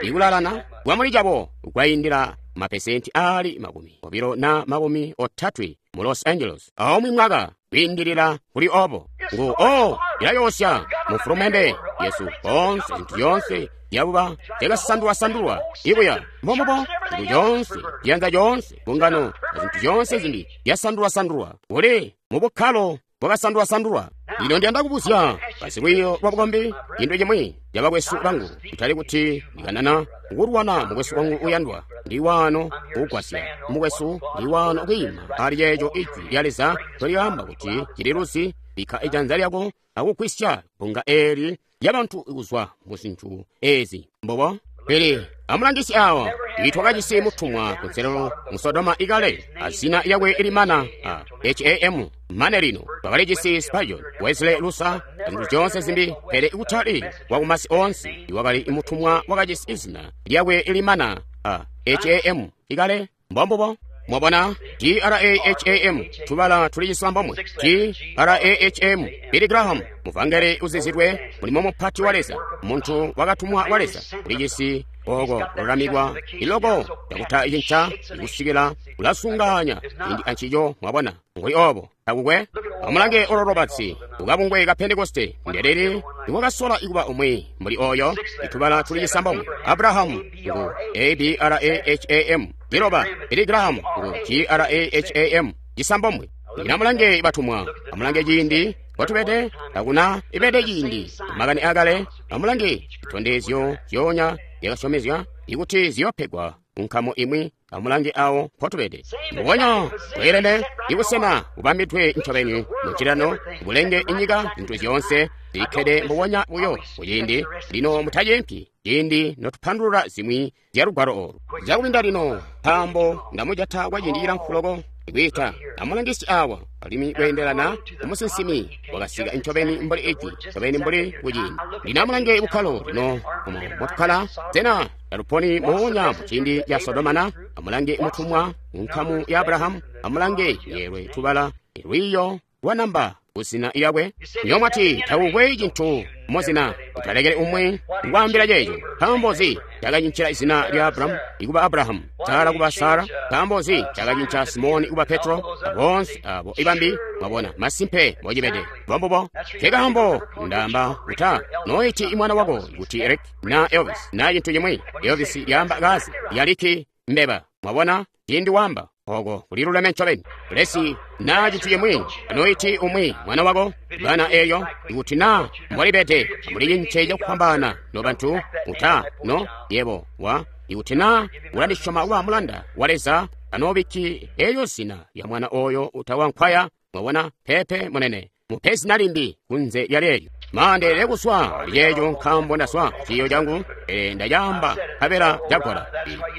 ikulalana kwamuli cabo kwaindila mapesenti aali 20 na 30 mu Los Angeles aumwi mwaka kwiindilila kuli obo. Ngu o ilayoosya mufulumende yesu konse zintu zyoonse zyabuba zyakasandulwasandulwa ibuya mbombubo zintu zyoonse ziyanza zyoonse mbungano azintu zyoonse zimbi zyasandulwasandulwa kuli mu bukkalo bwakasandulwasandulwa. Lino ndiyanda kubuzya basilwiiyo lwa bukombi cintu cimwi cabakwesu bangu, kutali kuti ndikanana kulwana mukwesu wangu uyandwa. Ndi waano kugwasya mukwesu, ndi waano kwiima ali ceeco ijwi lya Leza tolyaamba kuti cililuzi. Bikka ijanza lyako akugwisya bbunga eeli lyabantu kuzwa mu zintu eezi. Mbobo. Pele amulangisi awa, itwakajisi mutumwa kunselelo mu Sodoma ikale, azina lyakwe limana a H-A-M mane lino. Twakalijisi Spurgeon, Wesley, Luther, zintu zyoonse zimbi, pele kutali wakumasi oonse iwakali mutumwa wakajisi izina lyakwe limana a H-A-M ikale. Mbombubo. Mwabona, G-R-A-H-A-M, tubala tuli cisambomwe. G-R-A-H-M, Billy Graham, muvangeli uzizidwe, mulimo mupati wa Leza, muntu wakatumwa wa Leza, ulijisi oko kululamikwa iloko yakuta icinca ikusikila kulasunganya ciindi ancico. Mwabona, nguli obo takukwe. Amulange Oral Roberts ukabungwe ka Pentekoste ndeleli iwakasola ikuba umwi mbuli oyo. Itubala tuli cisambomwe. Abrahamu ngu A-B-R-A-H-A-M, liloba Billy Graham ngu G-R-A-H-A-M, cisambomwe. Lino amulange batumwa, amulange ciindi kwatubede, takuna ibede ciindi makani akale. Amulange zitondezyo zyoonya zyakasyomezya ikuti ziyopegwa nkamu imwi. Amulange awo mpotubede, mbubonya bweelene ibusena bubambidwe ncobeni mucilano bulenge inyika zintu zyoonse zikkede mbubonya buyo kuciindi lino. Mutacempi ciindi notupandulula zimwi zya lugwalo olu cakubinda lino, nkaambo ndamujata kwa ciindi cilamfu loko ikwiita. Amulangisi awa alimwi kweendelana umusinsimi wakasika ncobeni mbuli ijwi ncobeni mbuli kuciindi lino. Amulange bukkalo lino omo motukkala. Sena taluponi moonya muciindi ca Sodoma na? Amulange mutumwa nkamu ya Abrahamu. Amulange yeelwe tubala lwiiyo lwanamba kuzina lyakwe? Nyomwati takukwe cintu muzina. Utalekele umwe kwaambila ceeco. Nkaambo nzi cakacincila izina lya Abrahamu ikuba Abrahamu, Sara kuba Sara? Nkaambo nzi cakacinca Simoni kuba Petro? Aboonse abo ibambi, mwabona, masimpe mbocibede. Mbombubo. Nkekaambo ndaamba uta noiti mwana wako kuti Eric na Elvis na cintu cimwi. Elvis yaamba kazi yaliki mbeba. Mwabona, cindi wamba oko kuliluleme ncobeni. Lesi na cintu cimwi anoiti umwi mwana wako bana eyo ikuti na mbolibede mulicince cakufwambaana no bantu uta no yebo wa ikuti na ulandisyoma kuba mulanda wa Leza anobikki eyo zina ya mwana oyo utawankwaya. Mwabona, pepe munene mupe zina limbi kunze lya leelyo. Mandeelele kuswa lyeejo nkaambo ndaswa ciyo cangu, pele ndacaamba nkabela cagola.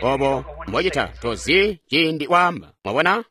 Obo mbocita tozi ciindi waamba. Mwabona?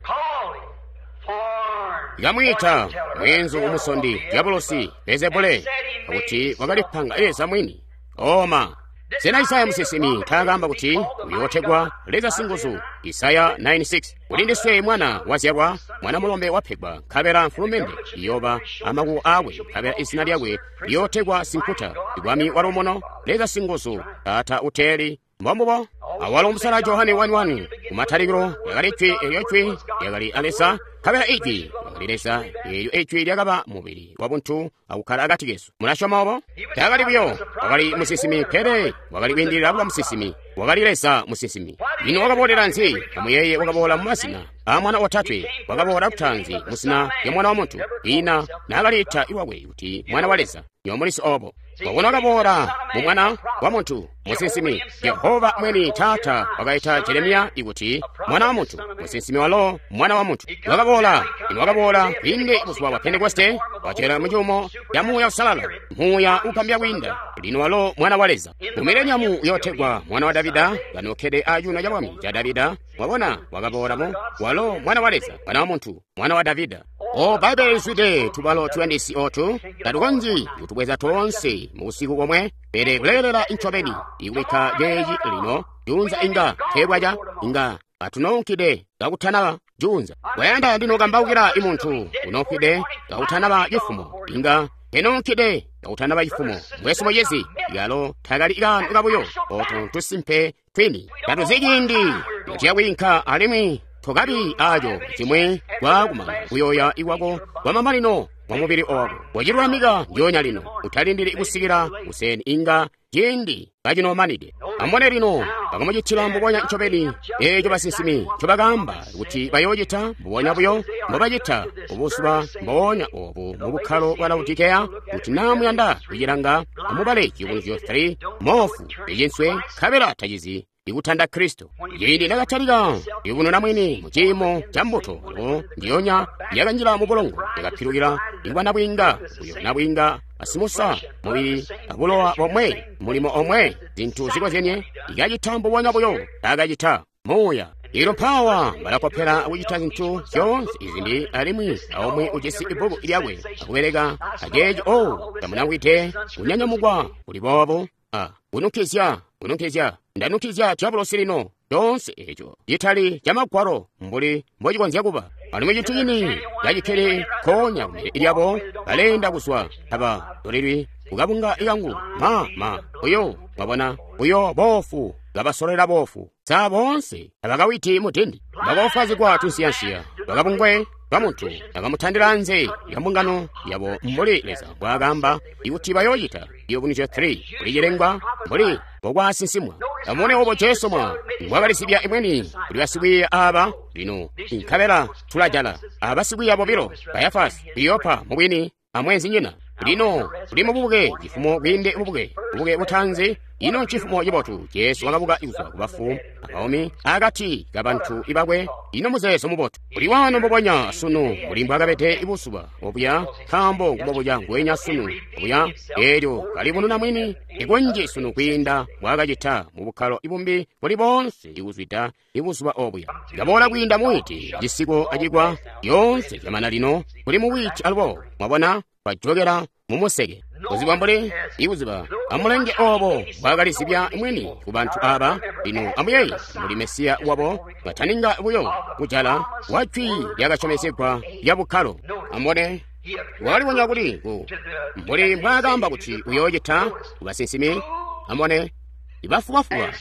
Kamwiita mweenzu umusondi Diabolosi Bezebule, kuti wakalipanga Leza mwini. Oma sena Isaya musinsimi taakamba kuti uyootegwa Leza Singuzu? Isaya 9:6 kuti ndiswe mwana wazyalwa, mwana mulombe wapegwa, nkabela mfulumende iyoba amakuko aakwe, nkabela izina lyakwe liyootegwa Sinkuta, Bwami wa Luumuno, Leza Singuzu, Taata Uteeli. Mbombubo. Awalo musala Johane 1:1 kumatalikilo lyakali jwi, elyo jwi lyakali a Leza, nkabela ijwi lyakali Leza, eelyo ijwi lyakaba mubili wabuntu akukkala akati kesu. Mulasyoma obo? Taakali buyo wakali musinsimi, pele wakali kwiindilila kuba musinsimi. Wakali Leza musinsimi. Ino wakaboolela nzi? Amuyeeye, wakaboola mu mazina a mwana otatwe. Wakaboola kutaanzi muzina lya mwana wa muntu, ina naakaliita iwakwe kuti mwana wa Leza. Nyomulisi obo. Mwabona, wakaboola mu mwana wa muntu, musinsimi. Jehova mwini Taata wakaita Jeremiya ikuti mwana wa muntu, musinsimi walo mwana wa muntu. Wakaboola, ino wakaboola kwiinde buzuba bwa Pentekoste, wacela mucuumo ca Muuya Usalala, Muuya ukambya kwiinda. Lino walo mwana wa Leza. Mu mileniamu uyootegwa mwana wa Davida, kanokkede a cuuno ca bwami ca Davida. Mwabona, wakaboola mu walo mwana wa Leza, mwana wa muntu, mwana wa Davida. O Bbaibele lizwide tubalo tuyandisi otu, tatukonzyi kutubweza toonse mu busiku bomwe, pele kulekelela ncobeni ikubikka ceeci lino juunza inga teebwaca, inga katunoonkide kakutanaba juunza. Wayanda ndinokambaukila imuntu unoonkide kakutanaba cifumo, inga kenoonkide kakutanaba cifumo. Mwesu muyezi yalo takali kaano kabuyo, otu tusimpe twini. Tatuzi ciindi nociyakwiinka alimwi tokabi aco cimwe kwakumana kuyoya iwako kwamamanino mwa mubili owako. Wacilulamika ndyoonya lino, utalindili kusikila kuseni inga ciindi kacinomanide. Amubone lino, bakamucitila mbubonya ncobeni eeco basinsimi ncobakaamba kuti bayoocita, mbubonya buyo mbobacita ubuzuba mbonya obu mu bukkalo bwa Laodikeya. Kuti naa muyanda kucilanga, amubale Ciyubunuzyo 3, moofu icinswe nkabela tacizi ikutanda Kristo. Ciindi nakatalika kuyubununa mwini mu ciimo ca mbuto, alubo ndiyonya yakanjila mu bulongo, yakapilukila ikuba nabwiinga, uyo nabwiinga asimusa mubili abulowa bomwe, mulimo omwe, zintu zikozyenye, ikacita mbubonya buyo takacita Muuya. Ilo mpawa balakopela akucita zintu zyoonse izimbi, alimwi aomwe ujisi ibbuku lyakwe akubeleka aceeco. O tamunangwide kunyanyamukwa kuli boobo, a kunukizya, kunukizya, ndanukizya diabolosi lino. Coonse eco citali ca magwalo mbuli mbocikonzya kuba. Alimwi cintu cini cacikkele nkoonya kumbele lyabo, baleenda kuzwa taba tolelwi kukabunga ikangu ma uyo mwabona uyo boofu kabasolera boofu. Sa boonse tabakawiti mudindi, bakoofwazigwa tunsiyansiya bakabungwe kamuntu akamutandila nze ya mbungano yabo mbuli Leza mbwaakamba ikuti bayoocita. Ciyubunuzyo 3 kuli cilengwa mbuli mbokwasinsimwa. Amubone obo Jesu mwa mbwakalisibya imweni kuli basikwiiya aba lino, nkabela tulajala abasikwiiya bobilo, Kayafasi, Kleopa mubwini amwenzinyina. Lino kuli mububuke cifumo kwiinde bubuke, bubuke butanzi. Ino cifumo cibotu Jesu wakabuka kuzwa kubafu abaumi akati kabantu ibakwe. Ino muzeezo mubotu kuli wano mbubonya sunu mbuli mbwakabede ibuzuba obuya, nkaambo kubobuya ngwenya sunu obuya, eelyo kalibununa mwini ikunji sunu kwiinda mbwakacita mu bukkalo ibumbi buli boonse ikuzwida ibuzuba obuya. Kaboola kwiinda muwiti cisiko acikwa yoonse zyamana lino kuli muwiti alubo. Mwabona, bajokela mumuseke kuziba mbuli ikuziba amulenge obo bwakalisibya mwini ku bantu aba. Lino amuyeeye mbuli Mesiya wabo bataninga buyo kujala wa jwi lyakasyomezegwa lya bukkalo. Amubone, wakalibonya kuli mbuli mbwaakaamba kuti uyoocita kubasinsimi. Amubone, ibafubafuba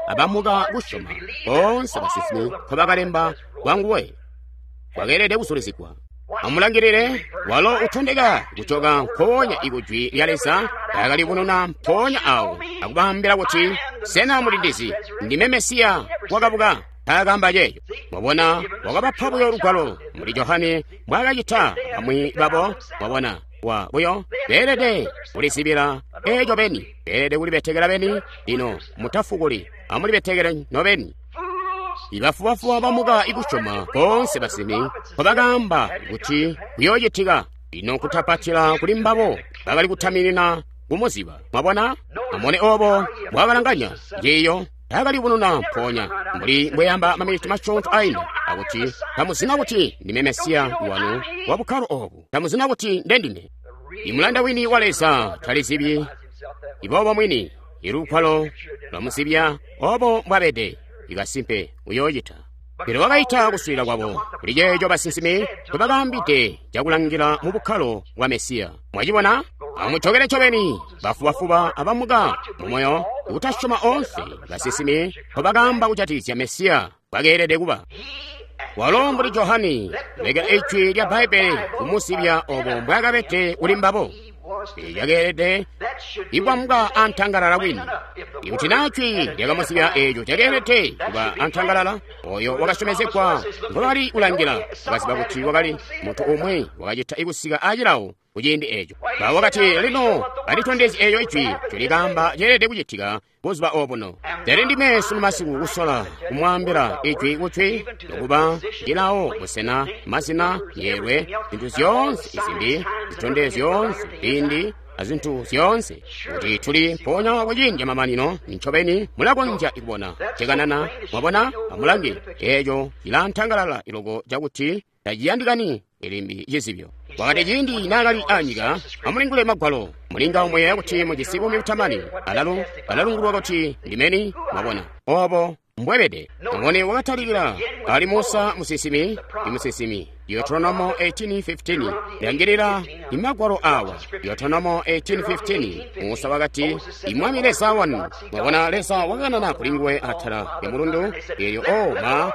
abamuka kusyoma boonse basinsimi nkobakalemba kwanguwe kwakeelede kusulizigwa. Amulangilile, walo utondeka kujoka mpoonya ikujwi lya Leza akalibununa mpoonya awo akubaambila kuti, sena mulindizi ndime Mesiya wakabuka? Taakaamba ceeco. Mwabona, wakabapa buyo lugwalo mbuli Johane mbwaakacita bamwi babo. Mwabona, wa buyo beelede kulizibila eeco beni, beelede kulibetekela beni. Lino mutafukuli, amulibetekele nobeni. Ibafubafuba bamuka ikusyoma boonse basimi nkobakaamba kuti kuyoocitika. Lino kutapatila kuli mbabo bakali kutaminina kumuziba. Mwabona, amone obo mbwakalanganya ciiyo. Takalibununa mpoonya mbuli mbweyamba maminiti masyoonto ainda akuti tamuzina kuti ndime Mesiya wanu wa bukkalo obu, tamuzina kuti ndendime. Imulanda wini wa Leza talizibyi iboobo mwini, ilugwalo lwamuzibya obo mbwabede. Ikasimpe uyoocita. Pele wakaita kuswiilila kwabo kuli ceeco basinsimi nkobakaambide cakulangila mu bukkalo bwa Mesiya. Mwacibona? Amujokele ncobeni bafubafuba abamuka mumoyo kutasyoma oonse basinsimi nkobakaamba kujatikizya Mesiya bwakeelede kuba. Walo mbuli Johane lekela ijwi lya Bbaibbele kumuzibya obo mbwaakabede kuli mbabo. Cakeelede ikwambwa antangalala kwini. Ikuti naa jwi lyakamuzibya eeco cakeelede kuba antangalala, oyo wakasyomezegwa ngobakali kulangila wakaziba kuti wakali muntu umwi wakacita ikusika acilawo kuciindi eeco. Ba wakati, lino alitondezye eeyo ijwi ncolikaamba ceelede kucitika buzuba obuno. Pele ndime sunu masiku kusola kumwaambila ijwi kujwi nokuba cilawo, busena, mazina, myeelwe, zintu zyoonse izimbi, zitondezyo zyoonse, ziindi, azintu zyoonse, kuti tuli mpoonya kuciindi mamanino. Ncobeni mulakonzya kubona cekanana. Mwabona, amulange, eeco cilaantangalala iloko cakuti taciyandikani ilimbi cizibyo. Wakati ciindi naakali anyika, amulingule magwalo, mulinga muyeeya kuti mujisi buumi butamani, alalo alalungulwa kuti ndimeni. Mwabona obo mbwebede. Amubone, wakatalikila ali Musa musinsimi, imusinsimi. Deuteronomo 18:15. Langilila imagwalo awa. Deuteronomo 18:15. Musa wakati, imwami Leza wanu. Mwabona, Leza wakanana kuli nguwe atala ya mulundu. Elyo o ma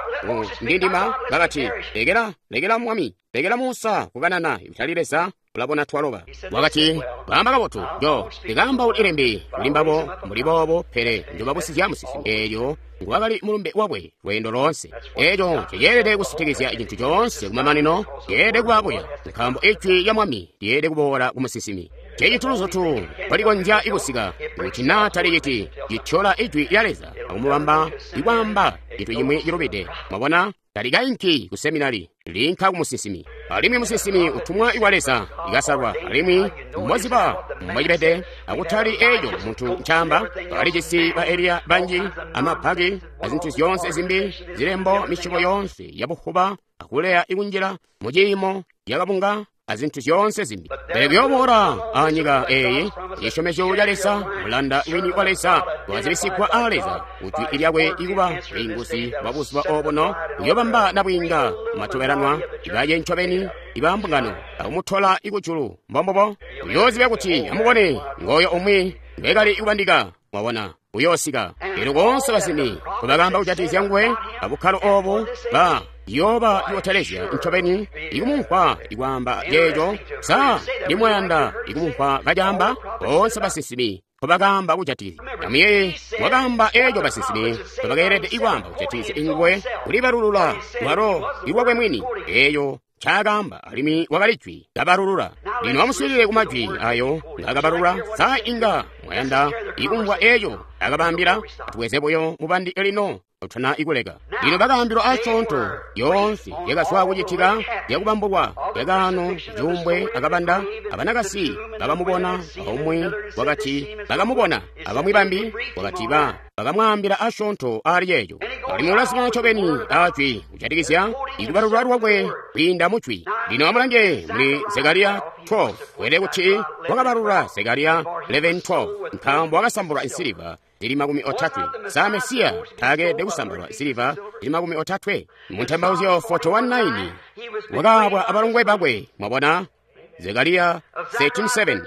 ndindima bakati, lekela, lekela mwami, lekela Musa kukanana, kutali Leza. Ulabona twaloba. Wakati, baamba kabotu, njo ndikaamba ilembi kuli mbabo mbuli boobo, pele njobabusizya musinsimi. Eelyo nguwakali mulumbe wakwe lweendo loonse. Eeco ceelede kusitikizya cintu coonse kumamanino, ceelede kuba buya, nkaambo ijwi lya mwami lyeelede kuboola ku musinsimi. Cecituluzutu balikonzya ikusika kuti naa taliciti cityola ijwi lya Leza akumubamba ikwaamba cintu cimwi cilubide. Mwabona, talikainki ku seminari, linka ku musinsimi. Alimwi musinsimi utumwa iwa Leza ikasalwa, alimwi mboziba mbwacibede, akutali eeco muntu ncaamba. Bakalijisi ba Eliya banji, amapaki, azintu zyoonse zimbi, zilembo, misyobo yoonse yabuhuba, akuleya ikunjila muciimo yakabunga, azintu zyoonse zimbi. Pele kuyooboola anyika eeyi cisyomezyo ca Leza, mulanda wini wa Leza wazibisigwa a Leza, ujwi lyakwe ikuba bwiinguzi bwa buzuba obuno, uyoobamba nabwiinga matobelanwa ibaye ncobeni ibambungano akumutola ikujulu. Mbombubo uyoozibya kuti amubone ngooyo umwi ngwekali kubandika. Mwabona, uyoosika. Elyo boonse basimi nkobakaamba kujatikizya nguwe abukkalo obu ba yoba yotelezya ncobeni ikumumvwa ikwaamba ceeco. Sa ndimwayanda ikumumvwa kacaamba? Boonse basinsimi nkobakaamba kujatikizya. Amuyeeye, wakaamba eeco basinsimi nkobakeelede ikwaamba kujatikizya nguwe, kulibalulula lwalo ilwakwe mwini eeyo ncaakaamba, alimwi wakali jwi kabalulula. Lino amuswiilile ku majwi ayo ngaakabalulula. Sa inga mwayanda ikumvwa eeco akabaambila? Atubweze buyo mubandi lino tuna ikuleka. Lino bakaambilwa asyoonto yoonse yakazwa kucitika yakubambulwa yakaano cuumbwe akabanda. Abanakasi bakamubona, aumwi wakati bakamubona, abamwi bambi wakati bakamwaambila asyoonto ali ceeco. Alimwi ulazima ncobeni ajwi kujatikizya ikubalulwa lwakwe kwiinda mujwi. Lino amulange muli Zekariya 12, weelede kuti wakabalula Zekariya 11:12, nkaambo wakasambulwa insiliva zili 30. Sa Mesiya taakeelede kusambalwa siliva zili 30? Mu Ntembauzyo 41:9 wakaabwa abalongwe bakwe. Mwabona? Zekariya 13:7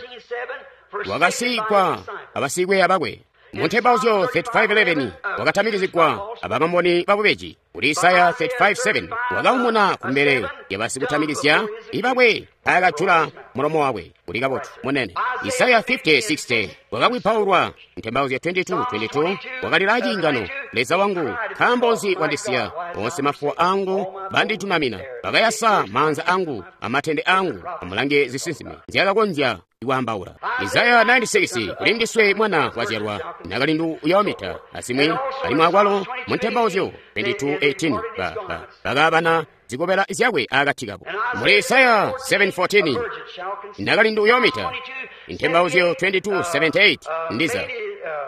wakasikwa abasikweya bakwe. Mu Ntembauzyo 35:11 wakatamikizigwa abamamboni babubeji. Kuli Isaya 35:7 wakaumuna kumbele yabasikutamikizya ibakwe akajula mulomo wakwe. Kuli kabotu munene. Isaya 50:60 wakakwipaulwa. Ntembauzyo 22:22 wakalila ciingano, Leza wangu, nkaambo nzi wandisiya? Onse mafuwa angu banditunamina, bakayasa maanza angu amatende angu. Amulange zisinsime nzyakakonzya kwaambaula. Isaya 96 kuli ndiswe mwana wazyalwa nakalindu uyoomita asimwi alimwi akwalo mu Ntembauzyo 22:18 bakaabana zikobela zyakwe akati kabo. Muli Isaya 7:14 nakalindu uyoomita. Ntembauzyo 22:78 ndiza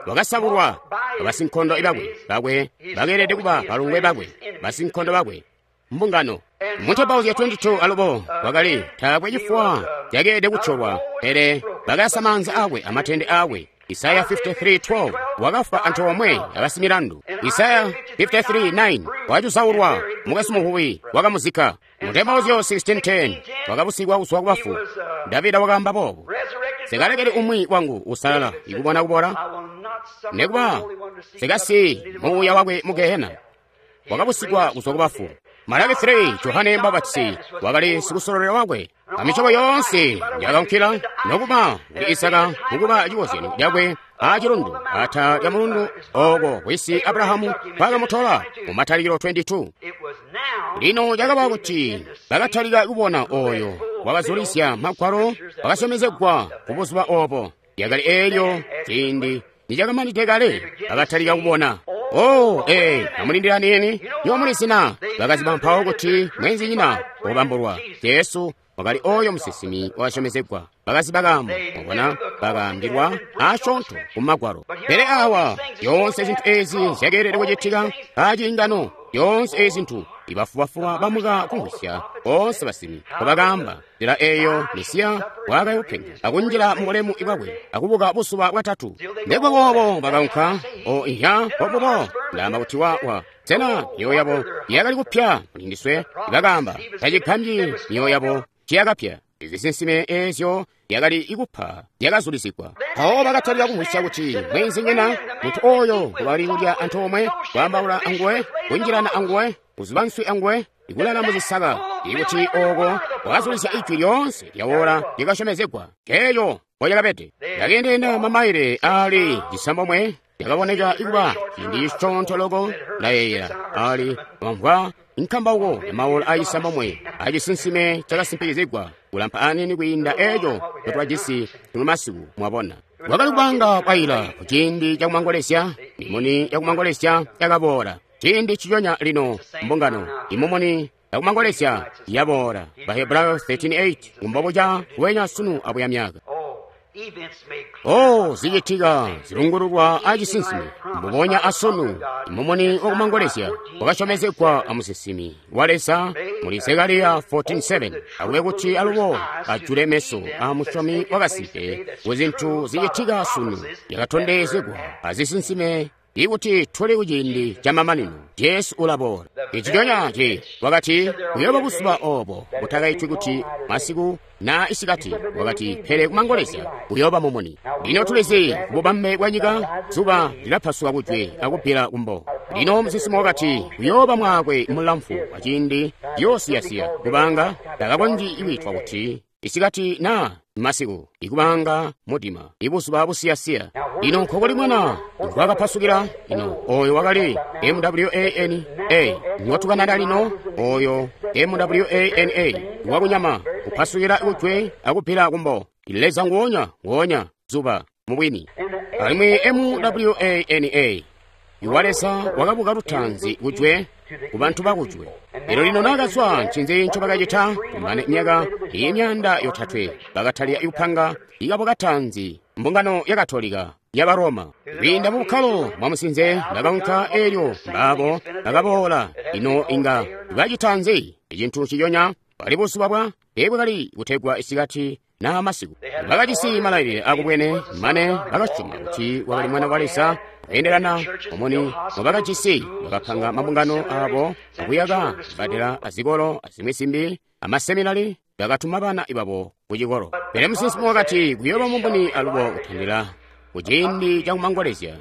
wakasabulwa abasinkondo bakwe bakwe bakeelede kuba balongwe bakwe basinkondo bakwe mbungano. Mu Ntembauzyo 22 alubo wakali taakwe cifuwa cakeelede kutyolwa, pele bakayasa maanza akwe amatende akwe. Isaya 53:12 wakafwa antoomwe abasimilandu. Isaya 53:9 wacusaulwa mukasi muhuwi wakamuzikka. Mu Ntembauzyo 16:10 wakabusigwa kuzwa kubafu. Davida wakaamba boobu, sekalekeli umwi wangu usalala ikubona kubola, nekuba sekasi muuya wakwe mu gehena. Wakabusigwa kuzwa kubafu. Malaki 3 Johane Mbapatisi wakali sikusololela wakwe. Amicobo yoonse yakankila nokuba kuli Isaka mukuba cikozyanyo cakwe acilundu ata lya mulundu oko wisi Abrahamu kwakamutola mu Matalikilo 22. Lino cakaba kuti bakatalika kubona oyo wakazulisya magwalo wakasyomezegwa ku buzuba obo. Yakali eelyo ciindi nicakamanide kale bakatalika kubona. Oh, amulindira nini yomulizina bakaziba mpawo kuti mwenzinyina wobambulwa Jesu wakali oyo musinsimi wakasyomezegwa. Bakaziba kaambo, mwabona, bakaambilwa asyoonto ku magwalo. Pele awa yoonse zintu ezi zyakeelede kucitika aciingano, yoonse ezi zintu ibafubafuba bamuka kumvwisya boonse basimi kobakaamba nzila eyo Mesiya wakayopenya akunjila mu bulemu bwakwe akubuka buzuba bwatatu. Nekuba boobo bakaunka o iya bobubo ndaamba kuti wa sena myoyo yabo yakali kupya mulindiswe? Bakaamba tacigambyi myoyo yabo ciyakapya. Izisinsime eezyo yakali ikupa yakazulisigwa. Mpawo bakatalika kumvwisya kuti mwenzinyina muntu oyo ngobali kulya antoomwe, kwaambaula anguwe, kunjilana anguwe, kuzuba nswi anguwe, ikulala muzisaka, ikuti oko wakazulisya ijwi lyoonse lyawola lyakasyomezegwa. Keeyo mbolyakabede. Yakeendeenda mamaile aali 9 yakaboneka ikuba ciindi cisyoonto loko ndayeeyela ali wamvwa nkambauko ya maola a 9 acisinsime cakasimpikizigwa kulampa anini kwiinda eeco ncotwajisi tuno masiku. Mwabona, wakali kupanga bwaila ku ciindi cakumangolezya. Mimuni yakumangolezya yakaboola ciindi ciconya lino mbungano imumuni yakumangolezya yaboola. Bahebrayo 13:8 kumbobuca kuwenya sunu abuya myaka. Oh, zicitika zilungululwa acisinsime mbubonya asunu. Imumuni wakumangolezya wakasyomezegwa amusinsimi wa Leza muli Zekariya 14:7 akube kuti alubo ajule meso a musyomi wakasimpe ku zintu zicitika sunu yakatondezegwa azisinsime ikuti tuli kuciindi camamanino. Jesu ulaboola. Iciconya ci wakati kuyooba buzuba obo butakaitwi kuti masiku na isikati, wakati pele kumangolezya kuyooba mumuni. Lino tulizi kububambe bwa nyika zuba lilapasuka kujwe akubbila kumbo. Lino musinsimi wakati kuyooba mwaakwe mulamfu wa ciindi ciyoosiyasiya kubanga takakonzyi ikwitwa kuti isikati na masiku, ikubanga mudima, ibuzuba busiyasiya. Lino nkokuli mwana ngwakapasukila. Ino oyo wakali MWANA ngotukanana lino, oyo MWANA wakunyama kupasukila kujwe akubbila kumbo. Leza nguonya nguonya zuba mubwini. Alimwi MWANA iwa Leza wakabuka lutanzi kujwe ku bantu bakujwe. Lero lino nakazwa ncinzi ncobakacita? Kumane myaka imyanda yotatwe bakatalika ikupanga ikabo katanzi mbungano ya Katolika ya Roma. Kwiinda mu bukkalo bwa musinze bakaunka elyo mbabo bakaboola. Ino inga bacita nzi? Icintu ciyonya bali buzuba bwa bwakali kutegwa isikati na masiku. Bakajisi malailile akubwene mane bakasyoma kuti wakali mwana wa Leza. Kweendelana omuni mubakajisi bakapanga mabungano abo akuyaka zibbadela azikolo azimwi zimbi amaseminari bakatuma bana babo ku cikolo. Pele musinsimi wakati kuyooba mumuni alubo kutandila kuciindi cakumangolezya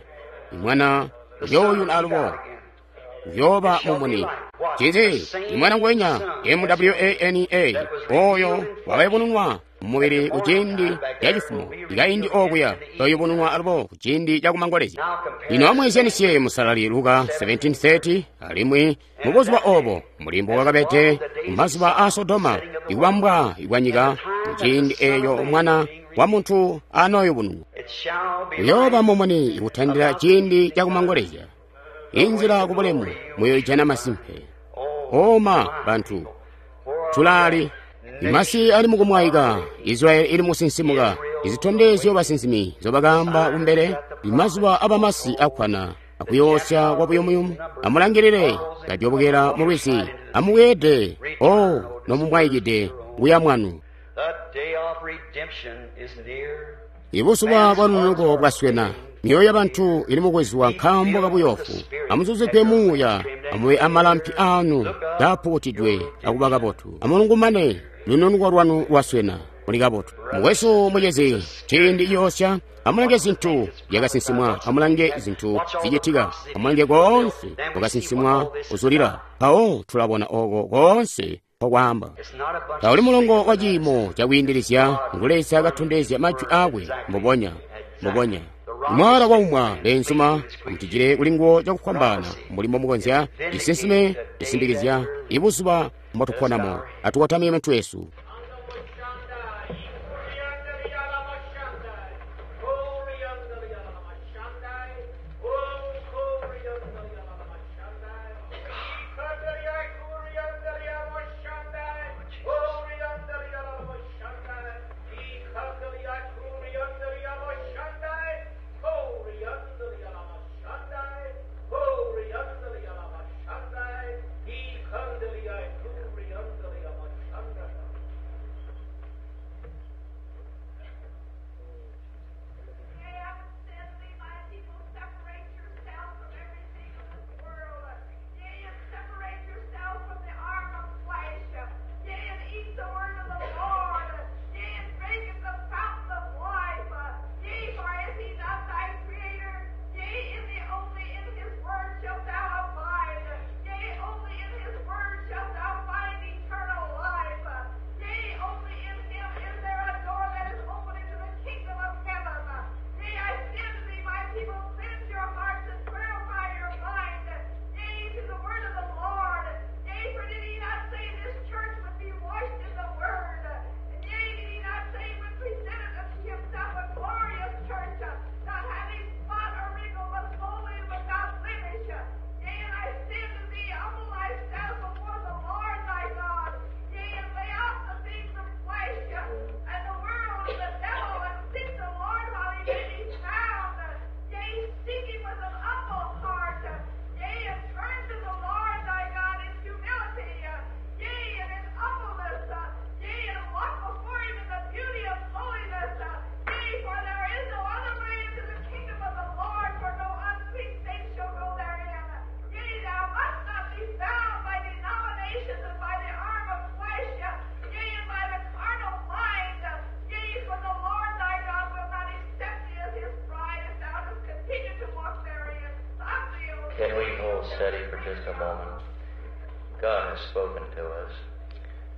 imwana uyooyuna alubo kuyooba mumuni. Cinzi imwana ngwenya M-W-A-N-A oyo wakayubununwa mumubili kuciindi cacifumo ikaindi okuya toyubununwa alubo kuciindi cakumangolezya. Lino amweezyanisye musalali Luka 17:30 alimwi mubuzuba obo mulimbo wakabede mumazuba a Sodoma ikubambwa kwanyika kuciindi eeyo mwana wa muntu anooyubununwa. Kuyooba mumuni kutandila ciindi cakumangolezya. Inzila kubulemu muyoijana masimpe. Oma bantu tulaali imasi ali mukumwaika, Israeli ili musinsimuka. Izitondezyo basinsimi zobakaamba kumbele imazuba abamasi akkwana akuyoosya kwa buyumuyumu. Amulangilile kadyobokela mu lwizi, amubweede o nomumwaikide kuya mwanu. Ibuzuba bwa lununuko bwaswena. Myoyo yabantu ili mukwezwa nkaambo kabuyoofu. Amuzuzigwe muuya, amube amalampi aanu kaapukutidwe akuba kabotu. Amulungumane, lununuko lwanu lwaswena, muli kabotu. Mukwesu mucezi, ciindi ciyoosya, amulange zintu zyakasinsimwa, amulange zintu zicitika, amulange koonse kwakasinsimwa kuzulila. Mpawo tulabona oko koonse kwakwaamba. Tauli mulongo wa ciimo cakwiindilizya ngu Leza katondezya majwi aakwe mbubonya, mbubonya. Mwala waumwa leenzuma amutijile kulinguwo cakufwambaana mbuli mbomukonzya. Cisinsime cisindikizya ibuzuba mbotuponamo. Atukotamye mitwe yesu. Can we hold steady for just a moment? God has spoken to us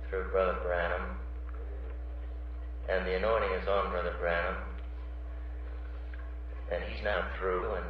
through Brother Branham, and the anointing is on Brother Branham, and he's now through, and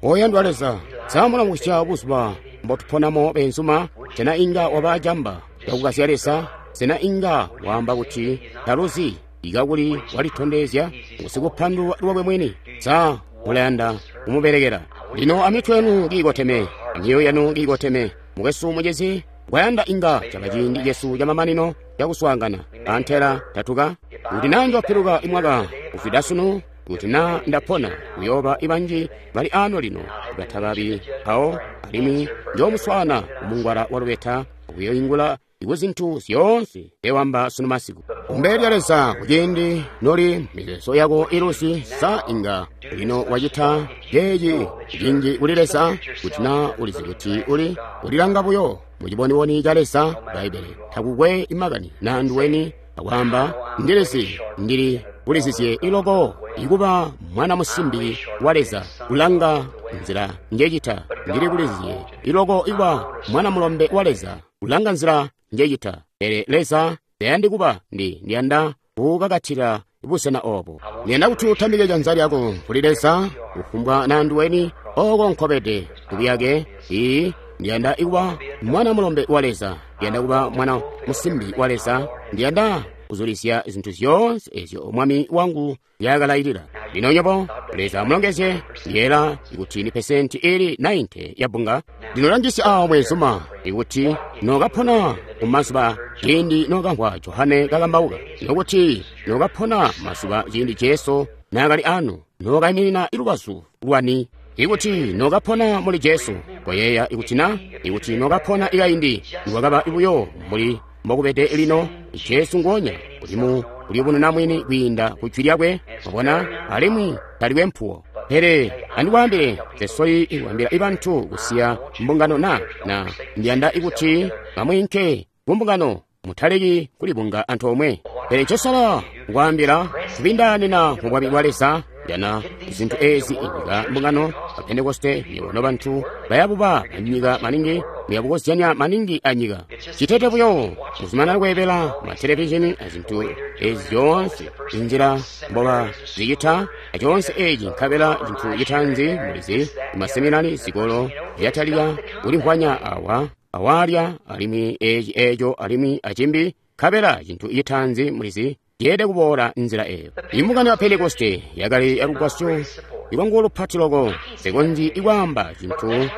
Oyandwa Leza, samulamusya buzuba mbotuponamo benzuma, sena inga wabajamba yakukasya Leza, sena inga waamba kuti taluzi ikakuli walitondezya ngusikupandulwa lwakwe mwini. Sa mulayanda kumubelekela. Lino amitwe yanu kiikoteme, amyoyo yanu kiikoteme. Mukwesu mucezi, kwayanda inga caba ciindi cesu camamanino cakuswaangana. Antela tatuka kuti naa njopiluka imwaka kufida sunu, kuti naa ndapona kuyooba ibanji bali ano lino batakabi mpawo, alimwi njoomuswaana kumungwala wa lubeta kuyoingula Ikuzintu zyoonse ewamba sunu masiku. Kumbele lya Leza kuciindi noli mizeezo yako iluzi sa inga lino wacita ceeci cinji kuli Leza kuti na ulizi kuti uli ulilanga buyo muciboniboni ca Leza Bbaibbele takukwe imakani na nduweni akwaamba ndilizi ndili ulizizye iloko ikuba mwana musimbi wa Leza kulanga nzila njecita ndili kulizizye iloko ikuba mwana mulombe wa Leza kulanga nzila njecita pele Leza tayandi kuba ndiyanda kukakatila busena obo ndiyanda kuti utambike janza lyako kuli Leza kufumbwa na nduweni oko nkobede kubuyake ii ndiyanda ikuba mwana mulombe wa Leza ndiyanda kuba mwana musimbi wa Leza ndiyanda kuzulisya zintu zyoonse ezyo mwami wangu yakalailila. Lino nyobo Leza amulongezye ndiyela ikuti ni pesenti ili 90 ya bunga. Ndinolangisya awo mwezuma ikuti nokapona kumazuba ciindi nokamvwa Johane kakambauka nokuti nokapona mazuba ciindi Jesu nakali anu nokayiminina ilubazu lwani. Ikuti nokapona muli Jesu koyeeya ikuti na ikuti nokapona ikaindi niwakaba ibuyo muli mbokubede lino Jesu ngonya ulimu uliyubununa mwini kwiinda ku jwi lyakwe mwabona alimwi taliwe mpuwo. Pele andikwaambile tesoli ikuambila ibantu kusiya mbungano na ndiyanda ikuti bamwinke kumbungano mutaleki kulibunga antoomwe. Pele ncosala kukwaambila kubindaanina mu bwami bwa Leza jana zintu ezi inyika mbungano ba Pentekoste nyobo bantu bayabuba anyika maningi muyabukozyanya maningi anyika chitete buyo muzumanana kweebela ma televishini azintu ezi zyoonse inzila mboba zicita aconse eci nkabela cintu citanzi mulizi maseminari zikolo zyatalika kulimvwanya awa awalya alimwi eci eco alimwi acimbi nkabela cintu citanzi mulizi yeede kuboola nzila eyo. Imbungano ya Pentekoste yakali yalugwasyo ilwanguwo lupati loko sekonzi ikwaamba cintu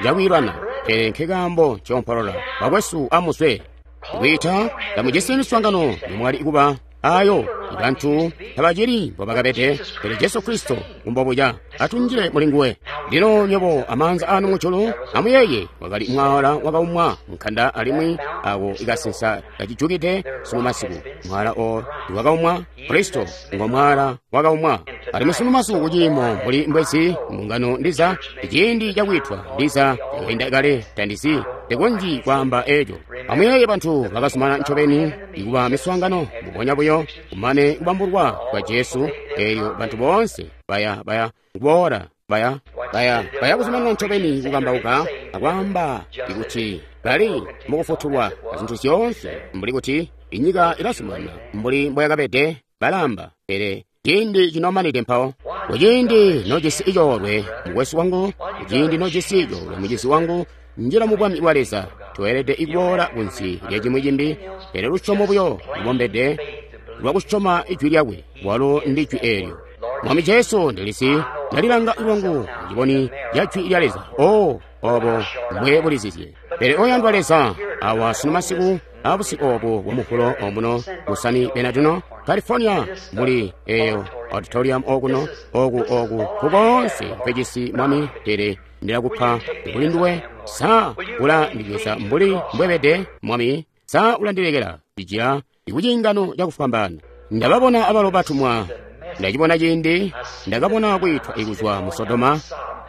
cakwiilwana pele nkekaambo ncompolola bakwesu amuzwe kwiita tamujisi miswaangano yomwali kuba ayo bantu tabacili mbobakabede pele Jesu Kristo ngumbobuya atunjile mulinguwe. Lino nyobo amaanza anu mujulu amuyeye wakali mwala wakaumwa nkanda alimwi ako ikasinsa kacijukide sunu masiku mwala o wakaumwa Kristo ngo mwala wakaumwa alimwi sunu masiku kuciimo muli mbwezi mbungano ndiza ciindi cakwitwa ndiza yakainda kale tandizi tekonji kwaamba eco. Amuyeye bantu bakazumana ncobeni ikuba miswaangano mubonya buyo kumane kubambulwa kwa Jesu eyo bantu boonse baya kuboola baya kuzumanana ncobeni kukambauka akwaamba ikuti bali mukufutulwa azintu zyoonse mbuli kuti inyika ilazumana mbuli mboyakabede balamba pele ciindi cinomanide mpawo. Kuciindi nojisi icoolwe mukwesu wangu, kuciindi nojisi icoolwe mucizi wangu, njila mu bwami bwa Leza tweelede ikuboola kunsi lya cimwi cimbi pele lusyomo buyo lubombede lwakusyoma ijwi lyakwe walo ndi jwi eelyo. Mwami Jesu ndilisi ndalilanga lwangu muciboni lya jwi lya Leza o obo mbwe bulizizye. Pele oyandwa Leza awa sunu masiku abusiku obu bwa muhulo omuno mu San Bernardino California muli eyo auditorium okuno oku kukonse kwecisi mwami pele ndilakupa kuli nduwe sa ulandibweza mbuli mbwebede mwami sa ulandilekela cijila ikucingano cakufwambaana. Ndababona abalo batumwa ndacibona ciindi ndakabona kwiitwa ikuzwa mu Sodoma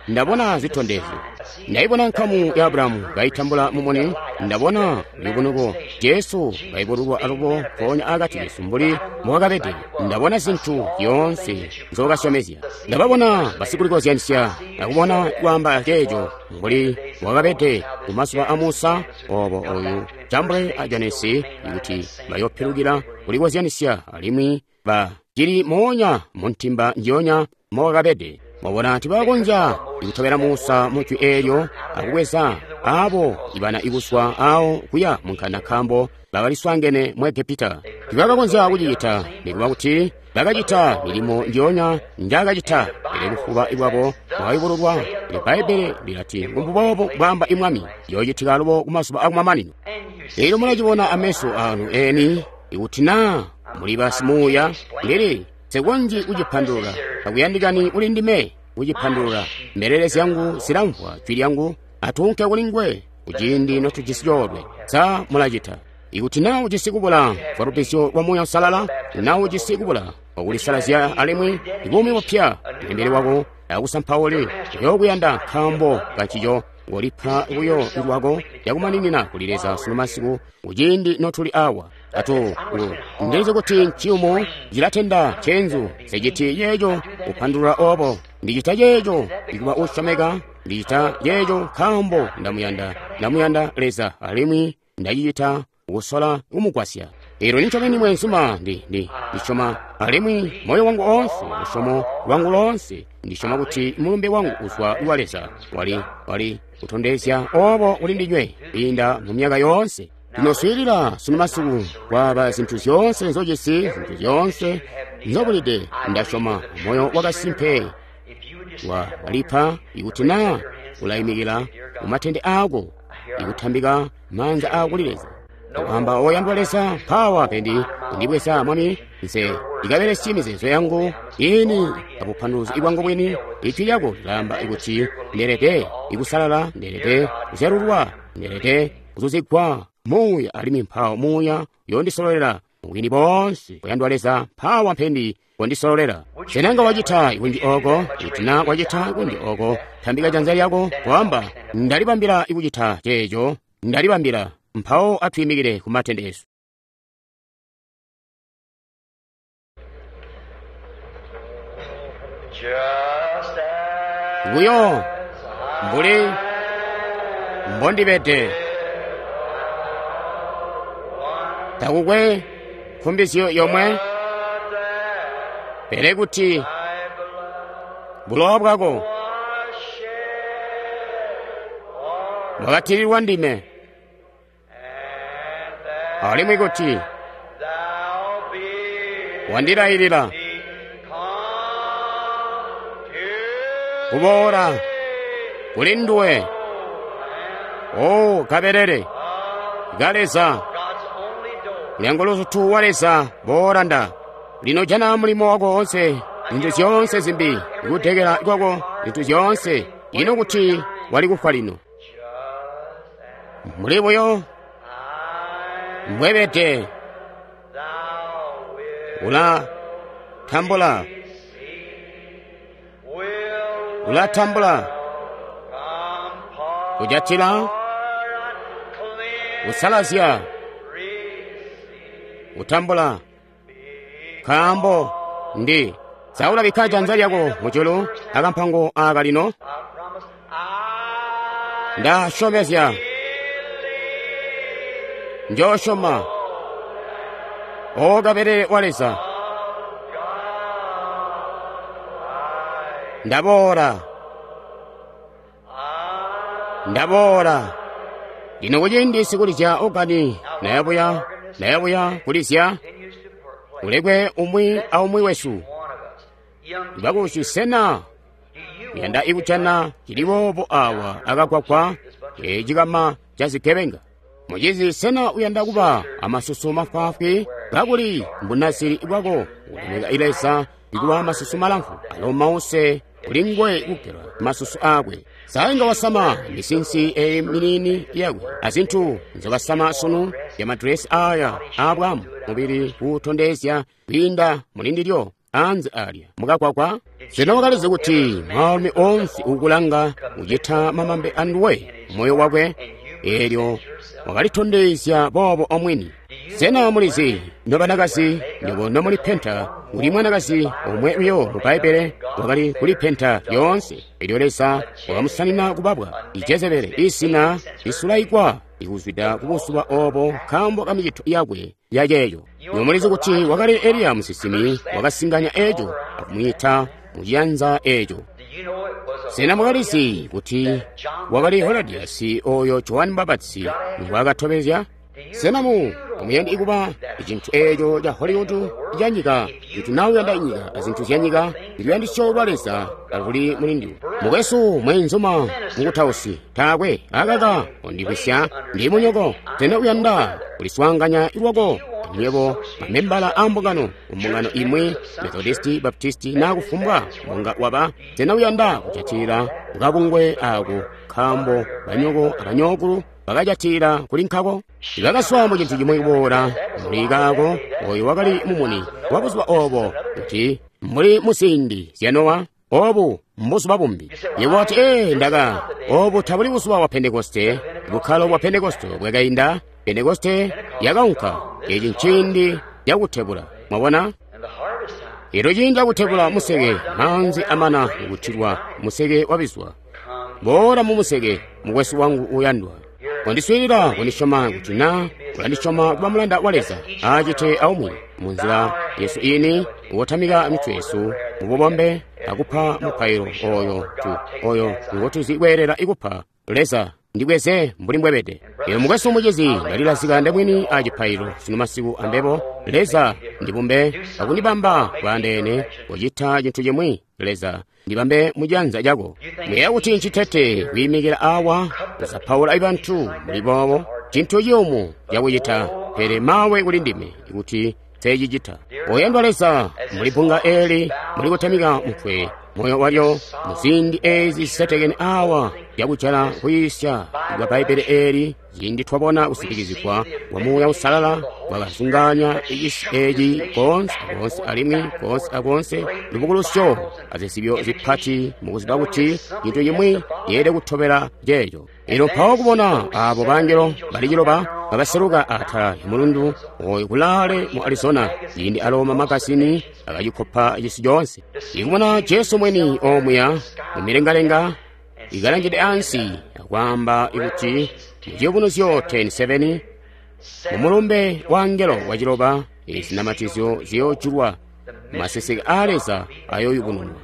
ndabona zitondezyo ndayibona nkamu ya Aburahamu kayitambula mumuni ndabona lubunuko Jesu kayibululwa alubo mpoonya akati kesu mbuli mbowakabede ndabona zintu zyoonse nzookasyomezya ndababona basikulikozyanisya akubona kwaamba ceeco mbuli mbowakabede kumazuba a Musa obo oyu Jambule a Janesi ikuti bayopilukila kulikozyanisya alimwi bacili moonya muntimba njionya mbowakabede. Mwabona tibakonzya ikutobela Musa mu jwi eelyo akubweza abo ibana ikuswa awo kuya munkanda nkaambo bakaliswaangene mu Egepita. Tibakakonzya kucicita nikuba kuti bakacita milimo njionya njakacita pele bufuba bwabo bwakayubululwa. Bbaibbele lilati mbuboobo bwaamba imwami yoocitika alubo kumazuba akumamanino. Eelyo mulacibona ameso anu eni ikuti naa muli basimuuya ndili sekonji kucipandulula takuyandikani kuli ndime kucipandulula. Mbelele zyangu zilamvwa jwi lyangu atuunke kuli nguwe kuciindi notujisi coolwe. Sa mulacita? Ikuti na ujisi kubula kwa lubbizyo lwa Muuya Uusalala, na ujisi kubula kwakulisalazya alimwi ibuumi bupya, mbele wako akusampauli uyokuyanda nkaambo kancico ngolipa buyo lwako yakumaninina kuli Leza sunu masiku kuciindi notuli awa. Atu ndilizi kuti nciyumu cilatenda cenzu seciti yeeco kupandulula obo. Ndicita yeeco ndikuba usyomeka, ndicita yeeco nkaambo ndamuyanda, ndamuyanda Leza alimwi ndacicita kusola kumugwasya. Elo nincobeni mwenzuma ndisyoma alimwi moyo wangu oonse, lusyomo lwangu loonse, ndisyoma kuti mulumbe wangu uzwa wa Leza wali kutondezya obo kuli ndinywe kwiinda mu myaka yoonse. Lino swiilila sunu masiku kwaba zintu zyoonse nzojisi, zintu zyoonse nzobulide, ndasyoma moyo wakasimpe walipa ikuti na ulayimikila mumatende ako ikutambika maanza ako kuli Leza. Kwamba oyandwa Leza, mpawa pendi ndibweza Mwami, nse ndikabelesye mizeezo yangu ini abupanduluzi bwangu bwini. Ijwi lyako lilamba ikuti ndelede ikusalala, ndelede kuzyalulwa, ndelede kuzuzigwa Muuya, alimwi mpawo Muuya yondisololela mubwini bonse. Oyandwa Leza, mpawa mpendi wondisololela. Senanga wacita ikunji oko, kuti na wacita ikunji oko, tambika janza lyako kwamba ndalibambila ikucita ceeco, ndalibambila. Mpawo atwimikile ku matende esu. Buyo mbuli mbondibede, takukwe nkumbizyo yomwe, pele kuti bulowa bwako bwakatirirwa ndime, alimwi kuti wandilayilila kuboola kuli nduwe, o kabelele ka Leza, mulyango luzutu wa Leza, boola nda. Lino jana mulimo wako wonse, zintu zyoonse zimbi, kutekela kwako, zintu zyoonse, ino kuti wali kufwa lino. Muli buyo mbwebede, ulatambula, ulatambula, kujatila, kusalazya, kutambula, nkaambo ndi saulabikka janza lyako mujulu akampango aka lino. Ndasyomezya njosyoma, o kabelele wa Leza, ndaboola, ndaboola. Lino kuciindi sikulizya ogani nayabuya, nayabuya kulizya, ulekwe umwi aumwi wesu. Bakushi sena yanda ikujana cili boobo awa akagwagwa ecikama ca zigebenga. Mucizi sena uyanda kuba amasusu mafwaafwi kakuli mbunasiri bwako ulemeka Leza ikuba amasusu malamfu alo mause kuli ngwe kugelwa masusu akwe. Sainga wasama misinsi eyi minini yakwe azinthu nzobasama sunu ya madresi aya abwamu mubili kutondezya kwiinda mulindilyo anze alya mukagwagwa. Sena wakalizi kuti mwaalumi onse ukulanga kucita mamambe anduwe moyo wakwe, elyo wakalitondezya boobo omwini. Sena mulizi nobanakazi nyobo nomulipenta kuli mwanakazi omwe uyo mu Baibele wakali kulipenta lyoonse, elyo Leza wakamusanina kubabwa Jezebele isina lisulaikwa ikuzwida kubusuba obo nkaambo ka micito yakwe yaceeco. Nomulizi kuti wakali Eliya musinsimi wakasinganya eco akumwiita muciyanza eco. Sena mwakalizi kuti wakali Herodiasi oyo Johani Mbapatizi ngwaakatobezya? Sena muyandi ikuba icintu eco ca Hollywood ca nyika, kuti nawe uyanda inyika azintu zya nyika, iluyandisyo lwa Leza aluli muli ndiwe. Mukwesu mwenzuma mukutausi taakwe akaka ondikwisya ndi munyoko. Sena uyanda kuliswaanganya lwako nywebo mamembala a mbungano mbungano imwi Methodisti, Baptisti na kufumbwa mbunga waba. Sena uyanda kujatilila kukabungwe ako nkaambo banyoko abanyokulu bakajatila kuli nkako. Bakaswa mu cintu cimwi kuboola muli kaako, oyo wakali mumuni wa buzuba obo, kuti mbuli muziindi zya Nowa, obu mbuzuba bumbi. Yebo wati, ee, ndaka, obu tabuli buzuba bwa Pentekoste, bukkalo bwa Pentekoste bwakainda, Pentekoste yakaunka. Eci nciindi cakutebula. Mwabona? Elyo ciindi cakutebula museke, maanzi amana kutilwa, museke wabizwa. Boola mu museke, mukwesu wangu uyandwa. Kondiswiilila, kondisyoma kuti na ulandisyoma kuba mulanda wa Leza, acite aumwi munzila yesu ini, wotamika mitwe yesu mububombe akupa mupailo oyo tu oyo ngotuzi kweelela ikupa Leza. Ndibweze mbuli mbwebede. Elo mukwesu mucizi, ndalilazika ndemwini a cipailo sino masiku ambebo. Leza ndibumbe akundibamba bwandeene kucita cintu cimwi. Leza ndibambe mujanza lyako. Muyeeya kuti ncitete kwiimikila awa kusapaula bantu muli boobo, cintu ciyumu cakucita, pele mawe kuli ndime kuti nsecicita. Oyandwa Leza, muli bbunga eeli muli kutamika mutwe moyo walyo muziindi eezi zisetekene awa yakujala kuyiisya kwa Bbaibbele eeli, ciindi twabona kusitikizigwa kwa Muuya Uusalala kwakazunganya cisi eeci koonse akoonse alimwi koonse akoonse, lubukulusyo azizibyo zipati mukuziba kuti cintu cimwi yeelede kutobela ceeco. Elyo mpawo kubona aabo bangelo bali ciloba babaseluka atala ya mulundu oyo kulaale mu Arizona, ciindi alo mamagazini akacikopa cisi coonse. Ikubona Jesu mweni omuya mumilengalenga ikalangide ansi akwaamba kuti mu Ciyubunuzyo 10:7 mumulumbe wa ngelo waciloba izinamatizyo ziyoojulwa, maseseke a Leza ayoyubununwa,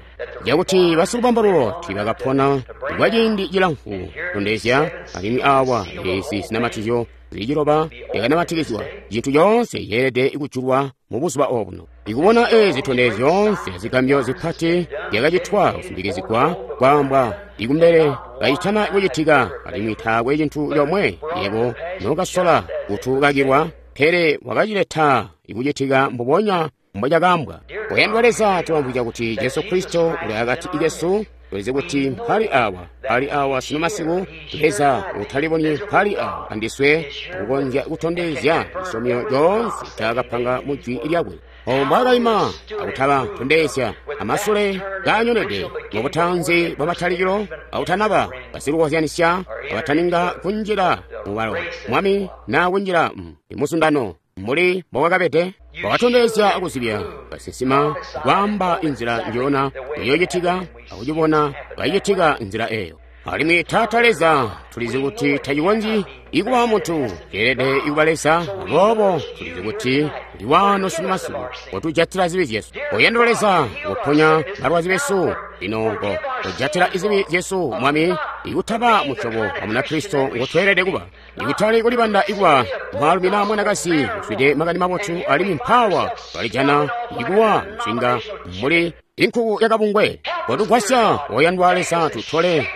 cakuti basikubambalulo tiibakapona kwa ciindi cilamfu kutondezya, alimwi awa ezi zinamatizyo zili ciloba yakanamatikizwa, cintu coonse yeelede kujulwa mu buzuba obuno. Ikubona ezi zitondezyo zyoonse zigambyo zipati zyakacitwa kusindikizigwa kwaambwa ikumbele kacitana kucitika, alimwi taakwe cintu comwe yebo nokasola kutukakilwa, pele wakacileta ikucitika mbubonya mbocakaambwa. Oyandwa Leza, tulamvwija kuti Jesu Kristo uli akati kesu. Tulizi kuti mpali awa, mpali awa sino masiku. Leza utalibonyi mpali awa andiswe akukonzya kutondezya cisyomyo coonse ncaakapanga mu jwi lyakwe. Obo mbwaakaima akutaba tondezya amasule kaanyonede mubutanzi bwamatalikilo akutanaba basilukozyanisya abataninga kunjila mubalo mwami naa kunjila muzundano mbuli mbowakabede. Wakatondezya akuzibya basinsima kwaamba inzila njona iyoocitika akucibona kaicitika nzila eyo. Alimwi Taata Leza, tulizi kuti tacikonzyi ikuba muntu, ceelede ikuba Leza. Aboobo tulizi kuti uli wano sunu masiku kotujatila zibi zyesu. Oyandwa Leza, koponya balwazi besu lino, kojatila zibi zyesu Mwami, ikutaba musyobo wa Munakristo ngotweelede kuba, ikutali kulibanda ikuba mwaalumi naa mwanakazi uswide makani mabotu, alimwi mpawa balijana ikuwa msinga mbuli inkuku yakabungwe. Kotugwasya oyandwa Leza, tutole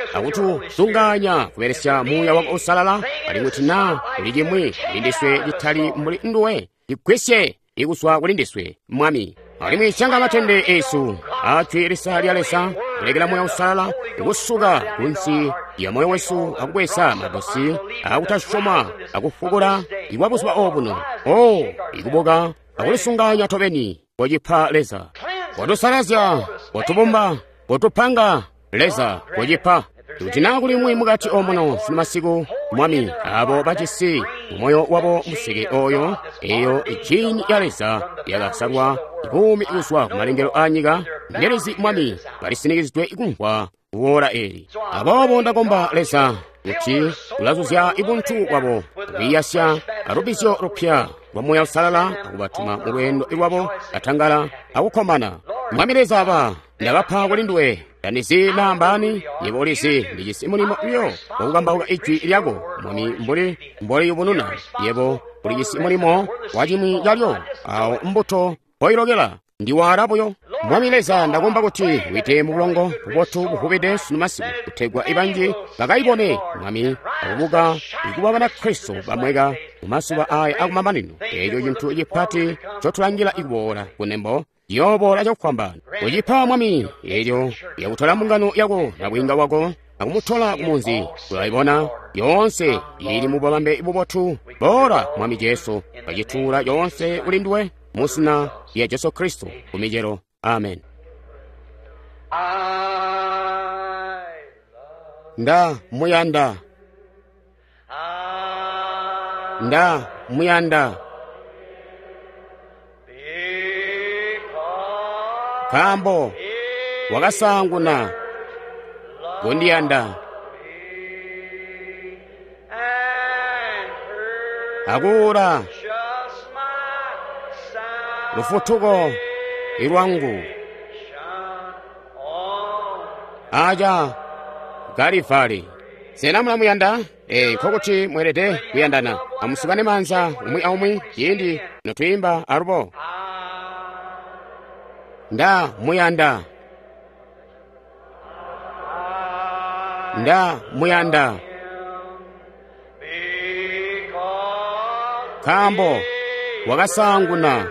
akutuzunganya kubelesya Muuya wako Uusalala, alimwi kuti naa kuli cimwi kulindiswe citali mbuli nduwe, cigwisye ikuzwa kulindiswe Mwami. Alimwi syanga matende esu ajwi lisa lya Leza, kulekela Muuya Uusalala kusuka kunsi ya moyo wesu akubweza madosi akutasyoma akufukula ikwa buzuba obuno, o ikubuka akulisunganya tobeni kocipa Leza. Kotusalazya, kotubumba, kotupanga Leza, kocipa. Kuti naa kuli umwi mukati omuno sino masiku Mwami, abo bajisi mumoyo wabo museke oyo, eyo ijini ya Leza yakasalwa buumi kuzwa kumalengelo a nyika, ndelizi Mwami balisinikizidwe kumvwa kuwoola eli. Aboobo ndakomba Leza kuti ulazuzya ibuntu bwabo kubiyasya alubizyo lupya lwa Muuya Uusalala akubatuma mu lweendo lwabo atangala akukkomana. Mwami Leza, aba ndabapa kuli nduwe. Tandizi naa mbaani, yebo ulizi, ndijisi mulimo uyo wakukambauka ijwi lyako Mwami mbuli mboliyubununa. Yebo ulijisi mulimo wacimwi calyo, awo mbuto mpoilokela ndiwala buyo. Mwami Leza, ndakomba kuti wite mu bulongo bubotu buvubide sunu masiku, kutegwa ibanji bakayibone Mwami akubuka ikuba Banakristo bamweka mu mazuba aya akumamanino. Eeco cintu cipati ncotulangila ikuboola kunembo ciyooboola cakufwambaana. Kucipa Mwami eelyo yakutola mbungano yako na bwiinga wako akumutola kumunzi. Tulaibona yoonse ili mububambe bubotu. Boola, Mwami Jesu, kacituula yoonse kuli nduwe mu zina lya Jesu Kristo kumicelo. Amen. Nda muyanda, nda muyanda, nkaambo wakasaanguna kundiyanda akuula lufutuko lwangu aca Kalivali. Sena mulamuyanda? Nkokuti mweelede kuyandana. Amusukane maanza umwi aumwi ciindi notwiimba alubo. Nda muyanda, nda muyanda, nkaambo wakasaanguna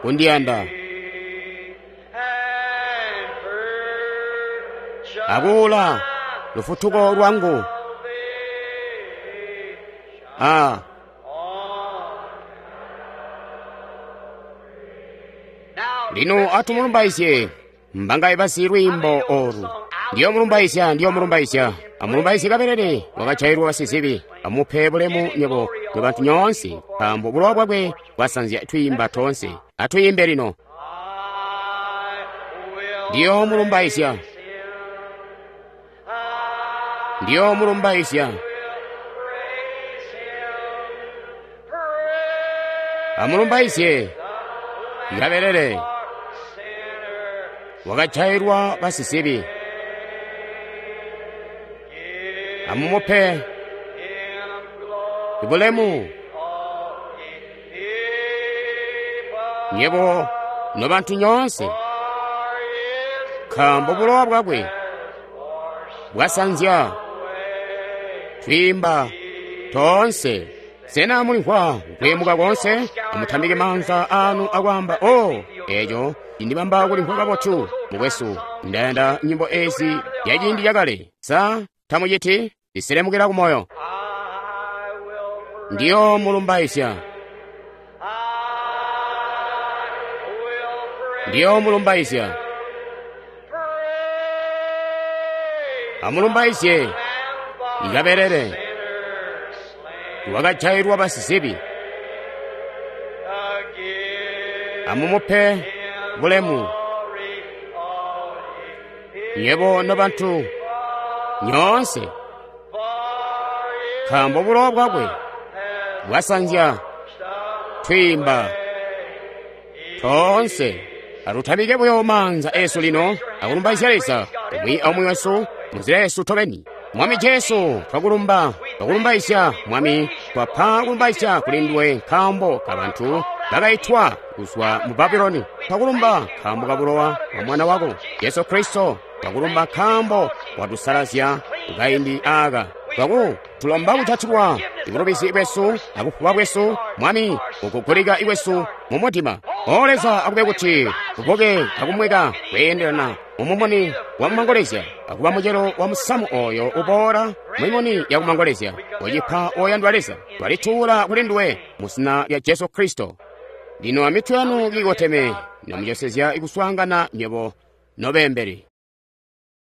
kundiyanda akuula lufutuko lwangu Lino atumulumbaizye mbangaye bazi lwiimbo olu. Ndiyo mulumbaizya, ndiyo mulumbaizya. Amulumbaizye kabelele wakajailwa basizibi. Amupe bulemu nywebo nobantu nyoonse, nkaambo bulowa bwakwe bwasanzya twiimba toonse. Atwiimbe lino. Ndiyo mulumbaizya, ndiyo mulumbaizya. Amulumbaizye kabelele wakajailwa basizibi. Amumupe bulemu nywebo nobantu nyoonse, nkaambo bulowa bwakwe bwasanzya twiimba toonse. Sena mulimvwa kuyemuka koonse? Amutambike maanza anu akwaamba, o eco cindibamba kulimvwa kabotu, mukwesu. Ndayanda nyimbo ezi ya ciindi cakale. Sa tamuciti? Ziselemukira kumoyo. Ndiyo mulumbaizya, ndiyo mulumbaizya. Amulumbaizye kabelele wakajailwa basizibi. Amumupe bulemu nywebo nobantu nyoonse, nkaambo bulowa bwakwe bwasanzya twiimba toonse. Atutamike buyo maanza esu lino akulumbaizya Leza umwi aumwi wesu munzila yesu tobeni. Mwami Jesu, twakulumba, twakulumbaizya Mwami, twapa kulumbaizya kuli nduwe nkaambo ka bantu bakaitwa kuzwa mu Babuloni. Twakulumba nkaambo ka bulowa bwa Mwana wako Jesu Kristo. Twakulumba nkaambo watusalazya kukaindi aka. Tulomba kujatilwa ibulubizi bwesu akufuba bwesu, Mwami, kukugulika iwesu mu mutima. O Leza, akube kuti tubuke akumweka kweendelana mumumuni wa mumangolezya, akuba mucelo wa musamu oyo uboola mumimuni ya kumangolezya. Ucipa oyandwa Leza, twalituula kuli nduwe mu zina lya Jesu Kristo. Lino amitwe yanu kiikoteme, namucosezya ikuswaangana nywebo nobeembeli.